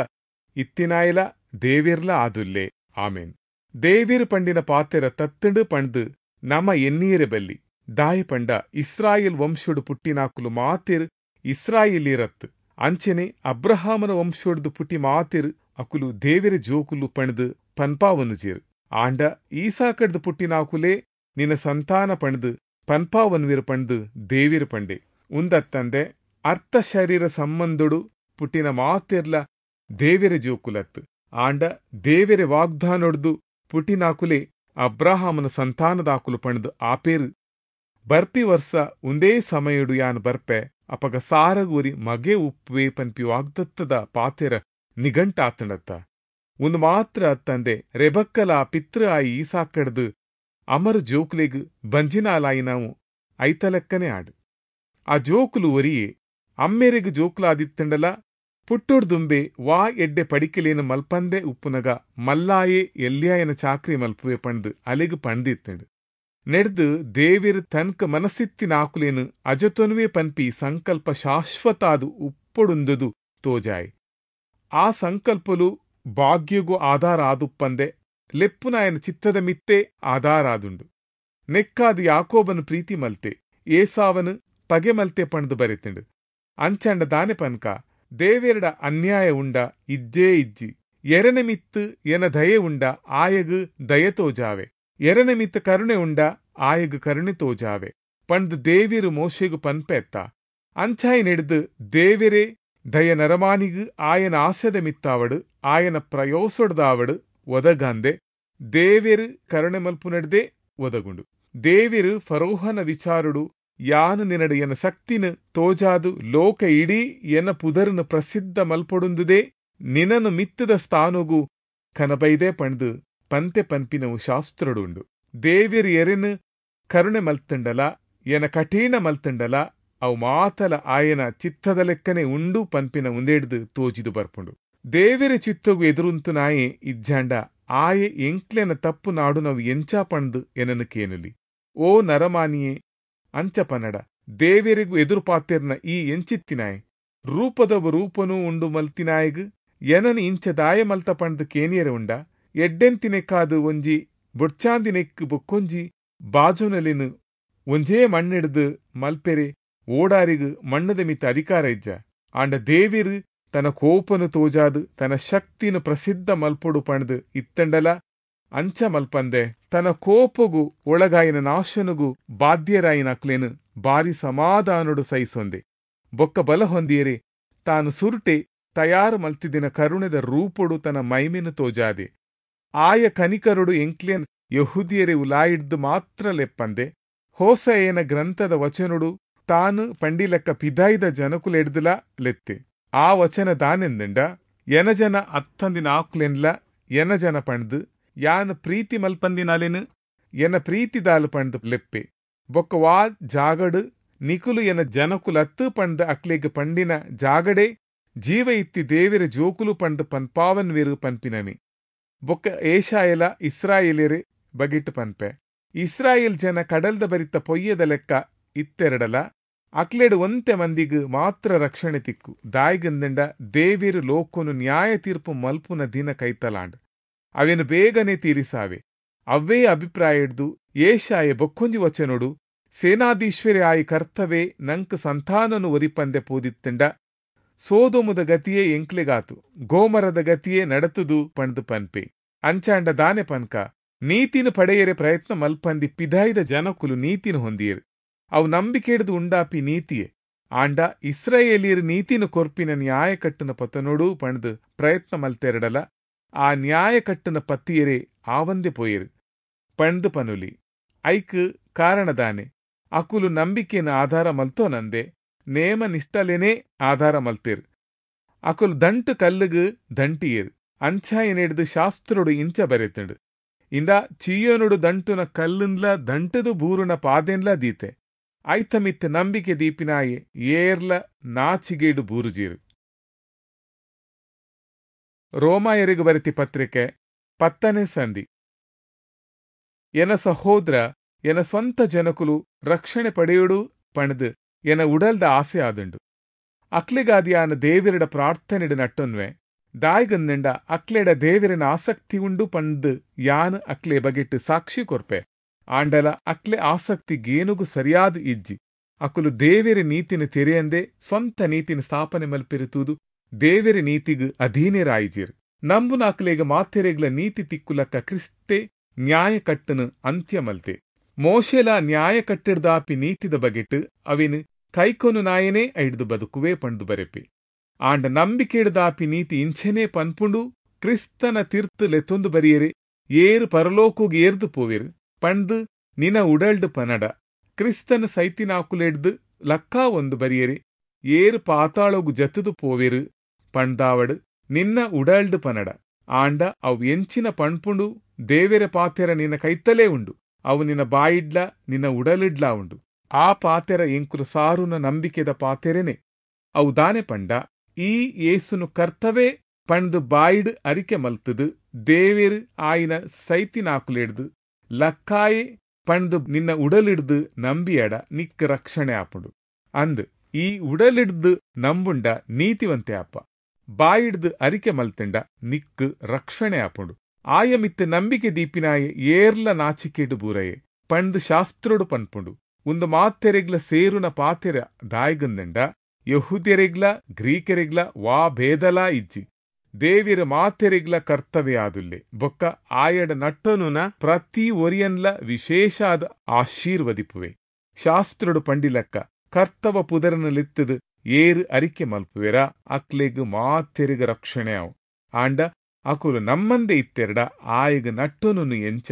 ಇತ್ತಿನಾಯಲ ದೇವಿರ್ಲ ಆದುಲ್ಲೆ. ಆಮೇನ್. ದೇವಿರ್ ಪಂಡಿನ ಪಾತೆರ ತತ್ತಂಡು ಪಂಡ್ದು ನಮ ಎನ್ನೀರೆ ಬಲ್ಲಿ. ದಾಯ ಪಂಡ ಇಸ್ರಾಯೇಲ್ ವಂಶೋಡು ಪುಟ್ಟಿನಾಕುಲು ಮಾತೆರ್ ಇಸ್ರಾಯೇಲಿರತ್ತು. ಅಂಚನೆ ಅಬ್ರಹಾಮನ ವಂಶೋಡ್ದು ಪುಟ್ಟಿ ಮಾತೆರ್ ಅಕುಲು ದೇವಿರ ಜೋಕುಲು ಪಂಡ್ದು ಪನ್ಪಾವನುಜೇರು. ಆಂಡ ಈಸಾಕಡ್ದು ಪುಟ್ಟಿನಾಕುಲೇ ನಿನ್ನ ಸಂತಾನ ಪಂಡ್ದು ಪನ್ಪಾವನ್ವಿರು ಪಂಡ್ದು ದೇವಿರು ಪಂಡೆ. ಉಂದತ್ತಂದೆ ಅರ್ಥ ಶರೀರ ಸಂಬಂಧೊಡು ಪುಟ್ಟಿನ ಮಾತೆರ್ಲ ದೇವಿರ ಜೋಕುಲತ್ತು. ಆಂಡ ದೇವಿರ ವಾಗ್ದಾನೊಡ್ದು ಪುಟ್ಟಿನಾಕುಲೇ ಅಬ್ರಹಾಮನ ಸಂತಾನದಾಕುಲು ಪಂಡ್ದು ಆಪೇರು. ಬರ್ಪಿ ವರ್ಷ ಒಂದೇ ಸಮಯಡು ಯಾನ್ ಬರ್ಪೆ, ಅಪಗ ಸಾರಗೂರಿ ಮಗೆ ಉಪ್ಪುವೆ ಪನ್ಪಿ ವಾಗ್ದತ್ತದ ಪಾತೆರ ನಿಘಂಟಾತಣತ್ತ. ಒಂದು ಮಾತ್ರ ಅತ್ತಂದೆ ರೆಬಕ್ಕಲ ಪಿತೃ ಆಯಿ ಈಸಾಕಡ್ದು ಅಮರ ಜೋಕುಲೆಗ್ ಬಂಜಿನಾಲಾಯಿ ನಾವು ಐತಲೆಕ್ಕನೆ ಆಡು. ಆ ಜೋಕುಲು ಒರಿಯೇ ಅಮ್ಮೆರೆಗ್ ಜೋಕುಲಾದಿತ್ತಂಡಲ ಪುಟ್ಟೊಡ್ದುಂಬೆ ವಾ ಎಡ್ಡೆ ಪಡಿಕೆಲೇನು ಮಲ್ಪಂದೆ ಉಪ್ಪುನಗ ಮಲ್ಲಾಯೆ ಎಲ್ಯಾಯನ ಚಾಕ್ರಿ ಮಲ್ಪುವೆ ಪಂಡ್ದು ಅಲೆಗ್ ಪಂಡ್ದಿತ್ತಂಡು. ನೆಡ್ದು ದೇವಿರ್ ತನ್ಕ ಮನಸ್ಸಿತ್ತಿನಾಕುಲೇನು ಅಜತೊನುವೆ ಪನ್ಪಿ ಸಂಕಲ್ಪ ಶಾಶ್ವತಾದು ಉಪ್ಪೊಡುಂದುದು ತೋಜಾಯ್. ಆ ಸಂಕಲ್ಪಲು ಭಾಗ್ಯಗೂ ಆಧಾರ ಆದುಪ್ಪಂದೆ ಲೆಪ್ಪುನಾಯನ ಚಿತ್ತದ ಮಿತ್ತೆ ಆಧಾರಾದುಂಡು. ನೆಕ್ಕಾದು ಯಾಕೋಬನು ಪ್ರೀತಿ ಮಲ್ತೆ, ಏಸಾವನು ಪಗೆ ಮಲ್ತೆ ಪಂಡ್ದು ಬರೆತಂಡು. ಅಂಚಂಡ ದಾನೆ ಪನ್ಕ ದೇವೆರಡ ಅನ್ಯಾಯ ಉಂಡ ಇಜ್ಜೇ ಇಜ್ಜಿ. ಎರನೆ ಮಿತ್ತು ಎನ ದಯೆ ಉಂಡ ಆಯಗು ದಯೆ ತೋಜಾವೆ, ಎರನೆ ಮಿತ್ತು ಕರುಣೆ ಉಂಡ ಆಯಗು ಕರುಣೆ ತೋಜಾವೆ ಪಂಡ್ದು ದೇವಿರು ಮೋಶೆಗು ಪನ್ಪೆತ್ತ. ಅಂಚಾಯಿ ನೆಡ್ದು ದೇವೆರೇ ದಯ ನರಮಾನಿಗು ಆಯನ ಆಸೆದ ಮಿತ್ತಾವಡು ಆಯನ ಪ್ರಯೋಸೊಡ್ದಾವಡು ಒದಗಂದೆ ದೇವೆರು ಕರುಣೆ ಮಲ್ಪು ನೆಡ್ದೆ ಒದಗುಂಡು. ದೇವಿರು ಫರೋಹನ ವಿಚಾರುಡು ಯಾನು ನಿನಡು ಎನ ಶಕ್ತಿನ ತೋಜಾದು ಲೋಕ ಇಡೀ ಎನ ಪುದರ್ನು ಪ್ರಸಿದ್ಧ ಮಲ್ಪೊಡುಂದುದೇ ನಿನನು ಮಿತ್ತದ ಸ್ಥಾನಗು ಕನಬೈದೆ ಪಂಡ್ದು ಪಂತೆ ಪನ್ಪಿನವು ಶಾಸ್ತ್ರಡುಂಡು. ದೇವಿರು ಎರೆನು ಕರುಣೆ ಮಲ್ತಂಡಲ ಎನ ಕಠಿಣ ಮಲ್ತಂಡಲ ಅವು ಮಾತಲ ಆಯನ ಚಿತ್ತದ ಲೆಕ್ಕನೆ ಉಂಡು ಪನ್ಪಿನ ಉಂದೆಡ್ದು ತೋಜಿದು ಬರ್ಪುಂಡು. ದೇವಿರ ಚಿತ್ತಗು ಎದುರುಂತು ನಾಯೆ ಇಜ್ಜಾಂಡ ಆಯೆ ಎಂಕ್ಲೆನ ತಪ್ಪು ನಾಡು ನಾವು ಎಂಚ ಪಂಡ್ದು ಎನನು ಕೇನಲಿ. ಓ ನರಮಾನಿಯೇ ಅಂಚ ಪನ್ನಡ, ದೇವಿರಿಗೂ ಎದುರು ಪಾತೆರ್ನ ಈ ಎಂಚಿತ್ತಿನಾಯ್ ರೂಪದವ ರೂಪನೂ ಉಂಡು ಮಲ್ತಿನಾಯಗ್ ಎನನು ಇಂಚ ದಾಯ ಮಲ್ತ ಪಂಡ್ದು ಕೇನಿಯರೆ ಉಂಡ. ಎಡ್ಡೆಂತಿನೆಕ್ಕಾದು ಒಂಜಿ ಬೊಡ್ಚಾಂದಿನೆಕ್ಕು ಬೊಕ್ಕೊಂಜಿ ಬಾಜುನಲಿನು ಒಂಜೇ ಮಣ್ಣಿಡ್ದು ಮಲ್ಪೆರೆ ಓಡಾರಿಗು ಮಣ್ಣದ ಮಿತ್ತ ಅಧಿಕಾರ ಇಜ್ಜ. ಆಂಡ ದೇವಿರು ತನ್ನ ಕೋಪನು ತೋಜಾದು ತನ್ನ ಶಕ್ತಿನ ಪ್ರಸಿದ್ಧ ಮಲ್ಪೊಡು ಪಂಡ್ದು ಇತ್ತಂಡಲ ಅಂಚ ಮಲ್ಪಂದೆ ತನ್ನ ಕೋಪಗು ಒಳಗಾಯಿನ ನಾಶನುಗು ಬಾಧ್ಯರಾಯಿನ ಅಕ್ಲೇನು ಬಾರಿ ಸಮಾಧಾನೊಡು ಸಹಿಸೊಂದೆ. ಬೊಕ್ಕ ಬಲ ಹೊಂದಿಯರೆ ತಾನು ಸುರುಟೆ ತಯಾರು ಮಲ್ತಿದಿನ ಕರುಣೆದ ರೂಪೊಡು ತನ್ನ ಮೈಮೆನು ತೋಜಾದೆ. ಆಯ ಕನಿಕರುಡು ಎಂಕ್ಲೇನ್ ಯಹುದಿಯರೆ ಉಲಾಯಿಡ್ದು ಮಾತ್ರ ಲೆಪ್ಪಂದೆ ಹೋಸೆಯನ ಗ್ರಂಥದ ವಚನುಡು ತಾನು ಪಂಡಿಲೆಕ್ಕ ಪಿದಾಯ್ದ ಜನಕುಲೆಡ್ದುಲ ಲೆತ್ತೆ. ಆ ವಚನ ದಾನೆಂದಂಡ ಎನಜನ ಅತ್ತಂದಿನ ಆಕ್ಲೆನ್ಲ ಎನಜನ ಪಂಡ್ದು ಯಾನ್ ಪ್ರೀತಿ ಮಲ್ಪಂದಿನಾಲೆನು ಎನ ಪ್ರೀತಿದಾಲು ಪಂಡ್ದು ಲೆಪ್ಪೆ. ಬೊಕ್ಕ ವಾ ಜಾಗಡು ನಿಕುಲು ಎನ ಜನಕುಲತ್ತು ಪಂಡ್ದು ಅಕ್ಲೆಗ್ ಪಂಡಿನ ಜಾಗಡೆ ಜೀವ ಇತ್ತಿ ದೇವಿರ ಜೋಕುಲು ಪಂಡ್ದು ಪನ್ಪಾವನ್ವಿರು ಪನ್ಪಿನಮಿ. ಬೊಕ್ಕ ಏಷಾಯಲ ಇಸ್ರಾಯೇಲರೆ ಬಗಿಟ್ಟು ಪನ್ಪೆ. ಇಸ್ರಾಯೇಲ್ ಜನ ಕಡಲ್ದ ಬರಿತ ಪೊಯ್ಯದ ಲೆಕ್ಕ ಇತ್ತೆರಡಲ ಅಕ್ಲೆಡು ಒಂತೆ ಮಂದಿಗ್ ಮಾತ್ರ ರಕ್ಷಣೆ ತಿಕ್ಕು. ದಾಯಿಗಂದಂಡ ದೇವಿರು ಲೋಕೊನು ನ್ಯಾಯ ತೀರ್ಪು ಮಲ್ಪುನ ದಿನ ಕೈತಲಾಂಡ್ ಅವೇನು ಬೇಗನೆ ತೀರಿಸಾವೆ. ಅವ್ವೇ ಅಭಿಪ್ರಾಯ ಹಿಡ್ದು ಏಷಾಯ ಬೊಕ್ಕೊಂಜಿ ವಚನೋಡು ಸೇನಾಧೀಶ್ವರಿ ಆಯಿ ಕರ್ತವೇ ನಂಕ್ ಸಂತಾನನು ಒರಿಪಂದೆ ಪೋದಿತ್ತಂಡ ಸೋದೋಮುದ ಗತಿಯೇ ಎಂಕ್ಲೆಗಾತು ಗೋಮರದ ಗತಿಯೇ ನಡತುದು ಪಂಡ್ದು ಪನ್ಪೆ. ಅಂಚಾಂಡ ದಾನೆ ಪನ್ಕ ನೀತಿನ ಪಡೆಯರೆ ಪ್ರಯತ್ನ ಮಲ್ಪಂದಿ ಪಿದಾಯ್ದ ಜನಕುಲು ನೀತಿನ ಹೊಂದಿಯರು. ಅವು ನಂಬಿಕೆಡ್ದು ಉಂಡಾಪಿ ನೀತಿಯೇ. ಆಂಡ ಇಸ್ರಾಯೇಲಿಯರು ನೀತಿನ ಕೊರ್ಪಿನ ನ್ಯಾಯ ಕಟ್ಟುನ ಪತನೋಡು ಪಂಡ್ದು ಪ್ರಯತ್ನ ಮಲ್ತೆರಡಲ ಆ ನ್ಯಾಯ ಕಟ್ಟುನ ಪತ್ತಿಯರೇ ಆವಂದೆ ಪೋಯರು ಪಂಡ್ದು ಪನುಲಿ. ಐಕ್ ಕಾರಣದಾನೆ ಅಕುಲು ನಂಬಿಕೆನ ಆಧಾರ ಮಲ್ತೋನಂದೆ ನೇಮ ನಿಷ್ಠಲೇನೇ ಆಧಾರ ಮಲ್ತೇರು. ಅಕುಲು ದಂಟು ಕಲ್ಲುಗು ದಂಟಿಯೇರು. ಅಂಚಾಯನೆಡ್ದು ಶಾಸ್ತ್ರೋಡು ಇಂಚ ಬರೆತಂಡು ಇಂದ ಚಿಯೋನುಡು ದಂಟುನ ಕಲ್ಲುನ್ಲ ದಂಟದು ಬೂರುನ ಪಾದೆನ್ಲ ದೀತೆ ಐತಮಿತ್ತ ನಂಬಿಕೆ ದೀಪಿನಾಯೆ ಏರ್ಲ ನಾಚಿಗೇಡು ಬೂರುಜೀರು. ರೋಮಾಯರಿಗು ಬರೆತಿ ಪತ್ರಿಕೆ ಪತ್ತನೇ ಸಂಧಿ. ಎನ ಸಹೋದರ ಎನ ಸ್ವಂತ ಜನಕುಲು ರಕ್ಷಣೆ ಪಡೆಯುಡು ಪಣದು ಎನ ಉಡಲ್ದ ಆಸೆ ಆದುಂಡು. ಅಕ್ಲೆಗಾದಿಯಾನ ದೇವಿರಡ ಪ್ರಾರ್ಥನೆಡು ನಟ್ಟೊನ್ವೆ ದಾಯ್ಗಂದೆಂಡ ಅಕ್ಲೆಡ ದೇವಿರನ ಆಸಕ್ತಿ ಉಂಡು ಪಂದ್ ಯಾನ್ ಅಕ್ಲೆ ಬಗೆಟ್ ಸಾಕ್ಷಿ ಕೊರ್ಪೆ. ಆಂಡಲ ಅಕ್ಲೆ ಆಸಕ್ತಿ ಗೇನುಗು ಸರಿಯಾದ ಇಜ್ಜಿ. ಅಕುಲು ದೇವೆರೆ ನೀತಿನ ತೆರೆಯಂದೆ ಸ್ವಂತ ನೀತಿನ ಸ್ಥಾಪನೆ ಮಲ್ಪೆರುತೂದು ದೇವೆರೆ ನೀತಿಗ್ ಅಧೀನರಾಯಿಜಿರ್. ನಂಬುನ ಅಕ್ಲೆಗ್ ಮಾತೆರೆಗ್ಲ ನೀತಿ ತಿಕ್ಕುಲಕ್ಕ ಕ್ರಿಸ್ತೆ ನ್ಯಾಯ ಕಟ್ಟನು ಅಂತ್ಯ ಮಲ್ತೆ. ಮೋಶೆಲ ನ್ಯಾಯ ಕಟ್ಟಿಡ್ದಾಪಿ ನೀತಿದ ಬಗೆಟ್ ಅವಿನ್ ಕೈಕೊನು ನಾಯನೇ ಐಡ್ದು ಬದುಕುವೆ ಪಂಡು ಬರೆಪೆ. ಆಂಡ ನಂಬಿಕೆಡ್ದಾಪಿ ನೀತಿ ಇಂಚೆನೇ ಪನ್ಪುಂಡು, ಕ್ರಿಸ್ತನ ತೀರ್ತು ಲೆತ್ತೊಂದು ಬರಿಯರೆ ಏರು ಪರಲೋಕುಗ್ ಏರ್ದು ಪೋವೆರು ಪಂಡು ನಿನ ಉಡಲ್ಡು ಪನಡ. ಕ್ರಿಸ್ತನ ಸೈತಿನಾಕುಲೆಡ್ದು ಲಕ್ಕಾ ಒಂದು ಬರಿಯರೆ ಏರು ಪಾತಾಳೋಗು ಜತ್ತದು ಪೋವೆರು ಪಂಡ್ದಾವಡು ನಿನ್ನ ಉಡಲ್ಡು ಪನಡ. ಆಂಡ ಅವು ಎಂಚಿನ ಪಣ್ಪುಂಡು ದೇವೆರೆ ಪಾತೆರ ನಿನ್ನ ಕೈತಲೇ ಉಂಡು, ಅವು ನಿನ್ನ ಬಾಯಿಡ್ಲ ನಿನ್ನ ಉಡಲಿಡ್ಲ ಉಂಡು. ಆ ಪಾತೆರ ಎಂಕುಲು ಸಾರುನ ನಂಬಿಕೆದ ಪಾತೆರೆನೆ. ಅವು ದಾನೆ ಪಂಡ ಈ ಯೇಸುನು ಕರ್ತವೇ ಪಂಡ್ದು ಬಾಯಿಡ್ ಅರಿಕೆ ಮಲ್ತದು ದೇವೆರು ಆಯಿನ ಸೈತಿನಾಕುಲೆಡ್ದು ಲಕ್ಕಾಯೆ ಪಂಡ್ದು ನಿನ್ನ ಉಡಲಿಡ್ದು ನಂಬಿಯಡ ನಿಕ್ ರಕ್ಷಣೆ ಆಪುಂಡು. ಅಂದ್ ಈ ಉಡಲಿಡ್ದು ನಂಬುಂಡ ನೀತಿವಂತೆ ಅಪ್ಪ, ಬಾಯಿಡ್ದು ಅರಿಕೆ ಮಲ್ತಂಡ ನಿಕ್ ರಕ್ಷಣೆ ಆಪುಂಡು. ಆಯ ಮಿತ್ತ ನಂಬಿಕೆ ದೀಪಿನಾಯ ಏರ್ಲ ನಾಚಿಕೆಡು ಬೂರಯೆ ಪಂಡ್ದು ಶಾಸ್ತ್ರೋಡು ಪನ್ಪುಂಡು. ಉಂದು ಮಾತೆರೆಗ್ಲ ಸೇರುನ ಪಾತೆರ ದಾಯ್ಗಂದಂಡ ಯಹೂದ್ಯರೆಗ್ಲ ಗ್ರೀಕರೆಗ್ಲ ವಾ ಭೇದಲಾ ಇಜ್ಜಿ. ದೇವಿರ ಮಾತೆರೆಗ್ಲ ಕರ್ತವ್ಯ ಆದುಲ್ಲೆ ಬೊಕ್ಕ ಆಯಡ ನಟ್ಟನುನ ಪ್ರತಿ ಒರಿಯನ್ಲ ವಿಶೇಷಾದ ಆಶೀರ್ವದಿಪುವೆ. ಶಾಸ್ತ್ರಡು ಪಂಡಿಲಕ್ಕ ಕರ್ತವ ಪುದರನಲಿತ್ತದು ಏರು ಅರಿಕೆ ಮಲ್ಪುವೆರ ಅಕ್ಲೆಗ್ ಮಾತೆರೆಗ್ ರಕ್ಷಣೆ ಆವು. ಆಂಡ ಅಕುಲು ನಮ್ಮಂದೆ ಇತ್ತೆರಡ ಆಯಗ್ ನಟ್ಟನುನು ಎಂಚ,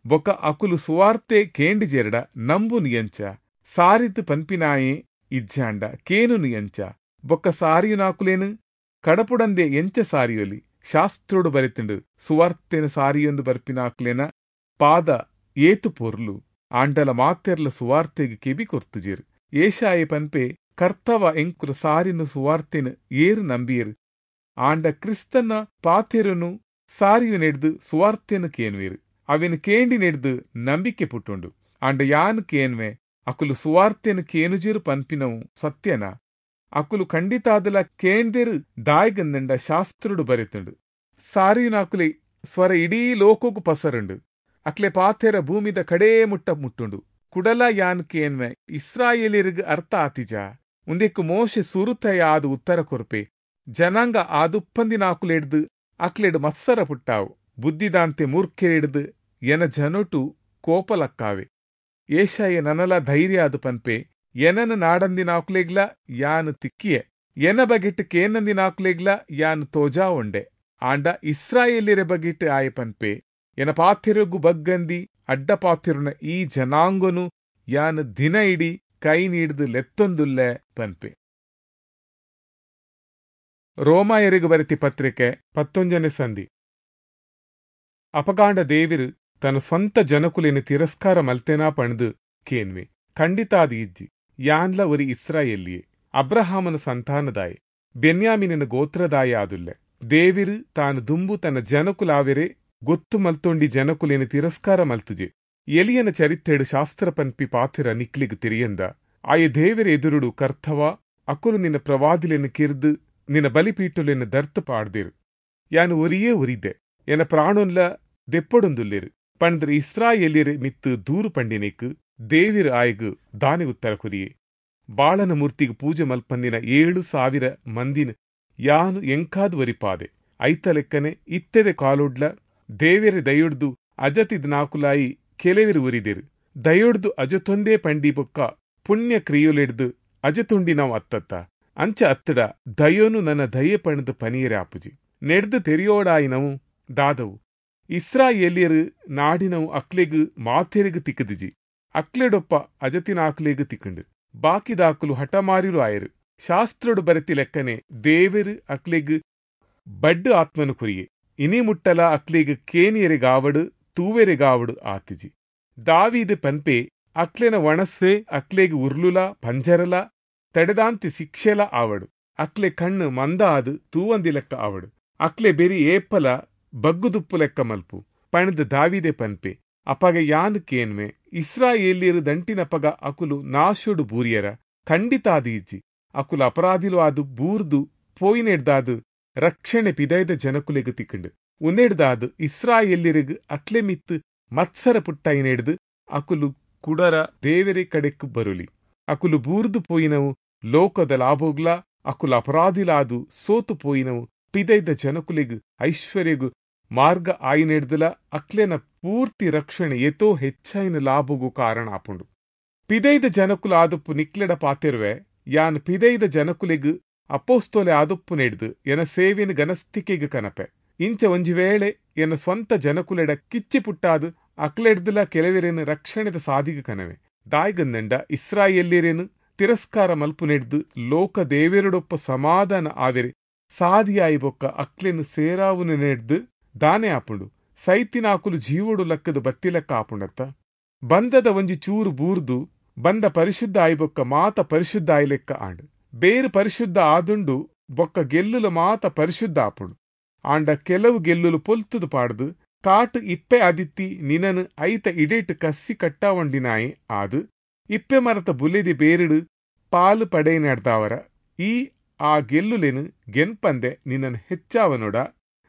ಬೊಕ್ಕ ಅಕುಲು ಸುವಾರ್ತೆ ಕೇಂಡಿಜೆರಡ ನಂಬುನು ಎಂಚ, ಸಾರಿತು ಪನ್ಪಿನಾಯೆ ಇಜ್ಜಾಂಡ ಕೇನುನು ಎಂಚ, ಬೊಕ್ಕ ಸಾರಿಯುನಾಕುಲೇನು ಕಡಪುಡಂದೆ ಎಂಚ ಸಾರಿಯೊಲಿ. ಶಾಸ್ತ್ರೋಡು ಬರೆತುಂಡು ಸುವಾರ್ತೆನ ಸಾರಿಯೊಂದು ಬರ್ಪಿನಾಕ್ಲೇನ ಪಾದ ಏತು ಪೊರ್ಲು, ಆಂಡಲ ಮಾತೆರ್ಲ ಸುವಾರ್ತೆಗ್ ಕೆಬಿ ಕೊರ್ತುಜೇರು. ಏಷಾಯೆ ಪನ್ಪೆ ಕರ್ತವ ಎಂಕುಲು ಸಾರಿನ ಸುವಾರ್ತೆನು ಏರು ನಂಬಿಯರು, ಆಂಡ ಕ್ರಿಸ್ತನ ಪಾತೆರನು ಸಾರಿಯು ನೆಡ್ದು ಸುವಾರ್ತೆನು ಕೇನ್ವೇರು, ಅವಿನ ಕೇಂಡಿ ನೆಡ್ದು ನಂಬಿಕೆ ಪುಟ್ಟುಂಡು. ಆಂಡ ಯಾನ್ ಕೇನ್ವೆ ಅಕುಲು ಸುವಾರ್ತೆನು ಕೇನುಜಿರು ಪನ್ಪಿನವು ಸತ್ಯನ, ಅಕುಲು ಖಂಡಿತಾದಲ ಕೇಂದೆರು ದಾಯ್ಗಂದಂಡ ಶಾಸ್ತ್ರುಡು ಬರೆತುಂಡು. ಸಾರಿಯುನಾಕುಲೆ ಸ್ವರ ಇಡೀ ಲೋಕಗು ಪಸರುಂಡು, ಅಕ್ಲೆ ಪಾತೆರ ಭೂಮಿದ ಕಡೇ ಮುಟ್ಟ ಮುಟ್ಟುಂಡು. ಕುಡಲ ಯಾನ್ ಕೇನ್ವೆ ಇಸ್ರಾಯೇಲಿರಿಗ್ ಅರ್ಥ ಆತಿಜ, ಉಂದೆಕ್ಕು ಮೋಶೆ ಸುರುತಯ ಆದು ಉತ್ತರ ಕೊರ್ಪೆ. ಜನಾಂಗ ಆದುಪ್ಪಂದಿನಾಕುಲೆಡ್ದು ಅಕ್ಲೆಡ್ ಮತ್ಸರ ಪುಟ್ಟಾವು, ಬುದ್ಧಿದಾಂತೆ ಮೂರ್ಖೆರೆಡ್ದು ಎನ ಜನೊಟು ಕೋಪಲಕ್ಕಾವೆ. ಏಷಾಯ ನನಲ ಧೈರ್ಯ ಅದು ಪನ್ಪೆ, ಎನನ ನಾಡಂದಿನಾಕುಲೆಗ್ಲ ಯಾನು ತಿಕ್ಕಿಯೆ, ಎನ ಬಗೆಟ್ ಕೇನಂದಿನಾಕುಲೆಗ್ಲ ಯಾನು ತೋಜಾ ಉಂಡೆ. ಆಂಡ ಇಸ್ರಾಯೇಲಿರೆ ಬಗೆಟ್ ಆಯ ಪನ್ಪೆ, ಎನ ಪಾತಿರುಗು ಬಗ್ಗಂದಿ ಅಡ್ಡ ಪಾತಿರುನ ಈ ಜನಾಂಗನು ಯಾನು ದಿನ ಇಡೀ ಕೈ ನೀಡ್ದು ಲೆತ್ತೊಂದುಲ್ಲೆ ಪನ್ಪೆ. ರೋಮಾಯರಿಗು ಬರೆತಿ ಪತ್ರಿಕೆ ಪತ್ತೊಂಜನೆ ಸಂಧಿ. ಅಪಗಾಂಡ ದೇವಿರು ತನ್ನ ಸ್ವಂತ ಜನಕುಲೇನು ತಿರಸ್ಕಾರ ಮಲ್ತೆನಾ ಪಣ್ದು ಕೇನ್ವೆ, ಖಂಡಿತಾದ ಇಜ್ಜಿ. ಯಾನ್ಲ ಒರಿ ಇಸ್ರಾಯೇಲಿಯೇ, ಅಬ್ರಹಾಮನ ಸಂತಾನದಾಯೆ, ಬೆನ್ಯಾಮಿನ ಗೋತ್ರದಾಯ ಆದುಲ್ಲೆ. ದೇವಿರು ತಾನು ದುಂಬು ತನ್ನ ಜನಕುಲಾವೆರೆ ಗೊತ್ತು ಮಲ್ತೊಂಡಿ ಜನಕುಲೇನು ತಿರಸ್ಕಾರ ಮಲ್ತುಜೆ. ಎಲಿಯನ ಚರಿತ್ರೆಡು ಶಾಸ್ತ್ರ ಪನ್ಪಿ ಪಾತಿರ ನಿಕ್ಲಿಗ್ ತಿರಿಯಂದ ಆಯ ದೇವಿರ ಎದುರುಡು ಕರ್ತವ ಅಕುಲು ನಿನ್ನ ಪ್ರವಾದಿಲೆನು ಕಿರ್ದು ನಿನ್ನ ಬಲಿಪೀಟುಲೆನು ದರ್ತು ಪಾಡ್ದಿರು. ಯಾನು ಒರಿಯೇ ಒರಿದೆ, ಎನ ಪ್ರಾಣೊನ್ಲ ದೆಪ್ಪೊಡೊಂದುಲ್ಲೆರು ಪಂಡ್ರ ಇಸ್ರಾಯೇಲಿಯರ್ ಮಿತ್ತು ದೂರು ಪಂಡಿನೇಕ್ ದೇವಿರ ಆಯಗ್ ದಾನೆ ಉತ್ತರ ಕುರಿಯೆ. ಬಾಳನ ಮೂರ್ತಿಗೆ ಪೂಜೆ ಮಲ್ಪಂದಿನ ಏಳು ಸಾವಿರ ಮಂದಿನ ಯಾನು ಎಂಕಾದು ಒರಿಪಾದೆ. ಐತ ಲೆಕ್ಕನೆ ಇತ್ತೆದೆ ಕಾಲೊಡ್ಲ ದೇವೆರೆ ದಯೊಡ್ದು ಅಜತಿದ್ ನಾಕುಲಾಯಿ ಕೆಲವೆರು ಒರಿದೆರು. ದಯೊಡ್ದು ಅಜತೊಂದೇ ಪಂಡಿ ಬೊಕ್ಕ ಪುಣ್ಯ ಕ್ರಿಯೊಲೆಡ್ದು ಅಜತೊಂಡಿ ನಾವು ಅತ್ತತ್ತ ಅಂಚ ಅತ್ತಡ ದಯೋನು ನನ್ನ ದಯೆ ಪಣದು ಪನಿಯರೆ ಆಪುಜಿ. ನೆಡ್ದು ತೆರಿಯೋಡಾಯಿನವು ದಾದವು ಇಸ್ರಾಯೇಲಿಯರು ನಾಡಿನವು ಅಕ್ಲೆಗ್ ಮಾತೆರೆಗ್ ತಿಕ್ಕದಿಜಿ, ಅಕ್ಲೆಡೊಪ್ಪ ಅಜತಿನಾಕ್ಲೆಗ್ ತಿಕ್ಕಂಡು. ಬಾಕಿದಾಕುಲು ಹಠಮಾರಿರು ಆಯರು. ಶಾಸ್ತ್ರಡು ಬರೆತಿ ಲೆಕ್ಕನೆ ದೇವೆರು ಅಕ್ಲೆಗ್ ಬಡ್ಡು ಆತ್ಮನು ಕುರಿಯೆ. ಇನಿ ಮುಟ್ಟಲ ಅಕ್ಲೆಗ್ ಕೇನಿಯರೆಗಾವಡು ತೂವೆರೆಗಾವಡು ಆತಿಜಿ. ದಾವೀದು ಪನ್ಪೆ ಅಕ್ಲೆನ ಒಣಸೆ ಅಕ್ಲೆಗ್ ಉರ್ಲುಲ ಪಂಜರಲ ತಡೆದಾಂತಿ ಶಿಕ್ಷೆಲ ಆವಡು. ಅಕ್ಲೆ ಕಣ್ಣು ಮಂದ ಆದು ತೂವಂದಿ ಲೆಕ್ಕ ಆವಡು. ಅಕ್ಲೆ ಬೆರಿ ಏಪಲ ಬಗ್ಗುದುಪ್ಪು ಲೆಕ್ಕ ಮಲ್ಪು ಪಣದ ದಾವಿದೆ ಪನ್ಪೆ. ಅಪಗ ಯಾನ್ ಕೇನ್ವೆ ಇಸ್ರಾಯೇಲಿಯರು ದಂಟಿನಪಗ ಅಕುಲು ನಾಶೋಡು ಬೂರಿಯರ? ಖಂಡಿತಾದ ಇಜ್ಜಿ. ಅಕುಲು ಅಪರಾಧಿಲು ಆದ್ ಬೂರ್ದು ಪೋಯಿನೆಡ್ದಾದ್ ರಕ್ಷಣೆ ಪಿದೈದ ಜನಕುಲೆಗ್ ತಿಕ್ಕಂಡು. ಉಂದೆಡ್ದಾದ್ ಇಸ್ರಾಯೇಲ್ಯೆರೆಗ್ ಅಕ್ಲೆ ಮಿತ್ತ್ ಮತ್ಸರ ಪುಟ್ಟಾಯಿನೆಡ್ದ್ ಅಕುಲು ಕುಡರ ದೇವೆರೆ ಕಡೆಕ್ ಬರುಲಿ. ಅಕುಲು ಬೂರ್ದು ಪೋಯಿನವು ಲೋಕದ ಲಾಭೋಗ್ಲಾ ಅಕುಲು ಅಪರಾಧಿಲಾದು ಸೋತು ಪೋಯಿನವು ಪಿದೈದ ಜನಕುಲೆಗ್ ಐಶ್ವರ್ಯಗ್ ಮಾರ್ಗ ಆಯಿನೆಡ್ದಲ ಅಕ್ಲೆನ ಪೂರ್ತಿ ರಕ್ಷಣೆ ಏತೋ ಹೆಚ್ಚಾಯಿನ ಲಾಭಗೂ ಕಾರಣ ಆಪುಂಡು. ಪಿದೈದ ಜನಕುಲು ಆದುಪ್ಪು ನಿಕ್ಲೆಡ ಪಾತೆರುವೆ, ಯಾನ್ ಪಿದೈದ ಜನಕುಲೆಗ್ ಅಪೋಸ್ತೋಲೆ ಆದುಪ್ಪುನೆಡ್ದ್ ಎನ ಸೇವೆನ್ ಗನಸ್ಥಿಕೆಗ್ ಕನಪೆ. ಇಂಚ ಒಂಜಿ ವೇಳೆ ಎನ್ನ ಸ್ವಂತ ಜನಕುಲೆಡ ಕಿಚ್ಚಿ ಪುಟ್ಟಾದ್ ಅಕ್ಲೆಡ್ದಲ ಕೆಲವೆರೆನ್ ರಕ್ಷಣೆದ ಸಾದಿಗೆ ಕನವೆ. ದಾಯ್ಗಂದಂಡ ಇಸ್ರಾಯೇಲ್ಯೆರೆನ್ ತಿರಸ್ಕಾರ ಮಲ್ಪುನೆಡ್ದ್ ಲೋಕ ದೇವೆರೊಡೊಪ್ಪ ಸಮಾಧಾನ ಆವೆರೆ ಸಾದಿಯಾಯಿ ಬೊಕ್ಕ ಅಕ್ಲೆನ್ ಸೇರಾವುನೆಡ್ದ್ ದಾನೆ ಆಪುಂಡು? ಸೈತಿನಾಕುಲು ಜೀವೊಡು ಲಕ್ಕದ ಬತ್ತಿಲೆಕ್ಕ ಆಪುಂಡತ್ತ? ಬಂದದ ಒಂಜಿ ಚೂರು ಬೂರ್ದು ಬಂದ ಪರಿಶುದ್ಧ ಆಯಿಬೊಕ್ಕ ಮಾತ ಪರಿಶುದ್ಧ ಆಯಿಲೆಕ್ಕ ಆಂಡ್. ಬೇರು ಪರಿಶುದ್ಧ ಆದುಂಡು ಬೊಕ್ಕ ಗೆಲ್ಲುಲು ಮಾತ ಪರಿಶುದ್ಧ ಆಪುಂಡು. ಆಂಡ ಕೆಲವು ಗೆಲ್ಲುಲು ಪೊಲ್ತುದು ಪಾಡ್ದು ಕಾಟ್ ಇಪ್ಪೆ ಆದಿತ್ತಿ ನಿನನ್ ಐತ ಇಡೇಟ್ ಕಸ್ಸಿ ಕಟ್ಟಾವೊಂಡಿನಾಯೆ ಆದ್ ಇಪ್ಪೆ ಮರತ ಬುಲೆದಿ ಬೇರುಡು ಪಾಲು ಪಡೆಯಿನಡ್ದಾವರ ಈ ಆ ಗೆಲ್ಲುಲೆನ್ ಗೆನ್ಪಂದೆ ನಿನ್ನನ್ ಹೆಚ್ಚಾವನೊಡ.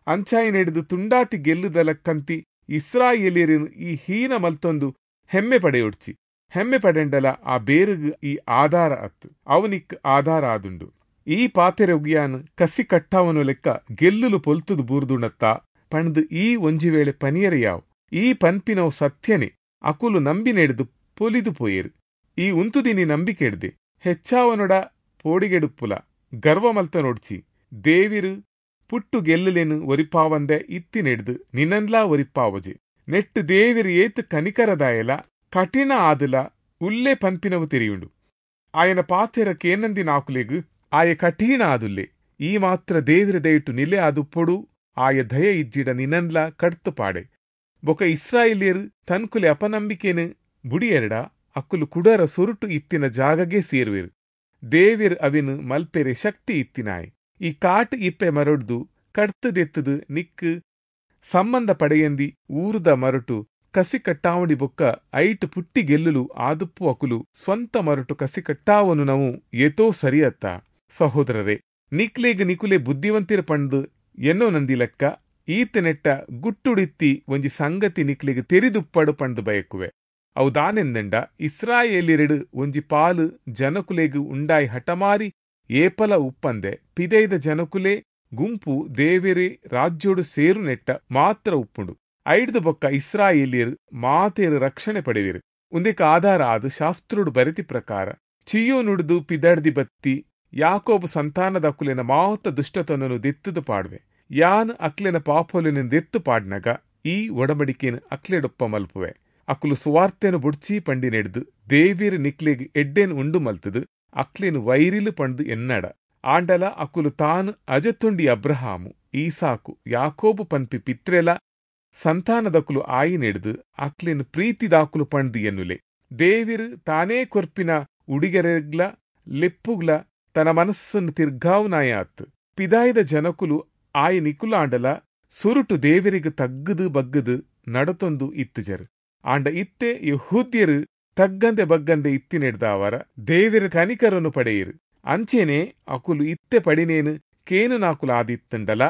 ಅಂಚಾಯಿನೆಡ್ದ್ ತುಂಡಾತಿ ಗೆಲ್ಲುದಲಕ್ಕಂತಿ ಇಸ್ರಾಯೇಲ್ಯೆರೆನ್ ಈ ಹೀನ ಮಲ್ತೊಂದು ಹೆಮ್ಮೆ ಪಡೆಯೊಡ್ಚಿ. ಹೆಮ್ಮೆ ಪಡೆಂಡಲ ಆ ಬೇರುಗ್ ಈ ಆಧಾರ ಅತ್ತು, ಅವನಿಕ್ ಆಧಾರ ಆದುಂಡು. ಈ ಪಾತೆರೊಗಿಯಾನ್ ಕಸಿ ಕಟ್ಟಾವನು ಲೆಕ್ಕ ಗೆಲ್ಲುಲು ಪೊಲ್ತುದು ಬೂರ್ದುಂಡತ್ತ ಪಂಡ್ದ್ ಈ ಒಂಜಿ ವೇಳೆ ಪನಿಯರೆ ಯಾವ್. ಈ ಪನ್ಪಿನವು ಸತ್ಯನೇ, ಅಕುಲು ನಂಬಿನೆಡ್ದ್ ಪೊಲಿದು ಪೋಯೆರ್. ಈ ಉಂತುದಿನಿ ನಂಬಿಕೆಡ್ದೆ. ಹೆಚ್ಚಾವನೊಡ ಪೋಡಿಗೆಡುಪ್ಪುಲ, ಗರ್ವ ಮಲ್ತನೊಡ್ಚಿ. ದೇವಿರು ಪುಟ್ಟು ಗೆಲ್ಲುಲೆನ್ ಒರಿಪಾವಂದೆ ಇತ್ತಿನೆಡ್ದ್ ನಿನ್ನನ್ಲಾ ಒರಿಪಾವಜೆ. ನೆಟ್ಟು ದೇವಿರು ಏತ್ ಕನಿಕರದಾಯಲ ಕಠಿಣ ಆದಲ ಉಲ್ಲೆ ಪನ್ಪಿನವು ತೆರಿಯುಂಡು. ಆಯನ ಪಾತೆರ ಕೇನಂದಿನಾಕುಲೆಗ್ ಆಯ ಕಠಿಣ ಆದುಲ್ಲೆ. ಈ ಮಾತ್ರ ದೇವಿರ ದಯಟು ನಿಲೆ ಆದುಪ್ಪೊಡು. ಆಯ ದಯ ಇಜ್ಜಿಡ ನಿನ್ನನ್ಲಾ ಕಡ್ತು ಪಾಡೆ. ಬೊಕ ಇಸ್ರಾಯೇಲ್ಯರು ತನ್ಕುಲೆ ಅಪನಂಬಿಕೆನ್ ಬುಡಿಯೆರಡ ಅಕ್ಕುಲು ಕುಡರ ಸುರುಟು ಇತ್ತಿನ ಜಾಗಗೆ ಸೇರುವೆರು. ದೇವಿರ್ ಅವಿನ್ ಮಲ್ಪೆರೆ ಶಕ್ತಿ ಇತ್ತಿನಾಯೆ. ಈ ಕಾಟ್ ಇಪ್ಪೆ ಮರೊಡ್ದು ಕಡ್ತದೆತ್ತದು ನಿಕ್ಕು ಸಂಬಂಧ ಪಡೆಯಂದಿ ಊರುದ ಮರಟು ಕಸಿ ಕಟ್ಟಾವಣಿ ಬೊಕ್ಕ ಐಟ್ ಪುಟ್ಟಿ ಗೆಲ್ಲುಲು ಆದುಪ್ಪು ಅಕುಲು ಸ್ವಂತ ಮರಟು ಕಸಿ ಕಟ್ಟಾವನು ನಾವು ಏತೋ ಸರಿಯತ್ತ. ಸಹೋದರರೇ, ನಿಕ್ಲೆಗ್ ನಿಕುಲೆ ಬುದ್ಧಿವಂತಿರ ಪಂಡ್ದು ಎನ್ನೋ ನಂದಿ ಲೆಕ್ಕ ಈತನೆಟ್ಟ ಗುಟ್ಟುಡಿತ್ತಿ ಒಂಜಿ ಸಂಗತಿ ನಿಕ್ಲೆಗ್ ತೆರಿದುಪ್ಪಡು ಪಂಡ್ದು ಬಯಕುವೆ. ಅವು ದಾನೆಂದಂಡ ಇಸ್ರಾಯೇಲಿರೆಡು ಒಂಜಿ ಪಾಲು ಜನಕುಲೆಗ್ ಉಂಡಾಯಿ ಹಠಮಾರಿ ಏಪಲ ಉಪ್ಪಂದೆ ಪಿದೈದ ಜನಕುಲೆ ಗುಂಪು ದೇವೆರೆ ರಾಜ್ಯೋಡು ಸೇರುನೆಟ್ಟ ಮಾತ್ರ ಉಪ್ಪುಂಡು. ಐಡ್ದು ಬೊಕ್ಕ ಇಸ್ರಾಯೇಲಿಯರು ಮಾತೇರು ರಕ್ಷಣೆ ಪಡೆವಿರು. ಉಂದೆಕ್ ಆಧಾರ ಆದ್ ಶಾಸ್ತ್ರೋಡು ಬರೆತಿ ಪ್ರಕಾರ ಚಿಯೋನುಡ್ದು ಪಿದಡ್ದಿ ಬತ್ತಿ ಯಾಕೋಬು ಸಂತಾನದ ಅಕುಲೆನ ಮಾತ ದುಷ್ಟತನನು ದೆತ್ತದು ಪಾಡುವೆ. ಯಾನ್ ಅಕ್ಲೆನ ಪಾಪೊಲೆನ ದೆತ್ತು ಪಾಡ್ನಗ ಈ ಒಡಂಬಡಿಕೆನ್ ಅಕ್ಲೆಡೊಪ್ಪ ಮಲ್ಪುವೆ. ಅಕುಲು ಸುವಾರ್ತೆನು ಬುಡ್ಚಿ ಪಂಡಿನೆಡ್ದು ದೇವಿರ್ ನಿಕ್ಲೆಗ್ ಎಡ್ಡೆನ್ ಉಂಡು ಮಲ್ತದು ಅಕ್ಲೆನ್ ವೈರಿಲು ಪಂಡ್ದು ಎನ್ನಡ. ಆಂಡಲ ಅಕುಲು ತಾನು ಅಜತೊಂಡಿ ಅಬ್ರಹಾಮು, ಈಸಾಕು, ಯಾಕೋಬು ಪನ್ಪಿ ಪಿತ್ರೆಲ ಸಂತಾನದಕುಲು ಆಯಿನೆಡ್ದು ಅಕ್ಲೆನ್ ಪ್ರೀತಿದಾಕುಲು ಪಂಡ್ದು ಎನ್ನುಲೆ. ದೇವಿರ್ ತಾನೇ ಕೊರ್ಪಿನ ಉಡಿಗೆರೆಗ್ಲ ಲೆಪ್ಪುಗ್ಲ ತನ್ನ ಮನಸ್ಸನ್ನು ತಿರ್ಗಾವುನಾಯ ಆತ್. ಪಿದಾಯದ ಜನಕುಲು ಆಯ ನಿಕುಲಾಂಡಲ ಸುರುಟು ದೇವರಿಗೆ ತಗ್ಗದು ಬಗ್ಗದು ನಡತೊಂದು ಇತ್ತುಜರು. ಆಂಡ ಇತ್ತೆ ಯೆಹೂದ್ಯರು ತಗ್ಗಂದೆ ಬಗ್ಗಂದೆ ಇತ್ತಿನೆಡ್ದಾವರ ದೇವಿರ ಕನಿಕರನ್ನು ಪಡೆಯಿರು. ಅಂಚೆನೆ ಅಕುಲು ಇತ್ತೆ ಪಡಿನೇನು ಕೇನುನಾಕುಲು ಆದಿತ್ತಂಡಲ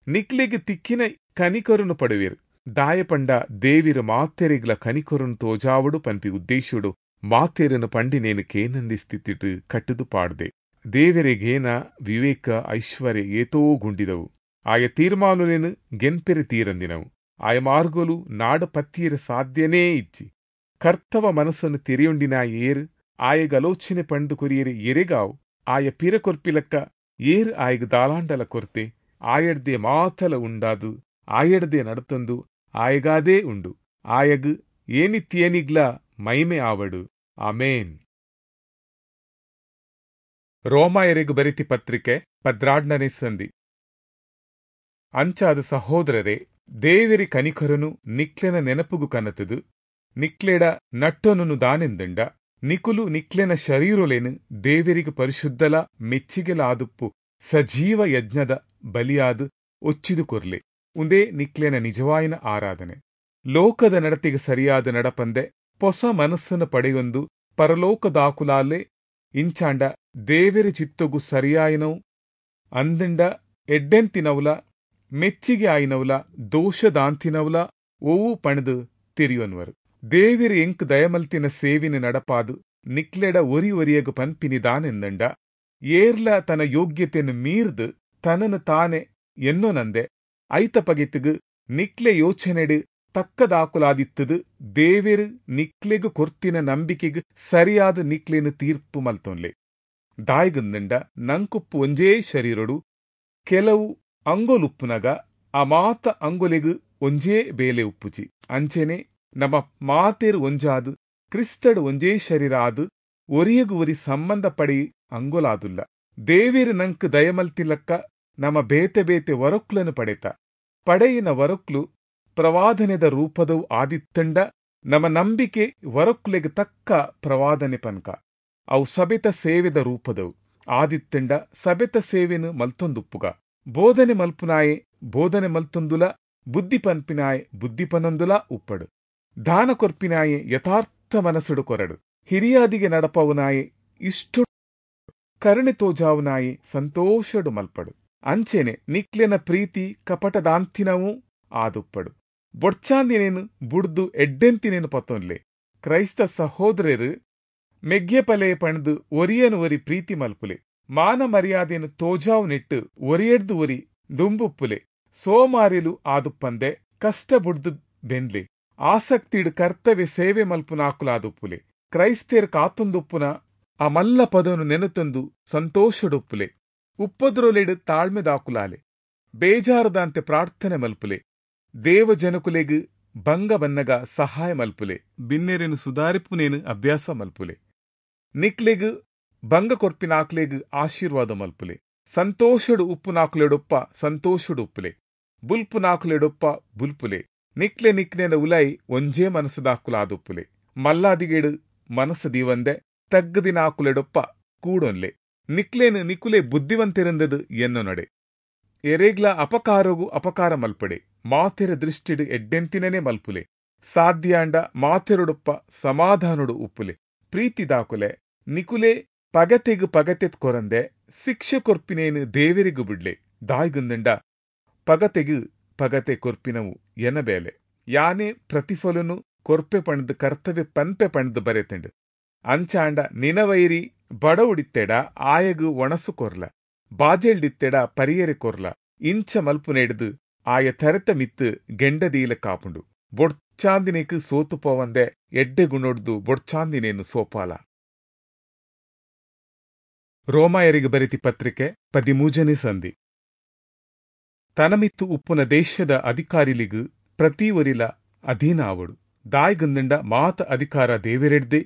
ನಿಕ್ಲೆಗ್ ತಿಕ್ಕಿನ ಕನಿಕರನ್ನು ಪಡುವಿರು. ದಾಯಪಂಡ ದೇವಿರ ಮಾತೆರೆಗ್ಲ ಕನಿಕರನ್ನು ತೋಜಾವಡು ಪನ್ಪಿ ಉದ್ದೇಶುಡು ಮಾತೆರನ್ನು ಪಂಡಿನೇನು ಕೇನಂದಿ ಸ್ಥಿತಿಟ್ಟು ಕಟ್ಟುದು ಪಾಡ್ದೆ. ದೇವರೆಗೇನ ವಿವೇಕ ಐಶ್ವರ್ಯ ಏತೋ ಗುಂಡಿದವು. ಆಯ ತೀರ್ಮಾನುಲೇನು ಗೆನ್ಪೆರೆ ತೀರಂದಿನವು. ಆಯ ಮಾರ್ಗೋಲು ನಾಡ ಪತ್ತಿಯರ ಸಾಧ್ಯನೇ ಇಜ್ಜಿ. ಕರ್ತವ ಮನಸ್ಸನ್ನು ತೆರೆಯೊಂಡಿನ ಏರು ಆಯಗಲೋಚನೆ ಪಂಡು ಕೊರಿಯರೆ ಎರೆಗಾವು. ಆಯ ಪಿರ ಕೊರ್ಪಿಲಕ್ಕ ಏರು ಆಯಗ ದಾಲಾಂಡಲ ಕೊರ್ತೆ. ಆಯಡ್ದೆ ಮಾತಲ ಉಂಡಾದು ಆಯಡ್ದೆ ನಡತೊಂದು ಆಯಗಾದೇ ಉಂಡು. ಆಯಗ್ ಏನಿತ್ಯೇನಿಗ್ಲ ಮೈಮೆ ಆವಡು. ಆಮೇನ್. ರೋಮಾಯರಿಗೆ ಬರೆತಿ ಪತ್ರಿಕೆ ಪದ್ರಾಡ್ನನೇ ಸಂಧಿ. ಅಂಚಾದ ಸಹೋದರರೇ, ದೇವೆರಿ ಕನಿಕರನು ನಿಕ್ಲೆನ ನೆನಪುಗು ಕನತದು ನಿಕ್ಲೆಡ ನಟ್ಟೊನನು ದಾನೆಂದಂಡ ನಿಕುಲು ನಿಕ್ಲೆನ ಶರೀರೊಲೆನು ದೇವೆರಿಗೆ ಪರಿಶುದ್ಧಲ ಮೆಚ್ಚಿಗೆಲಾದುಪ್ಪು ಸಜೀವ ಯಜ್ಞದ ಬಲಿಯಾದ ಒಚ್ಚಿದು ಕೊರ್ಲೆ. ಉಂದೇ ನಿಕ್ಲೆನ ನಿಜವಾಯಿನ ಆರಾಧನೆ. ಲೋಕದ ನಡತೆಗೆ ಸರಿಯಾದ ನಡಪಂದೆ ಪೊಸ ಮನಸ್ಸನ್ನು ಪಡೆಯೊಂದು ಪರಲೋಕದಾಕುಲಾಲೆ ಇಂಚಾಂಡ ದೇವೆರೆ ಚಿತ್ತೊಗು ಸರಿಯಾಯಿನವು ಅಂದಂಡ ಎಡ್ಡೆಂತಿನವುಲ ಮೆಚ್ಚಿಗೆ ಆಯಿನವುಲ ದೋಷದಾಂತಿನವುಲ ಒವು ಪಣದು ತಿರಿಯೊನ್ವರು. ದೇವೆರ್ ಎಂಕ್ ದಯಮಲ್ತಿನ ಸೇವಿನ ನಡಪಾದು ನಿಕ್ಲೆಡ ಒರಿ ಒರಿಯಗ್ ಪನ್ಪಿನಿ ದಾನೆಂದಂಡ ಏರ್ಲ ತನ್ನ ಯೋಗ್ಯತೆಯನ್ನು ಮೀರ್ದು ತನನು ತಾನೆ ಎನ್ನೊನಂದೆ ಐತ ಪಗೆತುಗು ನಿಕ್ಲೆ ಯೋಚನೆಡು ತಕ್ಕದಾಕುಲಾದಿತ್ತದು ದೇವೆರ್ ನಿಕ್ಲೆಗು ಕೊರ್ತಿನ ನಂಬಿಕೆಗ್ ಸರಿಯಾದ ನಿಕ್ಲೆನು ತೀರ್ಪು ಮಲ್ತೊನ್ಲೆ. ದಾಯ್ಗಂದಂಡ ನಂಕುಪ್ಪು ಒಂಜೇ ಶರೀರೊಡು ಕೆಲವು ಅಂಗೊಲುಪ್ಪುನಗ ಆ ಮಾತ ಅಂಗೊಲೆಗು ಒಂಜೇ ಬೇಲೆ ಉಪ್ಪುಜಿ. ಅಂಚೆನೆ ನಮ್ಮ ಮಾತೇರು ಒಂಜಾದು ಕ್ರಿಸ್ತಡು ಒಂಜೇ ಶರೀರ ಆದು ಒರಿಯಗು ಒರಿ ಸಂಬಂಧ ಪಡೆಯಿ ಅಂಗೊಲಾದುಲ್ಲ. ದೇವೇರು ನಂಕ್ ದಯಮಲ್ತಿಲಕ್ಕ ನಮ್ಮ ಬೇತೆ ಬೇತೆ ವರಕ್ಲನು ಪಡೆತ. ಪಡೆಯಿನ ವರಕ್ಲು ಪ್ರವಾದನೆದ ರೂಪದವು ಆದಿತ್ತಂಡ ನಮ್ಮ ನಂಬಿಕೆ ವರಕ್ಲೆಗ್ ತಕ್ಕ ಪ್ರವಾದನೆ ಪನ್ಕ. ಅವು ಸಬೆತ ಸೇವೆದ ರೂಪದವು ಆದಿತ್ತಂಡ ಸಬೆತ ಸೇವೆನು ಮಲ್ತೊಂದುಪ್ಪುಗ. ಬೋಧನೆ ಮಲ್ಪುನಾಯೆ ಬೋಧನೆ ಮಲ್ತೊಂದುಲ, ಬುದ್ಧಿ ಪನ್ಪಿನಾಯೆ ಬುದ್ಧಿ ಪನೊಂದುಲ ಉಪ್ಪಡು. ದಾನ ಕೊರ್ಪಿನಾಯೆ ಯಥಾರ್ಥ ಮನಸ್ಸುಡು ಕೊರಡು. ಹಿರಿಯಾದಿಗೆ ನಡಪವುನಾಯೆ ಇಷ್ಟು ಕರುಣೆ ತೋಜಾವುನಾಯೆ ಸಂತೋಷಡು ಮಲ್ಪಡು. ಅಂಚೆನೆ ನಿಕ್ಲೆನ ಪ್ರೀತಿ ಕಪಟದಾಂತಿನವೂ ಆದುಪ್ಪಡು. ಬೊಡ್ಚಾಂದಿನೇನು ಬುಡ್ದು ಎಡ್ಡೆಂತಿನೇನು ಪತ್ತೊನ್ಲೆ. ಕ್ರೈಸ್ತ ಸಹೋದರರು ಮೆಗ್ಯಪಲೆ ಪಣದು ಒರಿಯನು ಒರಿ ಪ್ರೀತಿ ಮಲ್ಪುಲೆ. ಮಾನ ಮರ್ಯಾದೆನು ತೋಜಾವು ನೆಟ್ಟು ಒರಿಯೆಡ್ದು ಒರಿ ದುಂಬುಪ್ಪುಲೆ. ಸೋಮಾರಿಲು ಆದುಪ್ಪಂದೆ ಕಷ್ಟ ಬುಡ್ದು ಬೆನ್ಲೆ. ಆಸಕ್ತಿಡು ಕರ್ತವ್ಯ ಸೇವೆ ಮಲ್ಪುನಾಕುಲಾದುಪ್ಪುಲೆ. ಕ್ರೈಸ್ತೇರ್ ಕಾತೊಂದುಪ್ಪುನ ಆ ಮಲ್ಲ ಪದನು ನೆನತೊಂದು ಸಂತೋಷಡುಪ್ಪುಲೆ. ಉಪ್ಪದ್ರೊಲೆಡು ತಾಳ್ಮೆದಾಕುಲಾಲೆ. ಬೇಜಾರದಾಂತೆ ಪ್ರಾರ್ಥನೆ ಮಲ್ಪುಲೆ. ದೇವಜನಕುಲೆಗ್ ಭಂಗ ಬನ್ನಗ ಸಹಾಯ ಮಲ್ಪುಲೆ. ಬಿನ್ನೆರೆನು ಸುಧಾರಿಪುನೇನು ಅಭ್ಯಾಸ ಮಲ್ಪುಲೆ. ನಿಕ್ಲೆಗ್ ಭಂಗ ಕೊರ್ಪಿನಾಕ್ಲೆಗ್ ಆಶೀರ್ವಾದ ಮಲ್ಪುಲೆ. ಸಂತೋಷಡು ಉಪ್ಪುನಾಕುಲೆಡೊಪ್ಪ ಸಂತೋಷಡು ಉಪ್ಪುಲೆ. ಬುಲ್ಪುನಾಕುಲೆಡೊಪ್ಪ ಬುಲ್ಪುಲೆ. ನಿಕ್ಲೆ ನಿಕ್ಲೆನ ಉಲೈ ಒಂಜೇ ಮನಸ್ಸುದಾಕುಲಾದುಪ್ಪುಲೆ. ಮಲ್ಲಾದಿಗೇಡು ಮನಸ್ಸು ದೀವಂದೆ ತಗ್ಗದಿನಾಕುಲೆಡೊಪ್ಪ ಕೂಡೊನ್ಲೆ. ನಿಕ್ಲೇನು ನಿಕುಲೆ ಬುದ್ಧಿವಂತಿರಂದದು ಎನ್ನು ನಡೆ. ಎರೆಗ್ಲ ಅಪಕಾರಗು ಅಪಕಾರ ಮಲ್ಪಡೆ. ಮಾತೆರ ದೃಷ್ಟಿಡು ಎಡ್ಡೆಂತಿನೇ ಮಲ್ಪುಲೆ. ಸಾಧ್ಯಾಂಡ ಮಾತೆರೊಡೊಪ್ಪ ಸಮಾಧಾನೊಡು ಉಪ್ಪುಲೆ. ಪ್ರೀತಿ ದಾಕುಲೆ. ನಿಕುಲೆ ಪಗತೆಗು ಪಗತೆ ಕೊರಂದೆ ಶಿಕ್ಷೆ ಕೊರ್ಪಿನೇನು ದೇವರಿಗೂ ಬಿಡ್ಲೆ. ದಾಯ್ಗುಂದಂಡ ಪಗತೆಗು ಪಗತೆ ಕೊರ್ಪಿನವು ಎನ ಬೇಲೆ. ಯಾನೆ ಪ್ರತಿಫಲನು ಕೊರ್ಪೆ ಪಣದು ಕರ್ತವ್ಯ ಪನ್ಪೆ ಪಣದು ಬರೆತಂಡು. ಅಂಚಾಂಡ ನಿನವೈರಿ ಬಡವುಡಿತ್ತೆಡ ಆಯಗು ಒಣಸು ಕೊರ್ಲ, ಬಾಜೆಲ್ಡಿತ್ತೆಡ ಪರಿಯರೆ ಕೊರ್ಲ. ಇಂಚ ಮಲ್ಪುನೆಡ್ದು ಆಯ ತರೆತ ಮಿತ್ತು ಗೆಂಡದೀಲ ಕಾಪುಂಡು. ಬೊಡ್ಚಾಂದಿನೇಕ್ ಸೋತು ಪೋವಂದೆ ಎಡ್ಡೆ ಗುಣೊಡ್ದು ಬೊಡ್ಚಾಂದಿನೇನು ಸೋಪಾಲ. ರೋಮಾಯರಿಗೆ ಬರೆತಿ ಪತ್ರಿಕೆ ಪದಿಮೂಜನೇ ಸಂಧಿ. ತನಮಿತ್ತು ಉಪ್ಪುನ ದೇಶದ ಅಧಿಕಾರಿಲಿಗು ಪ್ರತಿ ಒರಿಲ ಅಧೀನ ಆವಡು. ದಾಯ್ಗಂದಂಡ ಮಾತ ಅಧಿಕಾರ ದೇವೆರೆಡ್ದೆ.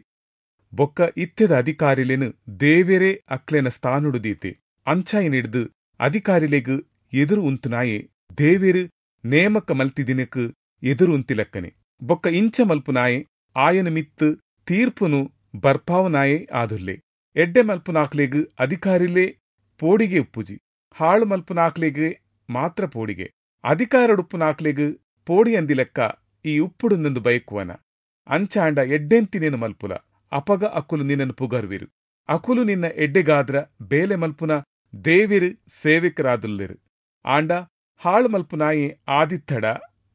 ಬೊಕ್ಕ ಇತ್ತೆದ ಅಧಿಕಾರಿಲೇನು ದೇವೆರೇ ಅಕ್ಲೆನ ಸ್ಥಾನುಡು ದೀತೆ. ಅಂಚಾಯಿನಿಡ್ದು ಅಧಿಕಾರಿಲೆಗ್ ಎದುರು ಉಂತುನಾಯೆ ದೇವೆರು ನೇಮಕ ಮಲ್ತಿದಿನಕ್ ಎದುರು ಉಂತಿಲಕ್ಕನೆ. ಬೊಕ್ಕ ಇಂಚ ಮಲ್ಪುನಾಯೆ ಆಯನ ಮಿತ್ತು ತೀರ್ಪುನು ಬರ್ಪಾವನಾಯೆ ಆದುಲ್ಲೆ. ಎಡ್ಡೆ ಮಲ್ಪುನಾಕ್ಲೆಗ್ ಅಧಿಕಾರಿಲೇ ಪೋಡಿಗೆ ಉಪ್ಪುಜಿ, ಹಾಳು ಮಲ್ಪುನಾಕ್ಲೆಗ್ ಮಾತ್ರ ಪೋಡಿಗೆ. ಅಧಿಕಾರಡುಪ್ಪುನಾಕ್ಲೆಗ್ ಪೋಡಿ ಅಂದಿಲೆಕ್ಕ ಈ ಉಪ್ಪುಡುಂದೊಂದು ಬಯಕುವನ. ಅಂಚಾಂಡ ಎಡ್ಡೆಂತಿನೇನು ಮಲ್ಪುಲ, ಅಪಗ ಅಕುಲು ನಿನ್ನನ್ನು ಪುಗರ್ವಿರು. ಅಕುಲು ನಿನ್ನ ಎಡ್ಡೆಗಾದ್ರ ಬೇಲೆ ಮಲ್ಪುನ ದೇವಿರು ಸೇವಕರಾದುಲ್ಲೆರು. ಆಂಡ ಹಾಳು ಮಲ್ಪುನಾಯೆ ಆದಿತ್ತಡ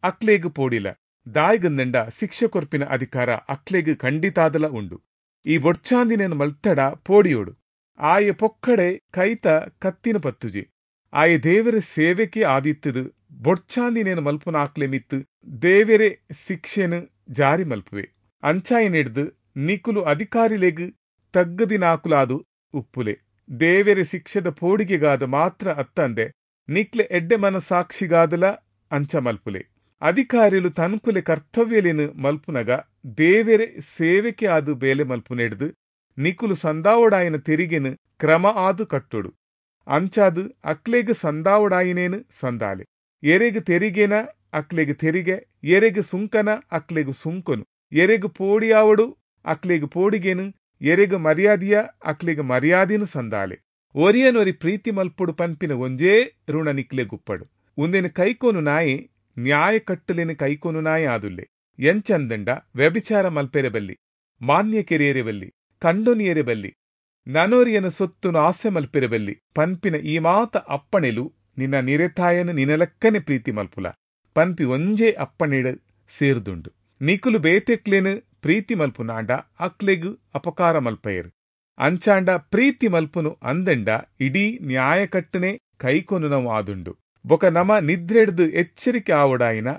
ಅಕ್ಲೇಗ್ ಪೋಡಿಲ. ದಾಯ್ಗಂದಂಡ ಶಿಕ್ಷೆ ಕೊರ್ಪಿನ ಅಧಿಕಾರ ಅಕ್ಲೇಗ್ ಖಂಡಿತಾದಲ ಉಂಡು. ಈ ಬೊಡ್ಚಾಂದಿನೇನು ಮಲ್ತಡ ಪೋಡಿಯೋಡು. ಆಯೆ ಪೊಕ್ಕಡೆ ಕೈತ ಕತ್ತಿನ ಪತ್ತುಜಿ. ಆಯೆ ದೇವರ ಸೇವೆಕೆ ಆದಿತ್ತದು ಬೊಡ್ಚಾಂದಿನೇನು ಮಲ್ಪುನಾಕ್ಲೆ ಮಿತ್ತು ದೇವರೇ ಶಿಕ್ಷೆನು ಜಾರಿ ಮಲ್ಪುವೆ. ಅಂಚಾಯಿನೆಡ್ದು ನಿಕುಲು ಅಧಿಕಾರಿಲೆಗ್ ತಗ್ಗದಿನಾಕುಲಾದು ಉಪ್ಪುಲೆ. ದೇವೆರೆ ಶಿಕ್ಷೆದ ಪೋಡಿಗೆಗಾದ ಮಾತ್ರ ಅತ್ತಂದೆ ನಿಕ್ಲೆ ಎಡ್ಡೆ ಮನಸಾಕ್ಷಿಗಾದಲ ಅಂಚ ಮಲ್ಪುಲೆ. ಅಧಿಕಾರಿಲು ತನ್ಕುಲೆ ಕರ್ತವ್ಯಲೇನು ಮಲ್ಪುನಗ ದೇವೆರೆ ಸೇವೆಕೆ ಆದು ಬೇಲೆ ಮಲ್ಪುನೆಡ್ದು ನಿಕುಲು ಸಂದಾವಡಾಯಿನ ತೆರಿಗೆನು ಕ್ರಮ ಆದು ಕಟ್ಟೊಡು. ಅಂಚಾದು ಅಕ್ಲೆಗ್ ಸಂದಾವಡಾಯಿನೇನು ಸಂದಾಲೆ. ಎರೆಗ್ ತೆರಿಗೆನ ಅಕ್ಲೆಗ್ ತೆರಿಗೆ, ಎರೆಗ್ ಸುಂಕನ ಅಕ್ಲೆಗ್ ಸುಂಕನು, ಎರೆಗ್ ಪೋಡಿಯಾವಡು ಅಕ್ಲೆಗ್ ಪೋಡಿಗೆನು, ಎರೆಗ್ ಮರ್ಯಾದಿಯ ಅಕ್ಲೆಗ್ ಮರ್ಯಾದಿನ ಸಂದಾಲೆ. ಒರಿಯನೊರಿ ಪ್ರೀತಿ ಮಲ್ಪುಡು ಪನ್ಪಿನ ಒಂಜೇ ಋಣ ನಿಕ್ಲೆಗುಪ್ಪಡು. ಉಂದೆನು ಕೈಕೋನು ನಾಯಿ ನ್ಯಾಯ ಕಟ್ಟಲೆನು ಕೈಕೋನು ನಾಯಿ ಆದುಲ್ಲೆ. ಎಂಚಂದಂಡ ವ್ಯಭಿಚಾರ ಮಲ್ಪೆರೆ ಬಲ್ಲಿ, ಮಾನ್ಯ ಕೆರಿಯರೆ ಬಲ್ಲಿ, ಕಂಡೊನಿಯರೆ ಬಲ್ಲಿ, ನನೊರಿಯನ ಸೊತ್ತುನು ಆಸೆ ಮಲ್ಪಿರಬಲ್ಲಿ ಪನ್ಪಿನ ಈ ಮಾತ ಅಪ್ಪಣೆಲು ನಿನ್ನ ನಿರೆತಾಯನು ನಿನಲಕ್ಕನೆ ಪ್ರೀತಿ ಮಲ್ಪುಲ ಪನ್ಪಿ ಒಂಜೇ ಅಪ್ಪಣೆಡು ಸೇರ್ದುಂಡು. ನಿಕುಲು ಬೇತೆಕ್ಲೇನು ಪ್ರೀತಿ ಮಲ್ಪುನಾಂಡ ಅಕ್ಲೆಗ್ ಅಪಕಾರ ಮಲ್ಪಯರು. ಅಂಚಾಂಡ ಪ್ರೀತಿ ಮಲ್ಪುನು ಅಂದಂಡ ಇಡೀ ನ್ಯಾಯಕಟ್ಟನೆ ಕೈಕೊನು ಆದುಂಡು. ಬೊಕ ನಮ ನಿದ್ರೆಡ್ದು ಎಚ್ಚರಿಕೆ ಆವಡಾಯಿನ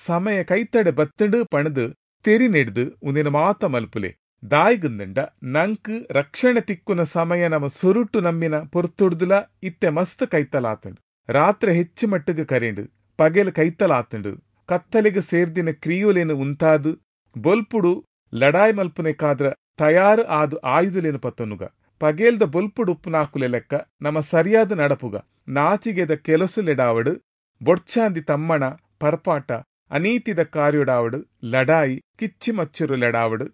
ಸಮಯ ಕೈತಡೆ ಬತ್ತಂಡು ಪಣದು ತೆರಿನೆಡ್ದು ಉಂದಿನ ಮಾತ ಮಲ್ಪುಲೆ. ದಾಯಿಗಂದಂಡ ನಂಕ್ ರಕ್ಷಣೆ ತಿಕ್ಕುನ ಸಮಯ ನಮ ಸುರುಟು ನಂಬಿನ ಪೊರ್ತುಡ್ದುಲ ಇತ್ತೆ ಮಸ್ತ್ ಕೈತಲಾತಂಡು. ರಾತ್ರೆ ಹೆಚ್ಚು ಮಟ್ಟಿಗೆ ಕರೆಂಡು, ಪಗೆಲ್ ಕೈತಲಾತಂಡು. ಕತ್ತಲೆಗೆ ಸೇರ್ದಿನ ಕ್ರಿಯೋಲೇನು ಉಂತಾದು ಬೊಲ್ಪುಡು ಲಡಾಯಿ ಮಲ್ಪುನೆಕಾದ್ರ ತಯಾರು ಆದು ಆಯುಧಲೇನು ಪತ್ತನುಗ. ಪಗೇಲ್ದ ಬೊಲ್ಪುಡು ಉಪ್ಪುನಾಕುಲೆ ಲೆಕ್ಕ ನಮ ಸರಿಯಾದ ನಡಪುಗ. ನಾಚಿಗೆದ ಕೆಲಸುಲೆಡಾವಡು, ಬೊಡ್ಚಾಂದಿ ತಮ್ಮಣ ಪರ್ಪಾಟ ಅನೀತಿದ ಕಾರ್ಯೊಡಾವಡು, ಲಡಾಯಿ ಕಿಚ್ಚಿಮಚ್ಚುರು ಲೆಡಾವಡು,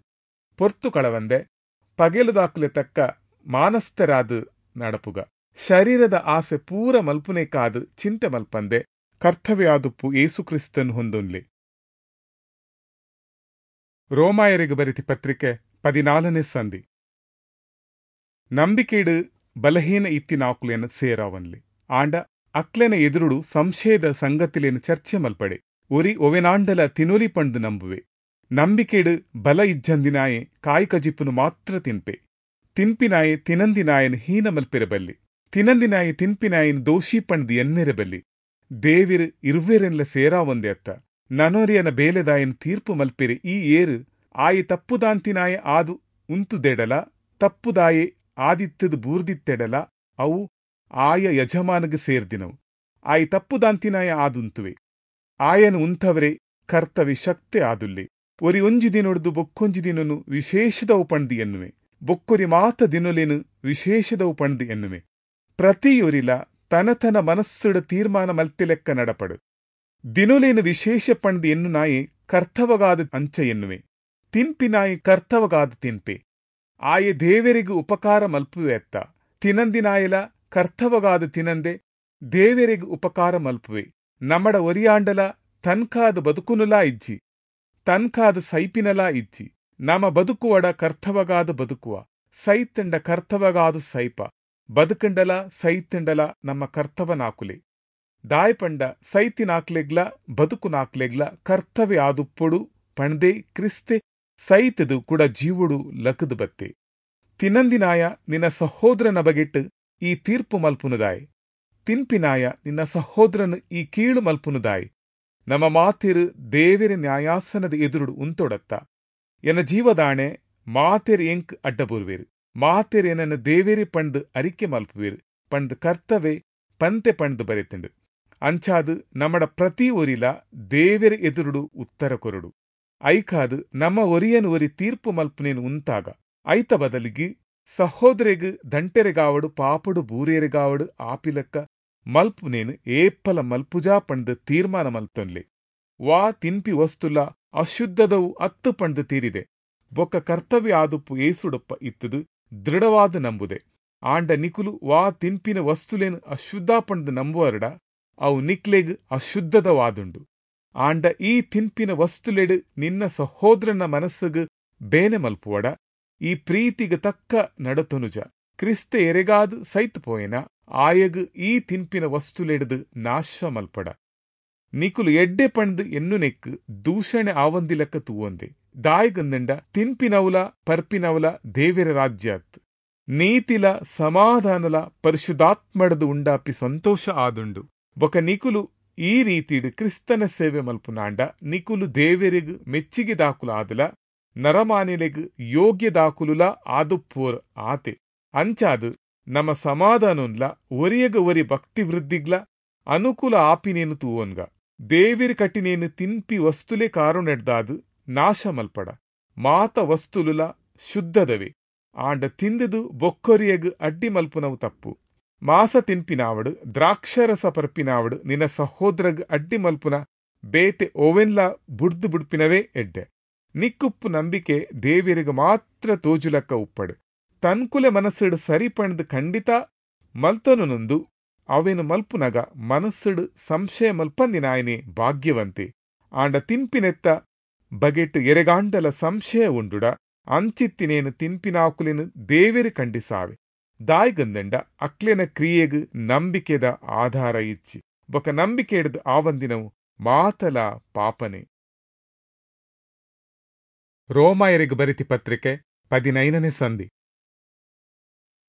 ಪೊರ್ತು ಕಳವಂದೆ ಪಗೆಲುದಾಕುಲೆ ತಕ್ಕ ಮಾನಸ್ಥರಾದು ನಡಪುಗ. ಶರೀರದ ಆಸೆ ಪೂರ ಮಲ್ಪುನೇಕಾದು ಚಿಂತೆ ಮಲ್ಪಂದೆ ಕರ್ತವ್ಯಾದುಪ್ಪು ಏಸುಕ್ರಿಸ್ತನ್ ಹೊಂದೊನ್ಲೆ. ರೋಮಾಯರಿಗೆ ಬರೆತಿ ಪತ್ರಿಕೆ ಪದಿನಾಲನೇ ಸಂಧಿ. ನಂಬಿಕೆಡು ಬಲಹೀನ ಇತ್ತಿನಾಕುಲೇನ ಸೇರಾವನ್ಲಿ. ಆಂಡ ಅಕ್ಲೆನ ಎದುರುಡು ಸಂಶಯದ ಸಂಗತಿಲೇನು ಚರ್ಚೆ ಮಲ್ಪಡೆ. ಒರಿ ಒವೆನಾಂಡಲ ತಿನೊಲಿ ಪಂಡು ನಂಬುವೆ. ನಂಬಿಕೆಡು ಬಲ ಇಜ್ಜಂದಿನಾಯೆ ಕಾಯಿ ಕಜಿಪ್ಪುನು ಮಾತ್ರ ತಿನ್ಪೆ. ತಿನ್ಪಿನಾಯೆ ತಿನಂದಿನಾಯನ್ ಹೀನ ಮಲ್ಪಿರಬಲ್ಲಿ. ತಿನಂದಿನಾಯೆ ತಿನ್ಪಿನಾಯನ್ ದೋಷಿ ಪಂಡ್ದು ಎನ್ನೆರಬಲ್ಲಿ. ದೇವಿರು ಇರುವೆರೆನ್ಲ ಸೇರಾವೊಂದೆ ಅತ್ತ. ನನೊರಿಯನ ಬೇಲೆದಾಯನ್ ತೀರ್ಪು ಮಲ್ಪಿರಿ ಈ ಏರು ಆಯಿ ತಪ್ಪುದಾಂತಿನಾಯೆ ಆದು ಉಂತುದೆಡಲ ತಪ್ಪುದಾಯೆ ಆದಿತ್ತದು ಬೂರ್ದಿತ್ತೆಡಲ ಅವು ಆಯ ಯಜಮಾನಗೆ ಸೇರ್ದಿನವು. ಆಯಿ ತಪ್ಪುದಾಂತಿನಾಯ ಆದುಂತುವೆ. ಆಯನು ಉಂತವರೆ ಕರ್ತವ್ಯ ಶಕ್ತಿ ಆದುಲ್ಲೆ. ಒರಿ ಒಂಜಿ ದಿನೊಡ್ದು ಬೊಕ್ಕೊಂಜಿ ದಿನನು ವಿಶೇಷದವು ಪಂಡ್ದು ಎನ್ನುವೆ. ಬೊಕ್ಕೊರಿ ಮಾತ ದಿನೊಲೇನು ವಿಶೇಷದವು ಪಂಡ್ದು ಎನ್ನುವೆ. ಪ್ರತಿಯೊರಿಲ ತನ ತನ ಮನಸ್ಸುಡ ತೀರ್ಮಾನ ಮಲ್ತಿಲೆಕ್ಕ ನಡಪಡು. ದಿನೊಲೇನು ವಿಶೇಷ ಪಂಡ್ದು ಎನ್ನು ನಾಯಿ ಕರ್ತವಗಾದ ಅಂಚ ಎನ್ನುವೆ. ತಿನ್ಪಿನಾಯಿ ಕರ್ತವಗಾದ ತಿನ್ಪೆ. ಆಯೆ ದೇವರಿಗೂ ಉಪಕಾರ ಮಲ್ಪುವೆ ಅತ್ತ. ತಿನಂದಿನಾಯಲ ಕರ್ತವಗಾದ ತಿನಂದೆ ದೇವರಿಗೂ ಉಪಕಾರ ಮಲ್ಪುವೆ. ನಮಡ ಒರಿಯಾಂಡಲ ತನ್ಕಾದ ಬದುಕುನುಲಾ ಇಜ್ಜಿ, ತನ್ಕಾದ ಸೈಪಿನಲಾ ಇಜ್ಜಿ. ನಮ ಬದುಕುವಡ ಕರ್ತವಗಾದ ಬದುಕುವ, ಸೈತಂಡ ಕರ್ತವಗಾದ ಸೈಪ. ಬದುಕಂಡಲ ಸೈತಂಡಲ ನಮ್ಮ ಕರ್ತವನಾಕುಲೆ. ದಾಯಪಂಡ ಸೈತಿನಾಕ್ಲೆಗ್ಲ ಬದುಕುನಾಕ್ಲೆಗ್ಲ ಕರ್ತವ್ಯ ಆದುಪ್ಪೊಡು ಪಂಡ್ದೆ ಕ್ರಿಸ್ತೆ ಸೈತದು ಕೂಡ ಜೀವಡು ಲಕದು ಬತ್ತೆ. ತಿನಂದಿನಾಯ ನಿನ್ನ ಸಹೋದರನ ಬಗೆಟ್ಟು ಈ ತೀರ್ಪು ಮಲ್ಪುನುದಾಯ್. ತಿನ್ಪಿನಾಯ ನಿನ್ನ ಸಹೋದರನು ಈ ಕೀಳು ಮಲ್ಪುನುದಾಯ್. ನಮ್ಮ ಮಾತಿರು ದೇವಿರ ನ್ಯಾಯಾಸನದ ಎದುರುಡು ಉಂತೊಡತ್ತ. ಎನ್ನ ಜೀವದಾಣೆ ಮಾತೆರ್ ಎಂಕ್ ಅಡ್ಡಬೂರ್ವೇರು. ಮಾತೆರ್ ಏನನ್ನ ದೇವೇರಿ ಪಂಡ್ ಅರಿಕೆ ಮಲ್ಪುವೇರು ಪಂಡ್ ಕರ್ತವೆ ಪಂತೆ ಪಂಡ್ ಬರೆತುಂಡು. ಅಂಚಾದು ನಮ್ಮಡ ಪ್ರತಿ ಒರಿಲ ದೇವೆರ ಎದುರುಡು ಉತ್ತರ ಕೊರಡು. ಐಕಾದು ನಮ್ಮ ಒರಿಯನು ಒರಿ ತೀರ್ಪು ಮಲ್ಪುನೇನು ಉಂತಾಗ ಐತ ಬದಲಿಗೆ ಸಹೋದರೆಗ್ ದಂಟೆರೆಗಾವಡು ಪಾಪಡು ಬೂರೇರೆಗಾವಡು ಆಪಿಲಕ್ಕ ಮಲ್ಪುನೇನು ಏಪ್ಪಲ ಮಲ್ಪುಜಾ ಪಂಡ್ ತೀರ್ಮಾನ ಮಲ್ತೊನ್ಲೆ. ವಾ ತಿನ್ಪಿ ವಸ್ತುಲ ಅಶುದ್ಧದವು ಅತ್ತು ಪಂಡ್ ತೀರಿದೆ. ಬೊಕ್ಕ ಕರ್ತವ್ಯ ಆದುಪ್ಪು ಏಸುಡಪ್ಪ ಇತ್ತದು ದೃಢವಾದ ನಂಬುದೆ. ಆಂಡ ನಿಕುಲು ವಾ ತಿನ್ಪಿನ ವಸ್ತುಲೇನು ಅಶುದ್ಧ ಪಂಡ್ ನಂಬುವರಡ ಅವು ನಿಕ್ಲೆಗ್ ಅಶುದ್ಧದವಾದುಂಡು. ಆಂಡ ಈ ತಿನ್ಪಿನ ವಸ್ತುಲೆಡು ನಿನ್ನ ಸಹೋದರನ ಮನಸ್ಸುಗ್ ಬೇನೆ ಮಲ್ಪುವಡ ಈ ಪ್ರೀತಿಗೆ ತಕ್ಕ ನಡತೊನುಜ. ಕ್ರಿಸ್ತ ಎರೆಗಾದ್ ಸೈತ್ ಪೋಯೆನ ಆಯಗ್ ಈ ತಿನ್ಪಿನ ವಸ್ತುಲೆಡ್ದು ನಾಶ ಮಲ್ಪಡ. ನಿಕುಲು ಎಡ್ಡೆ ಪಂಡ್ ಎನ್ನುನೆಕ್ ದೂಷಣೆ ಆವಂದಿಲಕ್ಕ ತೂವೊಂದೆ. ದಾಯಿಗಂದಂಡ ತಿನ್ಪಿನವುಲ ಪರ್ಪಿನವುಲ ದೇವಿರ ರಾಜ್ಯಾತ್. ನೀತಿಲ ಸಮಾಧಾನಲ ಪರಿಶುದ್ಧಾತ್ಮಡದು ಉಂಡಾಪಿ ಸಂತೋಷ ಆದುಂಡು. ಬೊಕ ನಿಕುಲು ಈ ರೀತಿಡ್ ಕ್ರಿಸ್ತನ ಸೇವೆ ಮಲ್ಪುನಾಂಡ ನಿಕುಲು ದೇವೆರಿಗ್ ಮೆಚ್ಚಿಗೆ ದಾಕುಲು ಆದಲ ನರಮಾನಿಲೆಗ್ ಯೋಗ್ಯ ದಾಕುಲುಲ ಆದುಪ್ಪೋರ್ ಆತೆ. ಅಂಚಾದು ನಮ್ಮ ಸಮಾಧಾನೊನ್ಲ ಒರಿಯಗ ಒರಿ ಭಕ್ತಿ ವೃದ್ಧಿಗ್ಲ ಅನುಕೂಲ ಆಪಿನೇನು ತೂವೊನ್ಗ. ದೇವಿರ್ ಕಟ್ಟಿನೇನು ತಿನ್ಪಿ ವಸ್ತುಲೆ ಕಾರುಣೆಡ್ದಾದು ನಾಶ ಮಲ್ಪಡ. ಮಾತ ವಸ್ತುಲುಲ ಶುದ್ಧದವೆ. ಆಂಡ ತಿಂದುದು ಬೊಕ್ಕೊರಿಯಗ್ ಅಡ್ಡಿ ಮಲ್ಪುನವು ತಪ್ಪು. ಮಾಸ ತಿನ್ಪಿನಾವಡು ದ್ರಾಕ್ಷರಸ ಪರ್ಪಿನಾವಡು ನಿನ್ನ ಸಹೋದರಗ್ ಅಡ್ಡಿ ಮಲ್ಪುನ ಬೇತೆ ಓವೆನ್ಲ ಬುಡ್ದು ಬುಡ್ಪಿನವೇ ಎಡ್ಡೆ. ನಿಕ್ಕುಪ್ಪು ನಂಬಿಕೆ ದೇವಿರಿಗ ಮಾತ್ರ ತೋಜುಲಕ್ಕ ಉಪ್ಪಡು. ತನ್ಕುಲೆ ಮನಸ್ಸುಡು ಸರಿ ಪಂಡ್ದು ಖಂಡಿತ ಮಲ್ತೊನುನೊಂದು ಅವೇನು ಮಲ್ಪುನಗ ಮನಸ್ಸುಡು ಸಂಶಯ ಮಲ್ಪಂದಿನಾಯನೆ ಭಾಗ್ಯವಂತೆ. ಆಂಡ ತಿನ್ಪಿನೆತ್ತ ಬಗೆಟ್ ಎರೆಗಾಂಡಲ ಸಂಶಯ ಉಂಡುಡ ಅಂಚಿತ್ತಿನೇನು ತಿನ್ಪಿನಾಕುಲೇನು ದೇವಿರು ಖಂಡಿಸಾವೆ. ದಾಯ್ಗಂದಂಡ ಅಕ್ಲೆನ ಕ್ರಿಯೆಗ್ ನಂಬಿಕೆದ ಆಧಾರ ಇಚ್ಚಿ ಬೊಕ ನಂಬಿಕೆ ಹಿಡಿದು ಆವಂದಿನವು ಮಾತಲ ಪಾಪನೆ. ರೋಮಾಯರಿಗೆ ಬರಿತಿ ಪತ್ರಿಕೆ ಪದಿನೈನನೇ ಸಂಧಿ.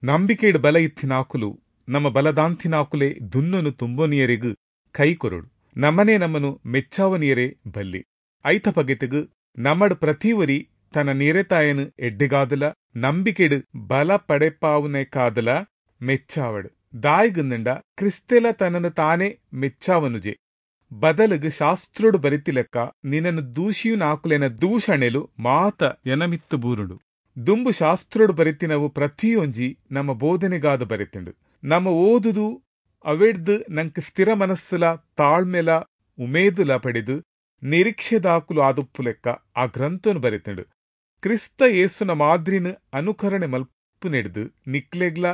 ನಂಬಿಕೆಡ್ ಬಲ ಇತ್ತಿನಾಕುಲು ನಮ್ಮ ಬಲದಾಂತಿನಾಕುಲೆ ದುನ್ನನು ತುಂಬೊನಿಯರಿಗು ಕೈ ಕೊರಡು ನಮ್ಮನೇ ನಮ್ಮನು ಮೆಚ್ಚಾವನಿಯರೇ ಬಲ್ಲಿ. ಐತ ಪಗೆತಿಗು ನಮ್ಮಡ್ ಪ್ರತಿವರಿ ತನ್ನ ನೀರೆತಾಯನು ಎಡ್ಡೆಗಾದಲ ನಂಬಿಕೆಡ್ ಬಲ ಪಡೆಪಾವುನೇಕಾದಲ ಮೆಚ್ಚಾವಡು. ದಾಯಿಗಂದಂಡ ಕ್ರಿಸ್ತೆಲ ತನ್ನನ್ನು ತಾನೇ ಮೆಚ್ಚಾವನುಜೆ ಬದಲುಗು ಶಾಸ್ತ್ರೋಡು ಬರಿತಿಲೆಕ್ಕ ನಿನ್ನನ್ನು ದೂಷಿಯುನಾಕುಲೆನ ದೂಷಣೆಲು ಮಾತ ಎನಮಿತ್ತು ಬೂರುಡು. ದುಂಬು ಶಾಸ್ತ್ರೋಡು ಬರಿತಿನವು ಪ್ರತಿಯೊಂಜಿ ನಮ್ಮ ಬೋಧನೆಗಾದ ಬರಿತಿಂಡು. ನಮ್ಮ ಓದುದು ಅವೆಡ್ದು ನಂಗೆ ಸ್ಥಿರ ಮನಸ್ಸುಲ ತಾಳ್ಮೆಲ ಉಮೇದುಲ ಪಡೆದು ನಿರೀಕ್ಷೆದಾಕುಲು ಆದುಪ್ಪು ಲೆಕ್ಕ ಆ ಗ್ರಂಥನು ಬರಿತಿಂಡು. ಕ್ರಿಸ್ತ ಯೇಸುನ ಮಾದ್ರಿನ ಅನುಕರಣೆ ಮಲ್ಪು ನೆಡ್ದು ನಿಕ್ಲೆಗ್ಲ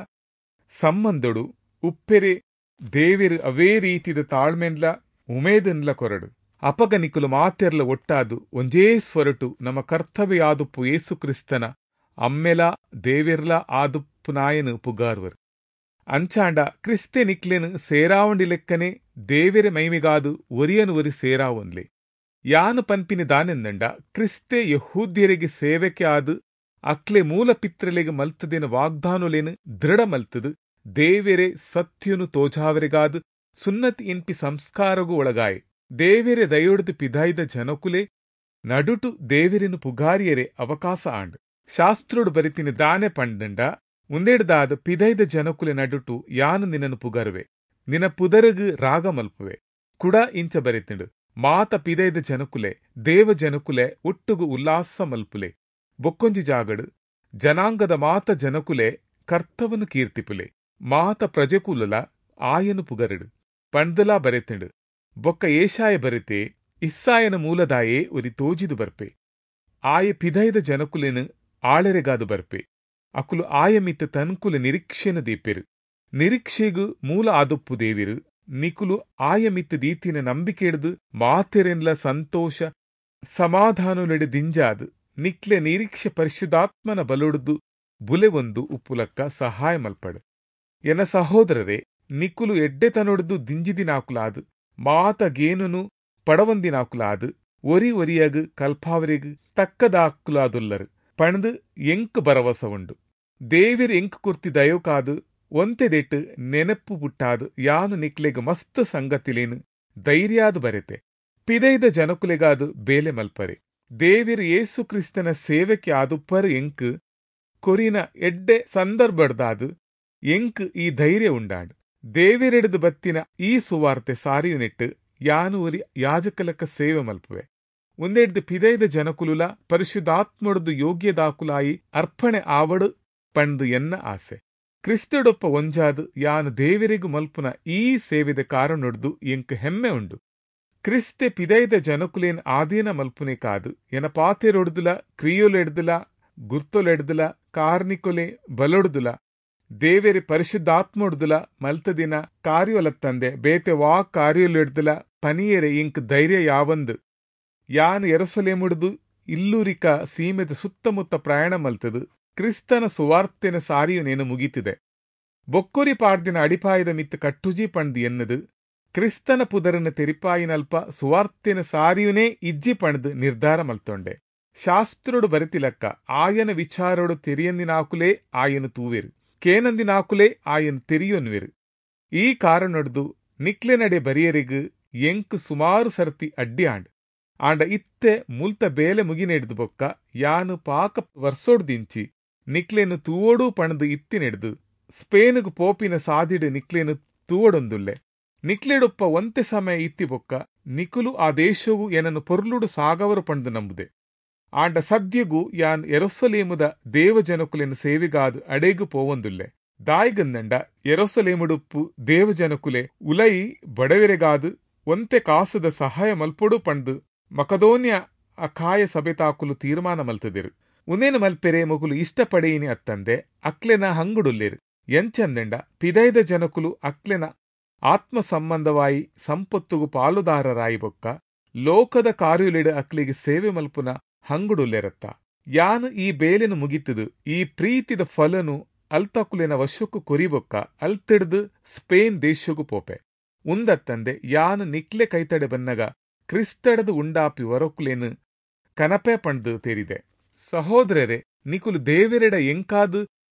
ಸಂಬಂಧೊಡು ಉಪ್ಪೆರೆ ದೇವೆರು ಅವೇ ರೀತಿದ ತಾಳ್ಮೆನ್ಲ ಉಮೇದನ್ಲ ಕೊರಡು. ಅಪಗ ನಿಕುಲು ಮಾತೆರ್ಲ ಒಟ್ಟಾದು ಒಂಜೇ ಸ್ವರಟು ನಮ್ಮ ಕರ್ತವ್ಯ ಆದುಪ್ಪು ಯೇಸು ಕ್ರಿಸ್ತನ ಅಮ್ಮೆಲ ದೇವೆರ್ಲ ಆದುಪ್ಪು ನಾಯನು ಪುಗಾರ್ವರು. ಅಂಚಾಂಡ ಕ್ರಿಸ್ತೆ ನಿಕ್ಲೆನು ಸೇರಾವಂಡಿ ಲೆಕ್ಕನೆ ದೇವೆರೆ ಮೈಮಿಗಾದು ಒರಿಯನು ಒರಿ ಸೇರಾವೊನ್ಲೆ. ಯಾನು ಪನ್ಪಿನಿ ದಾನೆಂದಂಡ ಕ್ರಿಸ್ತೆ ಯಹೂದ್ಯರಿಗೆ ಸೇವೆಕೆ ಆದು ಅಕ್ಲೆ ಮೂಲ ಪಿತ್ರಲೆಗೆ ಮಲ್ತದಿನ ವಾಗ್ದಾನುಲೇನು ದೃಢ ಮಲ್ತದು ದೇವೆರೆ ಸತ್ಯನು ತೋಜಾವರೆಗಾದು ಸುನ್ನತಿ ಇನ್ಪಿ ಸಂಸ್ಕಾರಗೂ ಒಳಗಾಯೆ. ದೇವೆರೆ ದಯೊಡ್ದು ಪಿದಾಯ್ದ ಜನಕುಲೆ ನಡುಟು ದೇವೆರೆನು ಪುಗಾರಿಯರೆ ಅವಕಾಶ ಆಂಡ್. ಶಾಸ್ತ್ರೋಡು ಬರಿತಿನ ದಾನೆ ಪಂಡಂಡ ಉಂದೆಡ್ದಾದ ಪಿದೈದ ಜನಕುಲೆ ನಡುಟು ಯಾನು ನಿನ್ನನು ಪುಗರುವೆ, ನಿನ್ನ ಪುದರಗು ರಾಗ ಮಲ್ಪುವೆ ಕುಡ ಇಂಚ ಬರಿತಿಂಡು. ಮಾತ ಪಿದೈದ ಜನಕುಲೆ ದೇವ ಜನಕುಲೆ ಒಟ್ಟುಗು ಉಲ್ಲಾಸ ಮಲ್ಪುಲೆ. ಬೊಕ್ಕೊಂಜಿ ಜಾಗಡು ಜನಾಂಗದ ಮಾತ ಜನಕುಲೆ ಕರ್ತವನು ಕೀರ್ತಿಪುಲೆ, ಮಾತ ಪ್ರಜೆಕುಲಲ ಆಯನು ಪುಗರಡು ಪಂಡ್ದಲಾ ಬರೆತಿಂಡು. ಬೊಕ್ಕ ಏಷಾಯ ಬರಿತೆ ಇಸ್ಸಾಯನ ಮೂಲದಾಯೇ ಒರಿ ತೋಜಿದು ಬರ್ಪೆ, ಆಯ ಪಿದೈದ ಜನಕುಲೆನು ಆಳೆರೆಗಾದು ಬರ್ಪೆ. ಅಕುಲು ಆಯ ಮಿತ್ತ ತನ್ಕುಲ ನಿರೀಕ್ಷೆನ ದೀಪೆರು, ನಿರೀಕ್ಷೆಗು ಮೂಲ ಆದುಪ್ಪು ದೇವಿರು. ನಿಕುಲು ಆಯ ಮಿತ್ತ ದೀತಿನ ನಂಬಿಕೆ ಹಿಡ್ದು ಮಾತೆರೆನ್ಲ ಸಂತೋಷ ಸಮಾಧಾನಲೆಡೆ ದಿಂಜಾದು ನಿಕ್ಲೆ ನಿರೀಕ್ಷೆ ಪರಿಶುದ್ಧಾತ್ಮನ ಬಲೊಡ್ದು ಬುಲೆ ಒಂದು ಉಪ್ಪುಲಕ್ಕ ಸಹಾಯ ಮಲ್ಪಡು. ಎನ್ನ ಸಹೋದರರೇ, ನಿಕುಲು ಎಡ್ಡೆತನೊಡ್ದು ದಿಂಜಿದಿನಾಕುಲಾದು ಮಾತ ಗೇನುನು ಪಡವಂದಿನಾಕುಲಾದು ಒರಿ ಒರಿಯಗು ಕಲ್ಪಾವರಿಗು ತಕ್ಕದಾಕುಲಾದುಲ್ಲರು ಪಣದು ಎಂಕ್ ಭರವಸ ಉಂಡು. ದೇವಿರ್ ಎಂಕ್ ಕುರ್ತಿ ದಯೋಕಾದು ಒಂತೆದೆಟ್ಟು ನೆನಪು ಪುಟ್ಟಾದು ಯಾನು ನಿಕ್ಲೆಗ್ ಮಸ್ತ್ ಸಂಗತಿಲೇನು ಧೈರ್ಯಾದು ಬರೆತೆ. ಪಿದೈದ ಜನಕುಲೆಗಾದು ಬೇಲೆ ಮಲ್ಪರೆ. ದೇವಿರ್ ಯೇಸು ಕ್ರಿಸ್ತನ ಸೇವೆಗೆ ಆದುಪ್ಪರು ಎಂಕ್ ಕೊರಿನ ಎಡ್ಡೆ ಸಂದರ್ಭಡ್ದಾದು ಎಂಕ್ ಈ ಧೈರ್ಯ ಉಂಡಾಂಡ್. ದೇವಿರೆಡ್ದು ಬತ್ತಿನ ಈ ಸುವಾರ್ತೆ ಸಾರಿಯುನೆಟ್ಟು ಯಾನು ಒರಿ ಯಾಜಕಲಕ್ಕ ಸೇವೆ ಮಲ್ಪುವೆ. ಒಂದೆಡ್ದು ಪಿದೈದ ಜನಕುಲುಲ ಪರಿಶುದ್ಧಾತ್ಮೊಡ್ದು ಯೋಗ್ಯದಾಕುಲಾಯಿ ಅರ್ಪಣೆ ಆವಡು ಪಂಡು ಎನ್ನ ಆಸೆ. ಕ್ರಿಸ್ತಡೊಪ್ಪ ಒಂಜಾದು ಯಾನು ದೇವರಿಗೂ ಮಲ್ಪುನ ಈ ಸೇವೆದ ಕಾರಣೊಡ್ದು ಎಂಕ್ ಹೆಮ್ಮೆ ಉಂಡು. ಕ್ರಿಸ್ತೆ ಪಿದೈದ ಜನಕುಲೇನ್ ಆಧೀನ ಮಲ್ಪುನೆ ಕಾದು ಎನ ಪಾತೆರೊಡ್ದುಲ ಕ್ರಿಯೋಲೆಡ್ದುಲ ಗುರ್ತೊಲೆಡ್ದುಲ ಕಾರ್ನಿಕೊಲೆ ಬಲೊಡ್ದುಲ ದೇವೆರೆ ಪರಿಶುದ್ಧಾತ್ಮೊಡ್ದುಲ ಮಲ್ತದಿನ ಕಾರ್ಯೊಲತ್ತಂದೆ ಬೇತೆ ವಾ ಕಾರ್ಯೊಲೆಡ್ದುಲ ಪನಿಯರೆ ಇಂಕ್ ಧೈರ್ಯ ಯಾವಂದು. ಯಾನು ಯೆರೂಸಲೇಮುಡ್ದು ಇಲ್ಲೂರಿಕ ಸೀಮೆದ ಸುತ್ತಮುತ್ತ ಪ್ರಯಾಣ ಮಲ್ತದು ಕ್ರಿಸ್ತನ ಸುವಾರ್ತೆನ ಸಾರಿಯು ನೇನು ಮುಗೀತಿದೆ. ಬೊಕ್ಕೊರಿ ಪಾಡ್ದಿನ ಅಡಿಪಾಯದ ಮಿತ್ತು ಕಟ್ಟುಜಿ ಪಂಡ್ದು ಎನ್ನದು ಕ್ರಿಸ್ತನ ಪುದರನ ತೆರಿಪಾಯಿನಲ್ಪ ಸುವಾರ್ತೆನ ಸಾರಿಯುನೇ ಇಜ್ಜಿ ಪಂಡ್ದು ನಿರ್ಧಾರ ಮಲ್ತೊಂಡೆ. ಶಾಸ್ತ್ರೋಡು ಬರಿತಿಲಕ್ಕ ಆಯನ ವಿಚಾರೋಡು ತೆರಿಯಂದಿನಾಕುಲೇ ಆಯನು ತೂವೆರು, ಕೇನಂದಿನಾಕುಲೇ ಆಯನು ತೆರಿಯೊನ್ವೆರು. ಈ ಕಾರಣೊಡ್ದು ನಿಕ್ಲೆ ನಡೆ ಬರಿಯರಿಗು ಎಂಕ್ ಸುಮಾರು ಸರ್ತಿ ಅಡ್ಡಿ ಆಂಡ್. ಆಂಡ ಇತ್ತೆ ಮುಲ್ತ ಬೇಲೆ ಮುಗಿನೆಡ್ದು ಬೊಕ್ಕ ಯಾನು ಪಾಕ ವರ್ಸೋಡ್ದಿಂಚಿ ನಿಕ್ಲೇನು ತೂವೋಡು ಪಣದು ಇತ್ತಿನೆಡ್ದು ಸ್ಪೇನುಗು ಪೋಪಿನ ಸಾದಿಡು ನಿಕ್ಲೇನು ತೂವೊಡೊಂದುಲ್ಲೆ. ನಿಕ್ಲೆಡೊಪ್ಪ ಒಂತೆ ಸಮಯ ಇತ್ತಿ ಬೊಕ್ಕ ನಿಕುಲು ಆ ದೇಶವು ಏನನ್ನು ಪೊರ್ಲುಡು ಸಾಗವರು ಪಣದು ನಂಬುದೆ. ಆಂಡ ಸದ್ಯಗು ಯಾನ್ ಯೆರೂಸಲೇಮುದ ದೇವಜನಕುಲೆನು ಸೇವೆಗಾದು ಅಡೇಗು ಪೋವೊಂದುಲ್ಲೆ. ದಾಯಿಗಂದಂಡ ಯೆರೂಸಲೇಮುಡುಪ್ಪು ದೇವಜನಕುಲೆ ಉಲೈ ಬಡವೆರೆಗಾದು ಒಂತೆ ಕಾಸದ ಸಹಾಯ ಮಲ್ಪೊಡು ಪಂಡು ಮಕದೋನ್ಯ ಅಖಾಯ ಸಭೆತಾಕುಲು ತೀರ್ಮಾನ ಮಲ್ತದಿರು. ಉನೇನು ಮಲ್ಪೆರೆ ಮೊಗುಲು ಇಷ್ಟಪಡೆಯಿನಿ ಅತ್ತಂದೆ ಅಕ್ಲೆನ ಹಂಗುಡುಲ್ಲೇರು. ಎಂಚಂದೆಂಡ ಪಿದೈದ ಜನಕುಲು ಅಕ್ಲೆನ ಆತ್ಮ ಸಂಬಂಧವಾಯಿ ಸಂಪತ್ತುಗು ಪಾಲುದಾರರಾಯಿ ಬೊಕ್ಕ ಲೋಕದ ಕಾರ್ಯುಲೆಡು ಅಕ್ಲಿಗೆ ಸೇವೆ ಮಲ್ಪುನ ಹಂಗುಡುಲ್ಲೆರತ್ತ. ಯಾನು ಈ ಬೇಲೆನು ಮುಗಿತದು ಈ ಪ್ರೀತಿದ ಫಲನು ಅಲ್ತಕುಲೆನ ವಶಕ್ಕു ಕೊರಿಬೊಕ್ಕ ಅಲ್ತಿಡ್ದು ಸ್ಪೇನ್ ದೇಶಗು ಪೋಪೆ. ಉಂದತ್ತಂದೆ ಯಾನ್ ನಿಕ್ಲೆ ಕೈತಡೆ ಬನ್ನಗ ಕ್ರಿಸ್ತಡದು ಉಂಡಾಪಿ ವರೊಕುಲೇನು ಕನಪೆ ಪಂಡ್ದು ತೇರಿದೆ. ಸಹೋದರರೇ, ನಿಕುಲು ದೇವೆರೆಡ ಎಂಕಾದು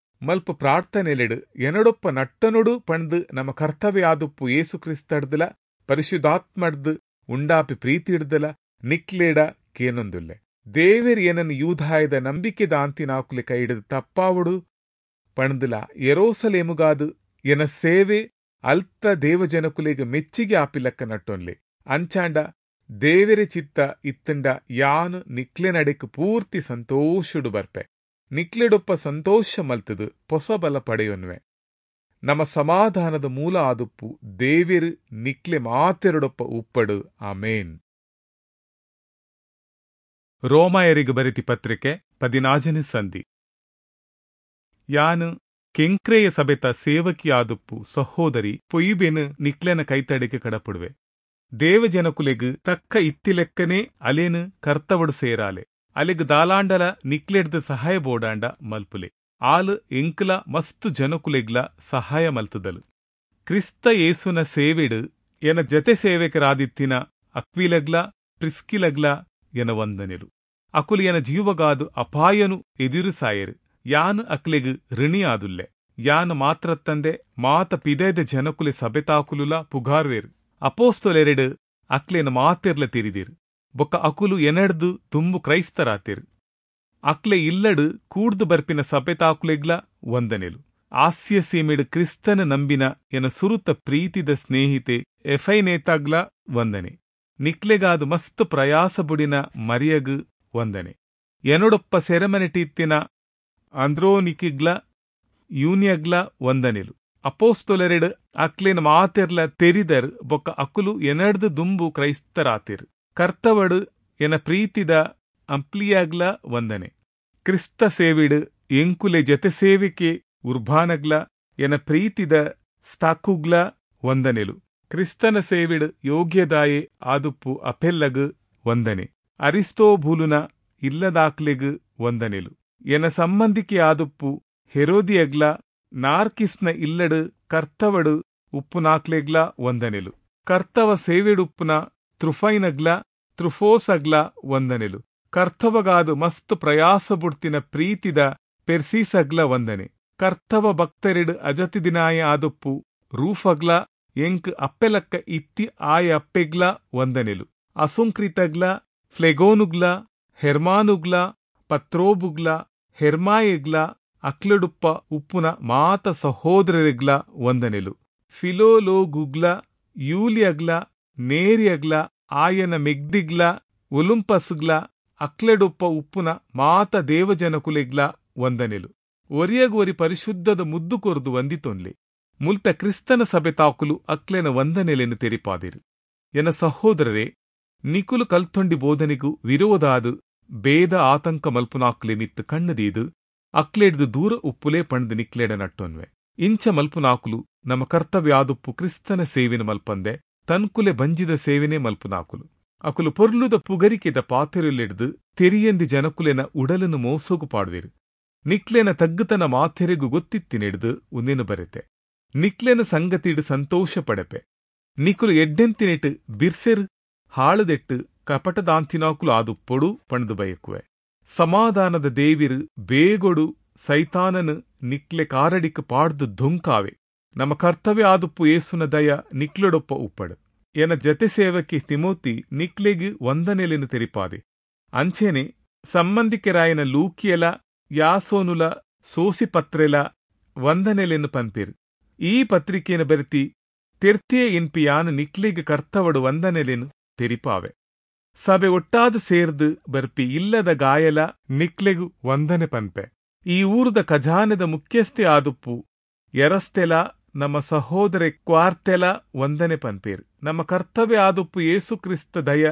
ಮಲ್ಪ ಪ್ರಾರ್ಥನೆಲೆಡು ಎನಡೊಪ್ಪ ನಟ್ಟನೊಡು ಪಂಡ್ದು ನಮ್ಮ ಕರ್ತವ್ಯ ಆದುಪ್ಪು ಯೇಸು ಕ್ರಿಸ್ತಡ್ದಲ ಪರಿಶುದ್ಧಾತ್ಮಡ್ದು ಉಂಡಾಪಿ ಪ್ರೀತಿಡ್ದಲ ನಿಕ್ಲೇಡ ಕೇನೊಂದುಲ್ಲೆ. ದೇವೆರ್ ಏನನ್ನು ಯೂದಾಯದ ನಂಬಿಕೆ ದಾಂತಿನಾಕುಲೆ ಕೈಡಿದು ತಪ್ಪಾವಡು ಪಂಡ್ದಲ ಯೆರೂಸಲೇಮುಗಾದು ಎನ ಸೇವೆ ಅಲ್ತ ದೇವಜನಕುಲೆಗ್ ಮೆಚ್ಚಿಗೆ ಆಪಿಲಕ್ಕ ನಟ್ಟೊನ್ಲೆ. ಅಂಚಾಂಡ ದೇವೆರೆ ಚಿತ್ತ ಇತ್ತಂಡ ಯಾನು ನಿಕ್ಲೆ ನಡೆಕ್ ಪೂರ್ತಿ ಸಂತೋಷಡು ಬರ್ಪೆ. ನಿಕ್ಲೆಡೊಪ್ಪ ಸಂತೋಷ ಮಲ್ತದು ಪೊಸ ಬಲ ಪಡೆಯೊನ್ವೆ. ನಮ್ಮ ಸಮಾಧಾನದ ಮೂಲ ಆದುಪ್ಪು ದೇವೆರು ನಿಕ್ಲೆ ಮಾತೆರಡೊಪ್ಪ ಉಪ್ಪಡು. ಆಮೇನ್. ರೋಮಾಯರಿಗೆ ಬರೆತಿ ಪತ್ರಿಕೆ ಪದಿನಾಜನೇ ಸಂಧಿ. ಯಾನು ಕೆಂಕ್ರೆಯ ಸಭೆತ ಸೇವಕಿಯಾದುಪ್ಪು ಸಹೋದರಿ ಪೊಯ್ಬೆನು ನಿಕ್ಲೆನ ಕೈತಡೆಗೆ ಕಡಪುಡುವೆ. ದೇವಜನಕುಲೆಗ್ ತಕ್ಕ ಇತ್ತಿಲೆಕ್ಕನೇ ಅಲೇನು ಕರ್ತವಡು ಸೇರಾಲೆ. ಅಲೆಗ್ ದಾಲಾಂಡಲ ನಿಕ್ಲೆಡ್ದು ಸಹಾಯ ಬೋಡಾಂಡ ಮಲ್ಪುಲೆ. ಆಲು ಎಂಕ್ಲ ಮಸ್ತು ಜನಕುಲೆಗ್ಲ ಸಹಾಯ ಮಲ್ತದಲು. ಕ್ರಿಸ್ತ ಯೇಸುನ ಸೇವೆಡು ಎನ ಜತೆ ಸೇವಕರಾದಿತ್ತಿನ ಅಕ್ವಿಲಗ್ಲ ಪ್ರಿಸ್ಕಿಲಗ್ಲ ಎನ ವಂದನೆಲು. ಅಕುಲು ಎನ ಜೀವಗಾದು ಅಪಾಯನು ಎದುರುಸಾಯರು. ಯಾನು ಅಕ್ಲೆಗ್ ಋಣಿಯಾದುಲ್ಲೆ. ಯಾನು ಮಾತ್ರತ್ತಂದೆ ಮಾತ ಪಿದೈದ ಜನಕುಲೆ ಸಭೆತಾಕುಲುಲ ಪುಗಾರ್ವೇರು. ಅಪೋಸ್ತೊಲೆರೆಡು ಅಕ್ಲೆನ ಮಾತೆರ್ಲ ತಿರಿದಿರು. ಬೊಕ್ಕ ಅಕುಲು ಎನಡ್ದು ತುಂಬು ಕ್ರೈಸ್ತರಾತಿರು. ಅಕ್ಲೆ ಇಲ್ಲಡು ಕೂಡ್ದು ಬರ್ಪಿನ ಸಭೆತಾಕುಲೆಗ್ಲ ವಂದನೆಲು. ಆಸ್ಯ ಸೀಮೆಡು ಕ್ರಿಸ್ತನ ನಂಬಿನ ಎನ ಸುರುತ ಪ್ರೀತಿದ ಸ್ನೇಹಿತೆ ಎಫೈನೇತಾಗ್ಲ ವಂದನೆ. ನಿಕ್ಲೆಗಾದು ಮಸ್ತ್ ಪ್ರಯಾಸ ಬುಡಿನ ಮರಿಯಗ್ ವಂದನೆ. ಎನೊಡೊಪ್ಪ ಸೆರೆಮನೆಟಿತ್ತಿನ ಆಂದ್ರೋನಿಕಿಗ್ಲ ಯೂನಿಯಗ್ಲ ವಂದನೆಲು. ಅಪೋಸ್ತೊಲೆರೆಡು ಅಕ್ಲೆನ ಮಾತೆರ್ಲ ತೆರಿದರ್ ಬೊಕ್ಕ ಅಕುಲು ಎನಡ್ದು ದುಂಬು ಕ್ರೈಸ್ತರಾತಿರು. ಕರ್ತವಡು ಎನ ಪ್ರೀತಿದ ಅಂಪ್ಲಿಯಾಗ್ಲ ವಂದನೆ. ಕ್ರಿಸ್ತ ಸೇವಿಡು ಎಂಕುಲೆ ಜತೆ ಸೇವಿಕೆ ಉರ್ಬಾನಗ್ಲ ಎನ ಪ್ರೀತಿದ ಸ್ತಾಕುಗ್ಲ ವಂದನೆಲು. ಕ್ರಿಸ್ತನ ಸೇವಿಡು ಯೋಗ್ಯದಾಯೆ ಆದುಪ್ಪು ಅಪೆಲ್ಲಗ್ ವಂದನೆ. ಅರಿಸ್ತೋಬೂಲುನ ಇಲ್ಲದಾಕ್ಲೆಗ್ ವಂದನೆಲು. ಎನ ಸಂಬಂಧಿಕೆ ಆದುಪ್ಪು ಹೆರೋದಿಯಗ್ಲ ನಾರ್ಕಿಸ್ನ ಇಲ್ಲಡು ಕರ್ತವಡು ಉಪ್ಪುನಾಕ್ಲೆಗ್ಲ ವಂದನೆಲು. ಕರ್ತವ ಸೇವೆಡುಪ್ಪುನ ತ್ರುಫೈನಗ್ಲ ತ್ರುಫೋಸಗ್ಲ ವಂದನೆಲು. ಕರ್ತವಗಾದು ಮಸ್ತ್ ಪ್ರಯಾಸ ಬುಡ್ತಿನ ಪ್ರೀತಿದ ಪೆರ್ಸೀಸಗ್ಲ ವಂದನೆ. ಕರ್ತವ ಭಕ್ತರೆಡು ಅಜತಿ ದಿನಾಯ ಆದುಪ್ಪು ರೂಫಗ್ಲ ಎಂಕ್ ಅಪ್ಪೆಲಕ್ಕ ಇತ್ತಿ ಆಯ ಅಪ್ಪೆಗ್ಲ ವಂದನೆಲು. ಅಸುಂಕ್ರಿತಗ್ಲ ಫ್ಲೆಗೋನುಗ್ಲ ಹೆರ್ಮಾನುಗ್ಲ ಪತ್ರೋಬುಗ್ಲ ಹೆರ್ಮಾಯೆಗ್ಲ ಅಕ್ಲೆಡುಪ್ಪ ಉಪ್ಪುನ ಮಾತ ಸಹೋದರರಿಗ್ಲ ವಂದನೆಲು. ಫಿಲೋಲೋಗುಗ್ಲ ಯೂಲಿಯಗ್ಲ ನೇರಿಯಗ್ಲ ಆಯನ ಮೆಗ್ದಿಗ್ಲ ಒಲುಂಪಸ್ಗ್ಲ ಅಕ್ಲೆಡುಪ್ಪ ಉಪ್ಪುನ ಮಾತ ದೇವಜನಕುಲೆಗ್ಲ ವಂದನೆಲು. ಒರಿಯಗೊರಿ ಪರಿಶುದ್ಧದ ಮುದ್ದು ಕೊರ್ದು ವಂದಿತೊನ್ಲೆ. ಮುಲ್ತ ಕ್ರಿಸ್ತನ ಸಭೆ ತಾಕುಲು ಅಕ್ಲೆನ ವಂದನೆಲೆನು ತೆರಿಪಾದಿರು. ಎನ ಸಹೋದರರೇ, ನಿಕುಲು ಕಲ್ತೊಂಡಿ ಬೋಧನೆಗೂ ವಿರೋಧಾದು ಬೇದ ಆತಂಕ ಮಲ್ಪುನಾಕ್ಲೆ ಮಿತ್ತು ಕಣ್ಣುದೀದು ಅಕ್ಲೆಡ್ದು ದೂರ ಉಪ್ಪುಲೇ ಪಂಡ್ದು ನಿಕ್ಲೆಡ ನಟ್ಟೊನ್ವೆ. ಇಂಚ ಮಲ್ಪುನಾಕುಲು ನಮ್ಮ ಕರ್ತವ್ಯಾದುಪ್ಪು ಕ್ರಿಸ್ತನ ಸೇವಿನ ಮಲ್ಪಂದೆ ತನ್ಕುಲೆ ಬಂಜಿದ ಸೇವೆನೇ ಮಲ್ಪುನಾಕುಲು. ಅಕುಲು ಪೊರ್ಲುದ ಪುಗರಿಕೆದ ಪಾತೆರುಲೆಡ್ದು ತೆರಿಯಂದಿ ಜನಕುಲೆನ ಉಡಲನ್ನು ಮೋಸೋಗು ಪಾಡುವೆರು. ನಿಕ್ಲೆನ ತಗ್ಗುತನ ಮಾತೆರೆಗು ಗೊತ್ತಿತ್ತಿನೆಡ್ದು ಉಂದೆನು ಬರೆತೆ. ನಿಕ್ಲೆನ ಸಂಗತಿಡು ಸಂತೋಷ ಪಡೆಪೆ. ನಿಕುಲು ಎಡ್ಡೆಂತಿನೆಟ್ಟು ಬಿರ್ಸೆರ್ ಹಾಳುದೆಟ್ಟು ಕಪಟದಾಂತಿನಾಕುಲು ಆದುಪ್ಪೊಡು ಪಂಡ್ದು ಬಯಕುವೆ. ಸಮಾಧಾನದ ದೇವಿರು ಬೇಗೊಡು ಸೈತಾನನು ನಿಕ್ಲೆ ಕಾರಡಿಕ್ ಪಾಡ್ದು ಧುಂಕಾವೆ. ನಮ್ಮ ಕರ್ತವ್ಯ ಆದುಪ್ಪು ಏಸುನ ದಯ ನಿಕ್ಲೆಡೊಪ್ಪ ಉಪ್ಪಡು. ಎನ ಜತೆ ಸೇವಕಿ ತಿಮೋತಿ ನಿಕ್ಲೆಗ್ ವಂದನೆಲೆನು ತೆರಿಪಾದೆ. ಅಂಚೆನೆ ಸಂಬಂಧಿಕೆರಾಯನ ಲೂಕಿಯಲ ಯಾಸೋನುಲ ಸೋಸಿಪತ್ರೆಲ ವಂದನೆಲೆನು ಪನ್ಪೇರು. ಈ ಪತ್ರಿಕೆಯನ್ನು ಬರೆತಿ ತೆರ್ತಿಯೇ ಎನ್ಪಿ ಯಾನು ನಿಕ್ಲೆಗ್ ಕರ್ತವಡು ವಂದನೆಲೆನು ತೆರಿಪಾವೆ. ಸಭೆ ಒಟ್ಟಾದ ಸೇರ್ದು ಬರ್ಪಿ ಇಲ್ಲದ ಗಾಯಲ ನಿಕ್ಲೆಗು ವಂದನೆ ಪನ್ಪೆ. ಈ ಊರದ ಖಜಾನೆದ ಮುಖ್ಯಸ್ಥೆ ಆದುಪ್ಪು ಎರಸ್ತೆಲ ನಮ್ಮ ಸಹೋದರೆ ಕ್ವಾರ್ತೆಲ ವಂದನೆ ಪನ್ಪೇರು. ನಮ್ಮ ಕರ್ತವ್ಯ ಆದುಪ್ಪು ಯೇಸು ಕ್ರಿಸ್ತ ದಯ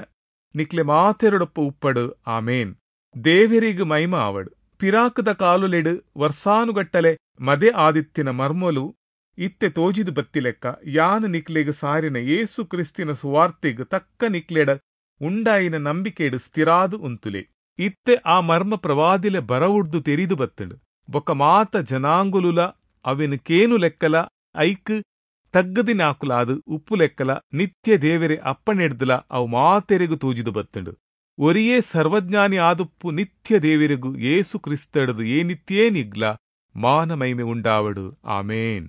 ನಿಕ್ಲೆ ಮಾತೆರಡೊಪ್ಪ ಉಪ್ಪಡು. ಆಮೇನ್. ದೇವರಿಗ್ ಮೈಮ ಆವಡು. ಪಿರಾಕದ ಕಾಲುಲೆಡು ವರ್ಷಾನುಗಟ್ಟಲೆ ಮದೆ ಆದಿತ್ತಿನ ಮರ್ಮಲು ಇತ್ತೆ ತೋಜಿದು ಬತ್ತಿಲೆಕ್ಕ ಯಾನು ನಿಕ್ಲೆಗ್ ಸಾರಿನ ಯೇಸು ಕ್ರಿಸ್ತಿನ ಸುವಾರ್ತೆಗ್ ತಕ್ಕ ನಿಕ್ಲೆಡ ಉಂಡಾಯಿನ ನಂಬಿಕೆಡು ಸ್ಥಿರಾದು ಉಂತುಲೆ. ಇತ್ತೆ ಆ ಮರ್ಮ ಪ್ರವಾದಿಲೆ ಬರವುಡ್ದು ತೆರಿದು ಬತ್ತುಂಡು. ಬೊಕ್ಕ ಮಾತ ಜನಾಂಗೊಲುಲಾ ಅವೆನ್ ಕೇನುಲೆಕ್ಕಲಾ ಐಕ್ ತಗ್ಗ್ದಿನಾಕುಲಾದ್ ಉಪ್ಪುಲೆಕ್ಕಲಾ ನಿತ್ಯ ದೇವೆರೆ ಅಪ್ಪಣೆಡ್ದ್ಲಾ ಅವು ಮಾತೆರೆಗ್ ತೋಜಿದ್ ಬತ್ತ್ಂಡ್. ಒರಿಯೇ ಸರ್ವಜ್ಞಾನಿ ಆದುಪ್ಪು ನಿತ್ಯ ದೇವೆರೆಗ್ ಯೇಸು ಕ್ರಿಸ್ತಡ್ದ್ ಏನಿತ್ಯೇನಿಗ್ಲಾ ಮಾನ ಮೈಮೆ ಉಂಡಾವಡ್. ಆಮೆನ್.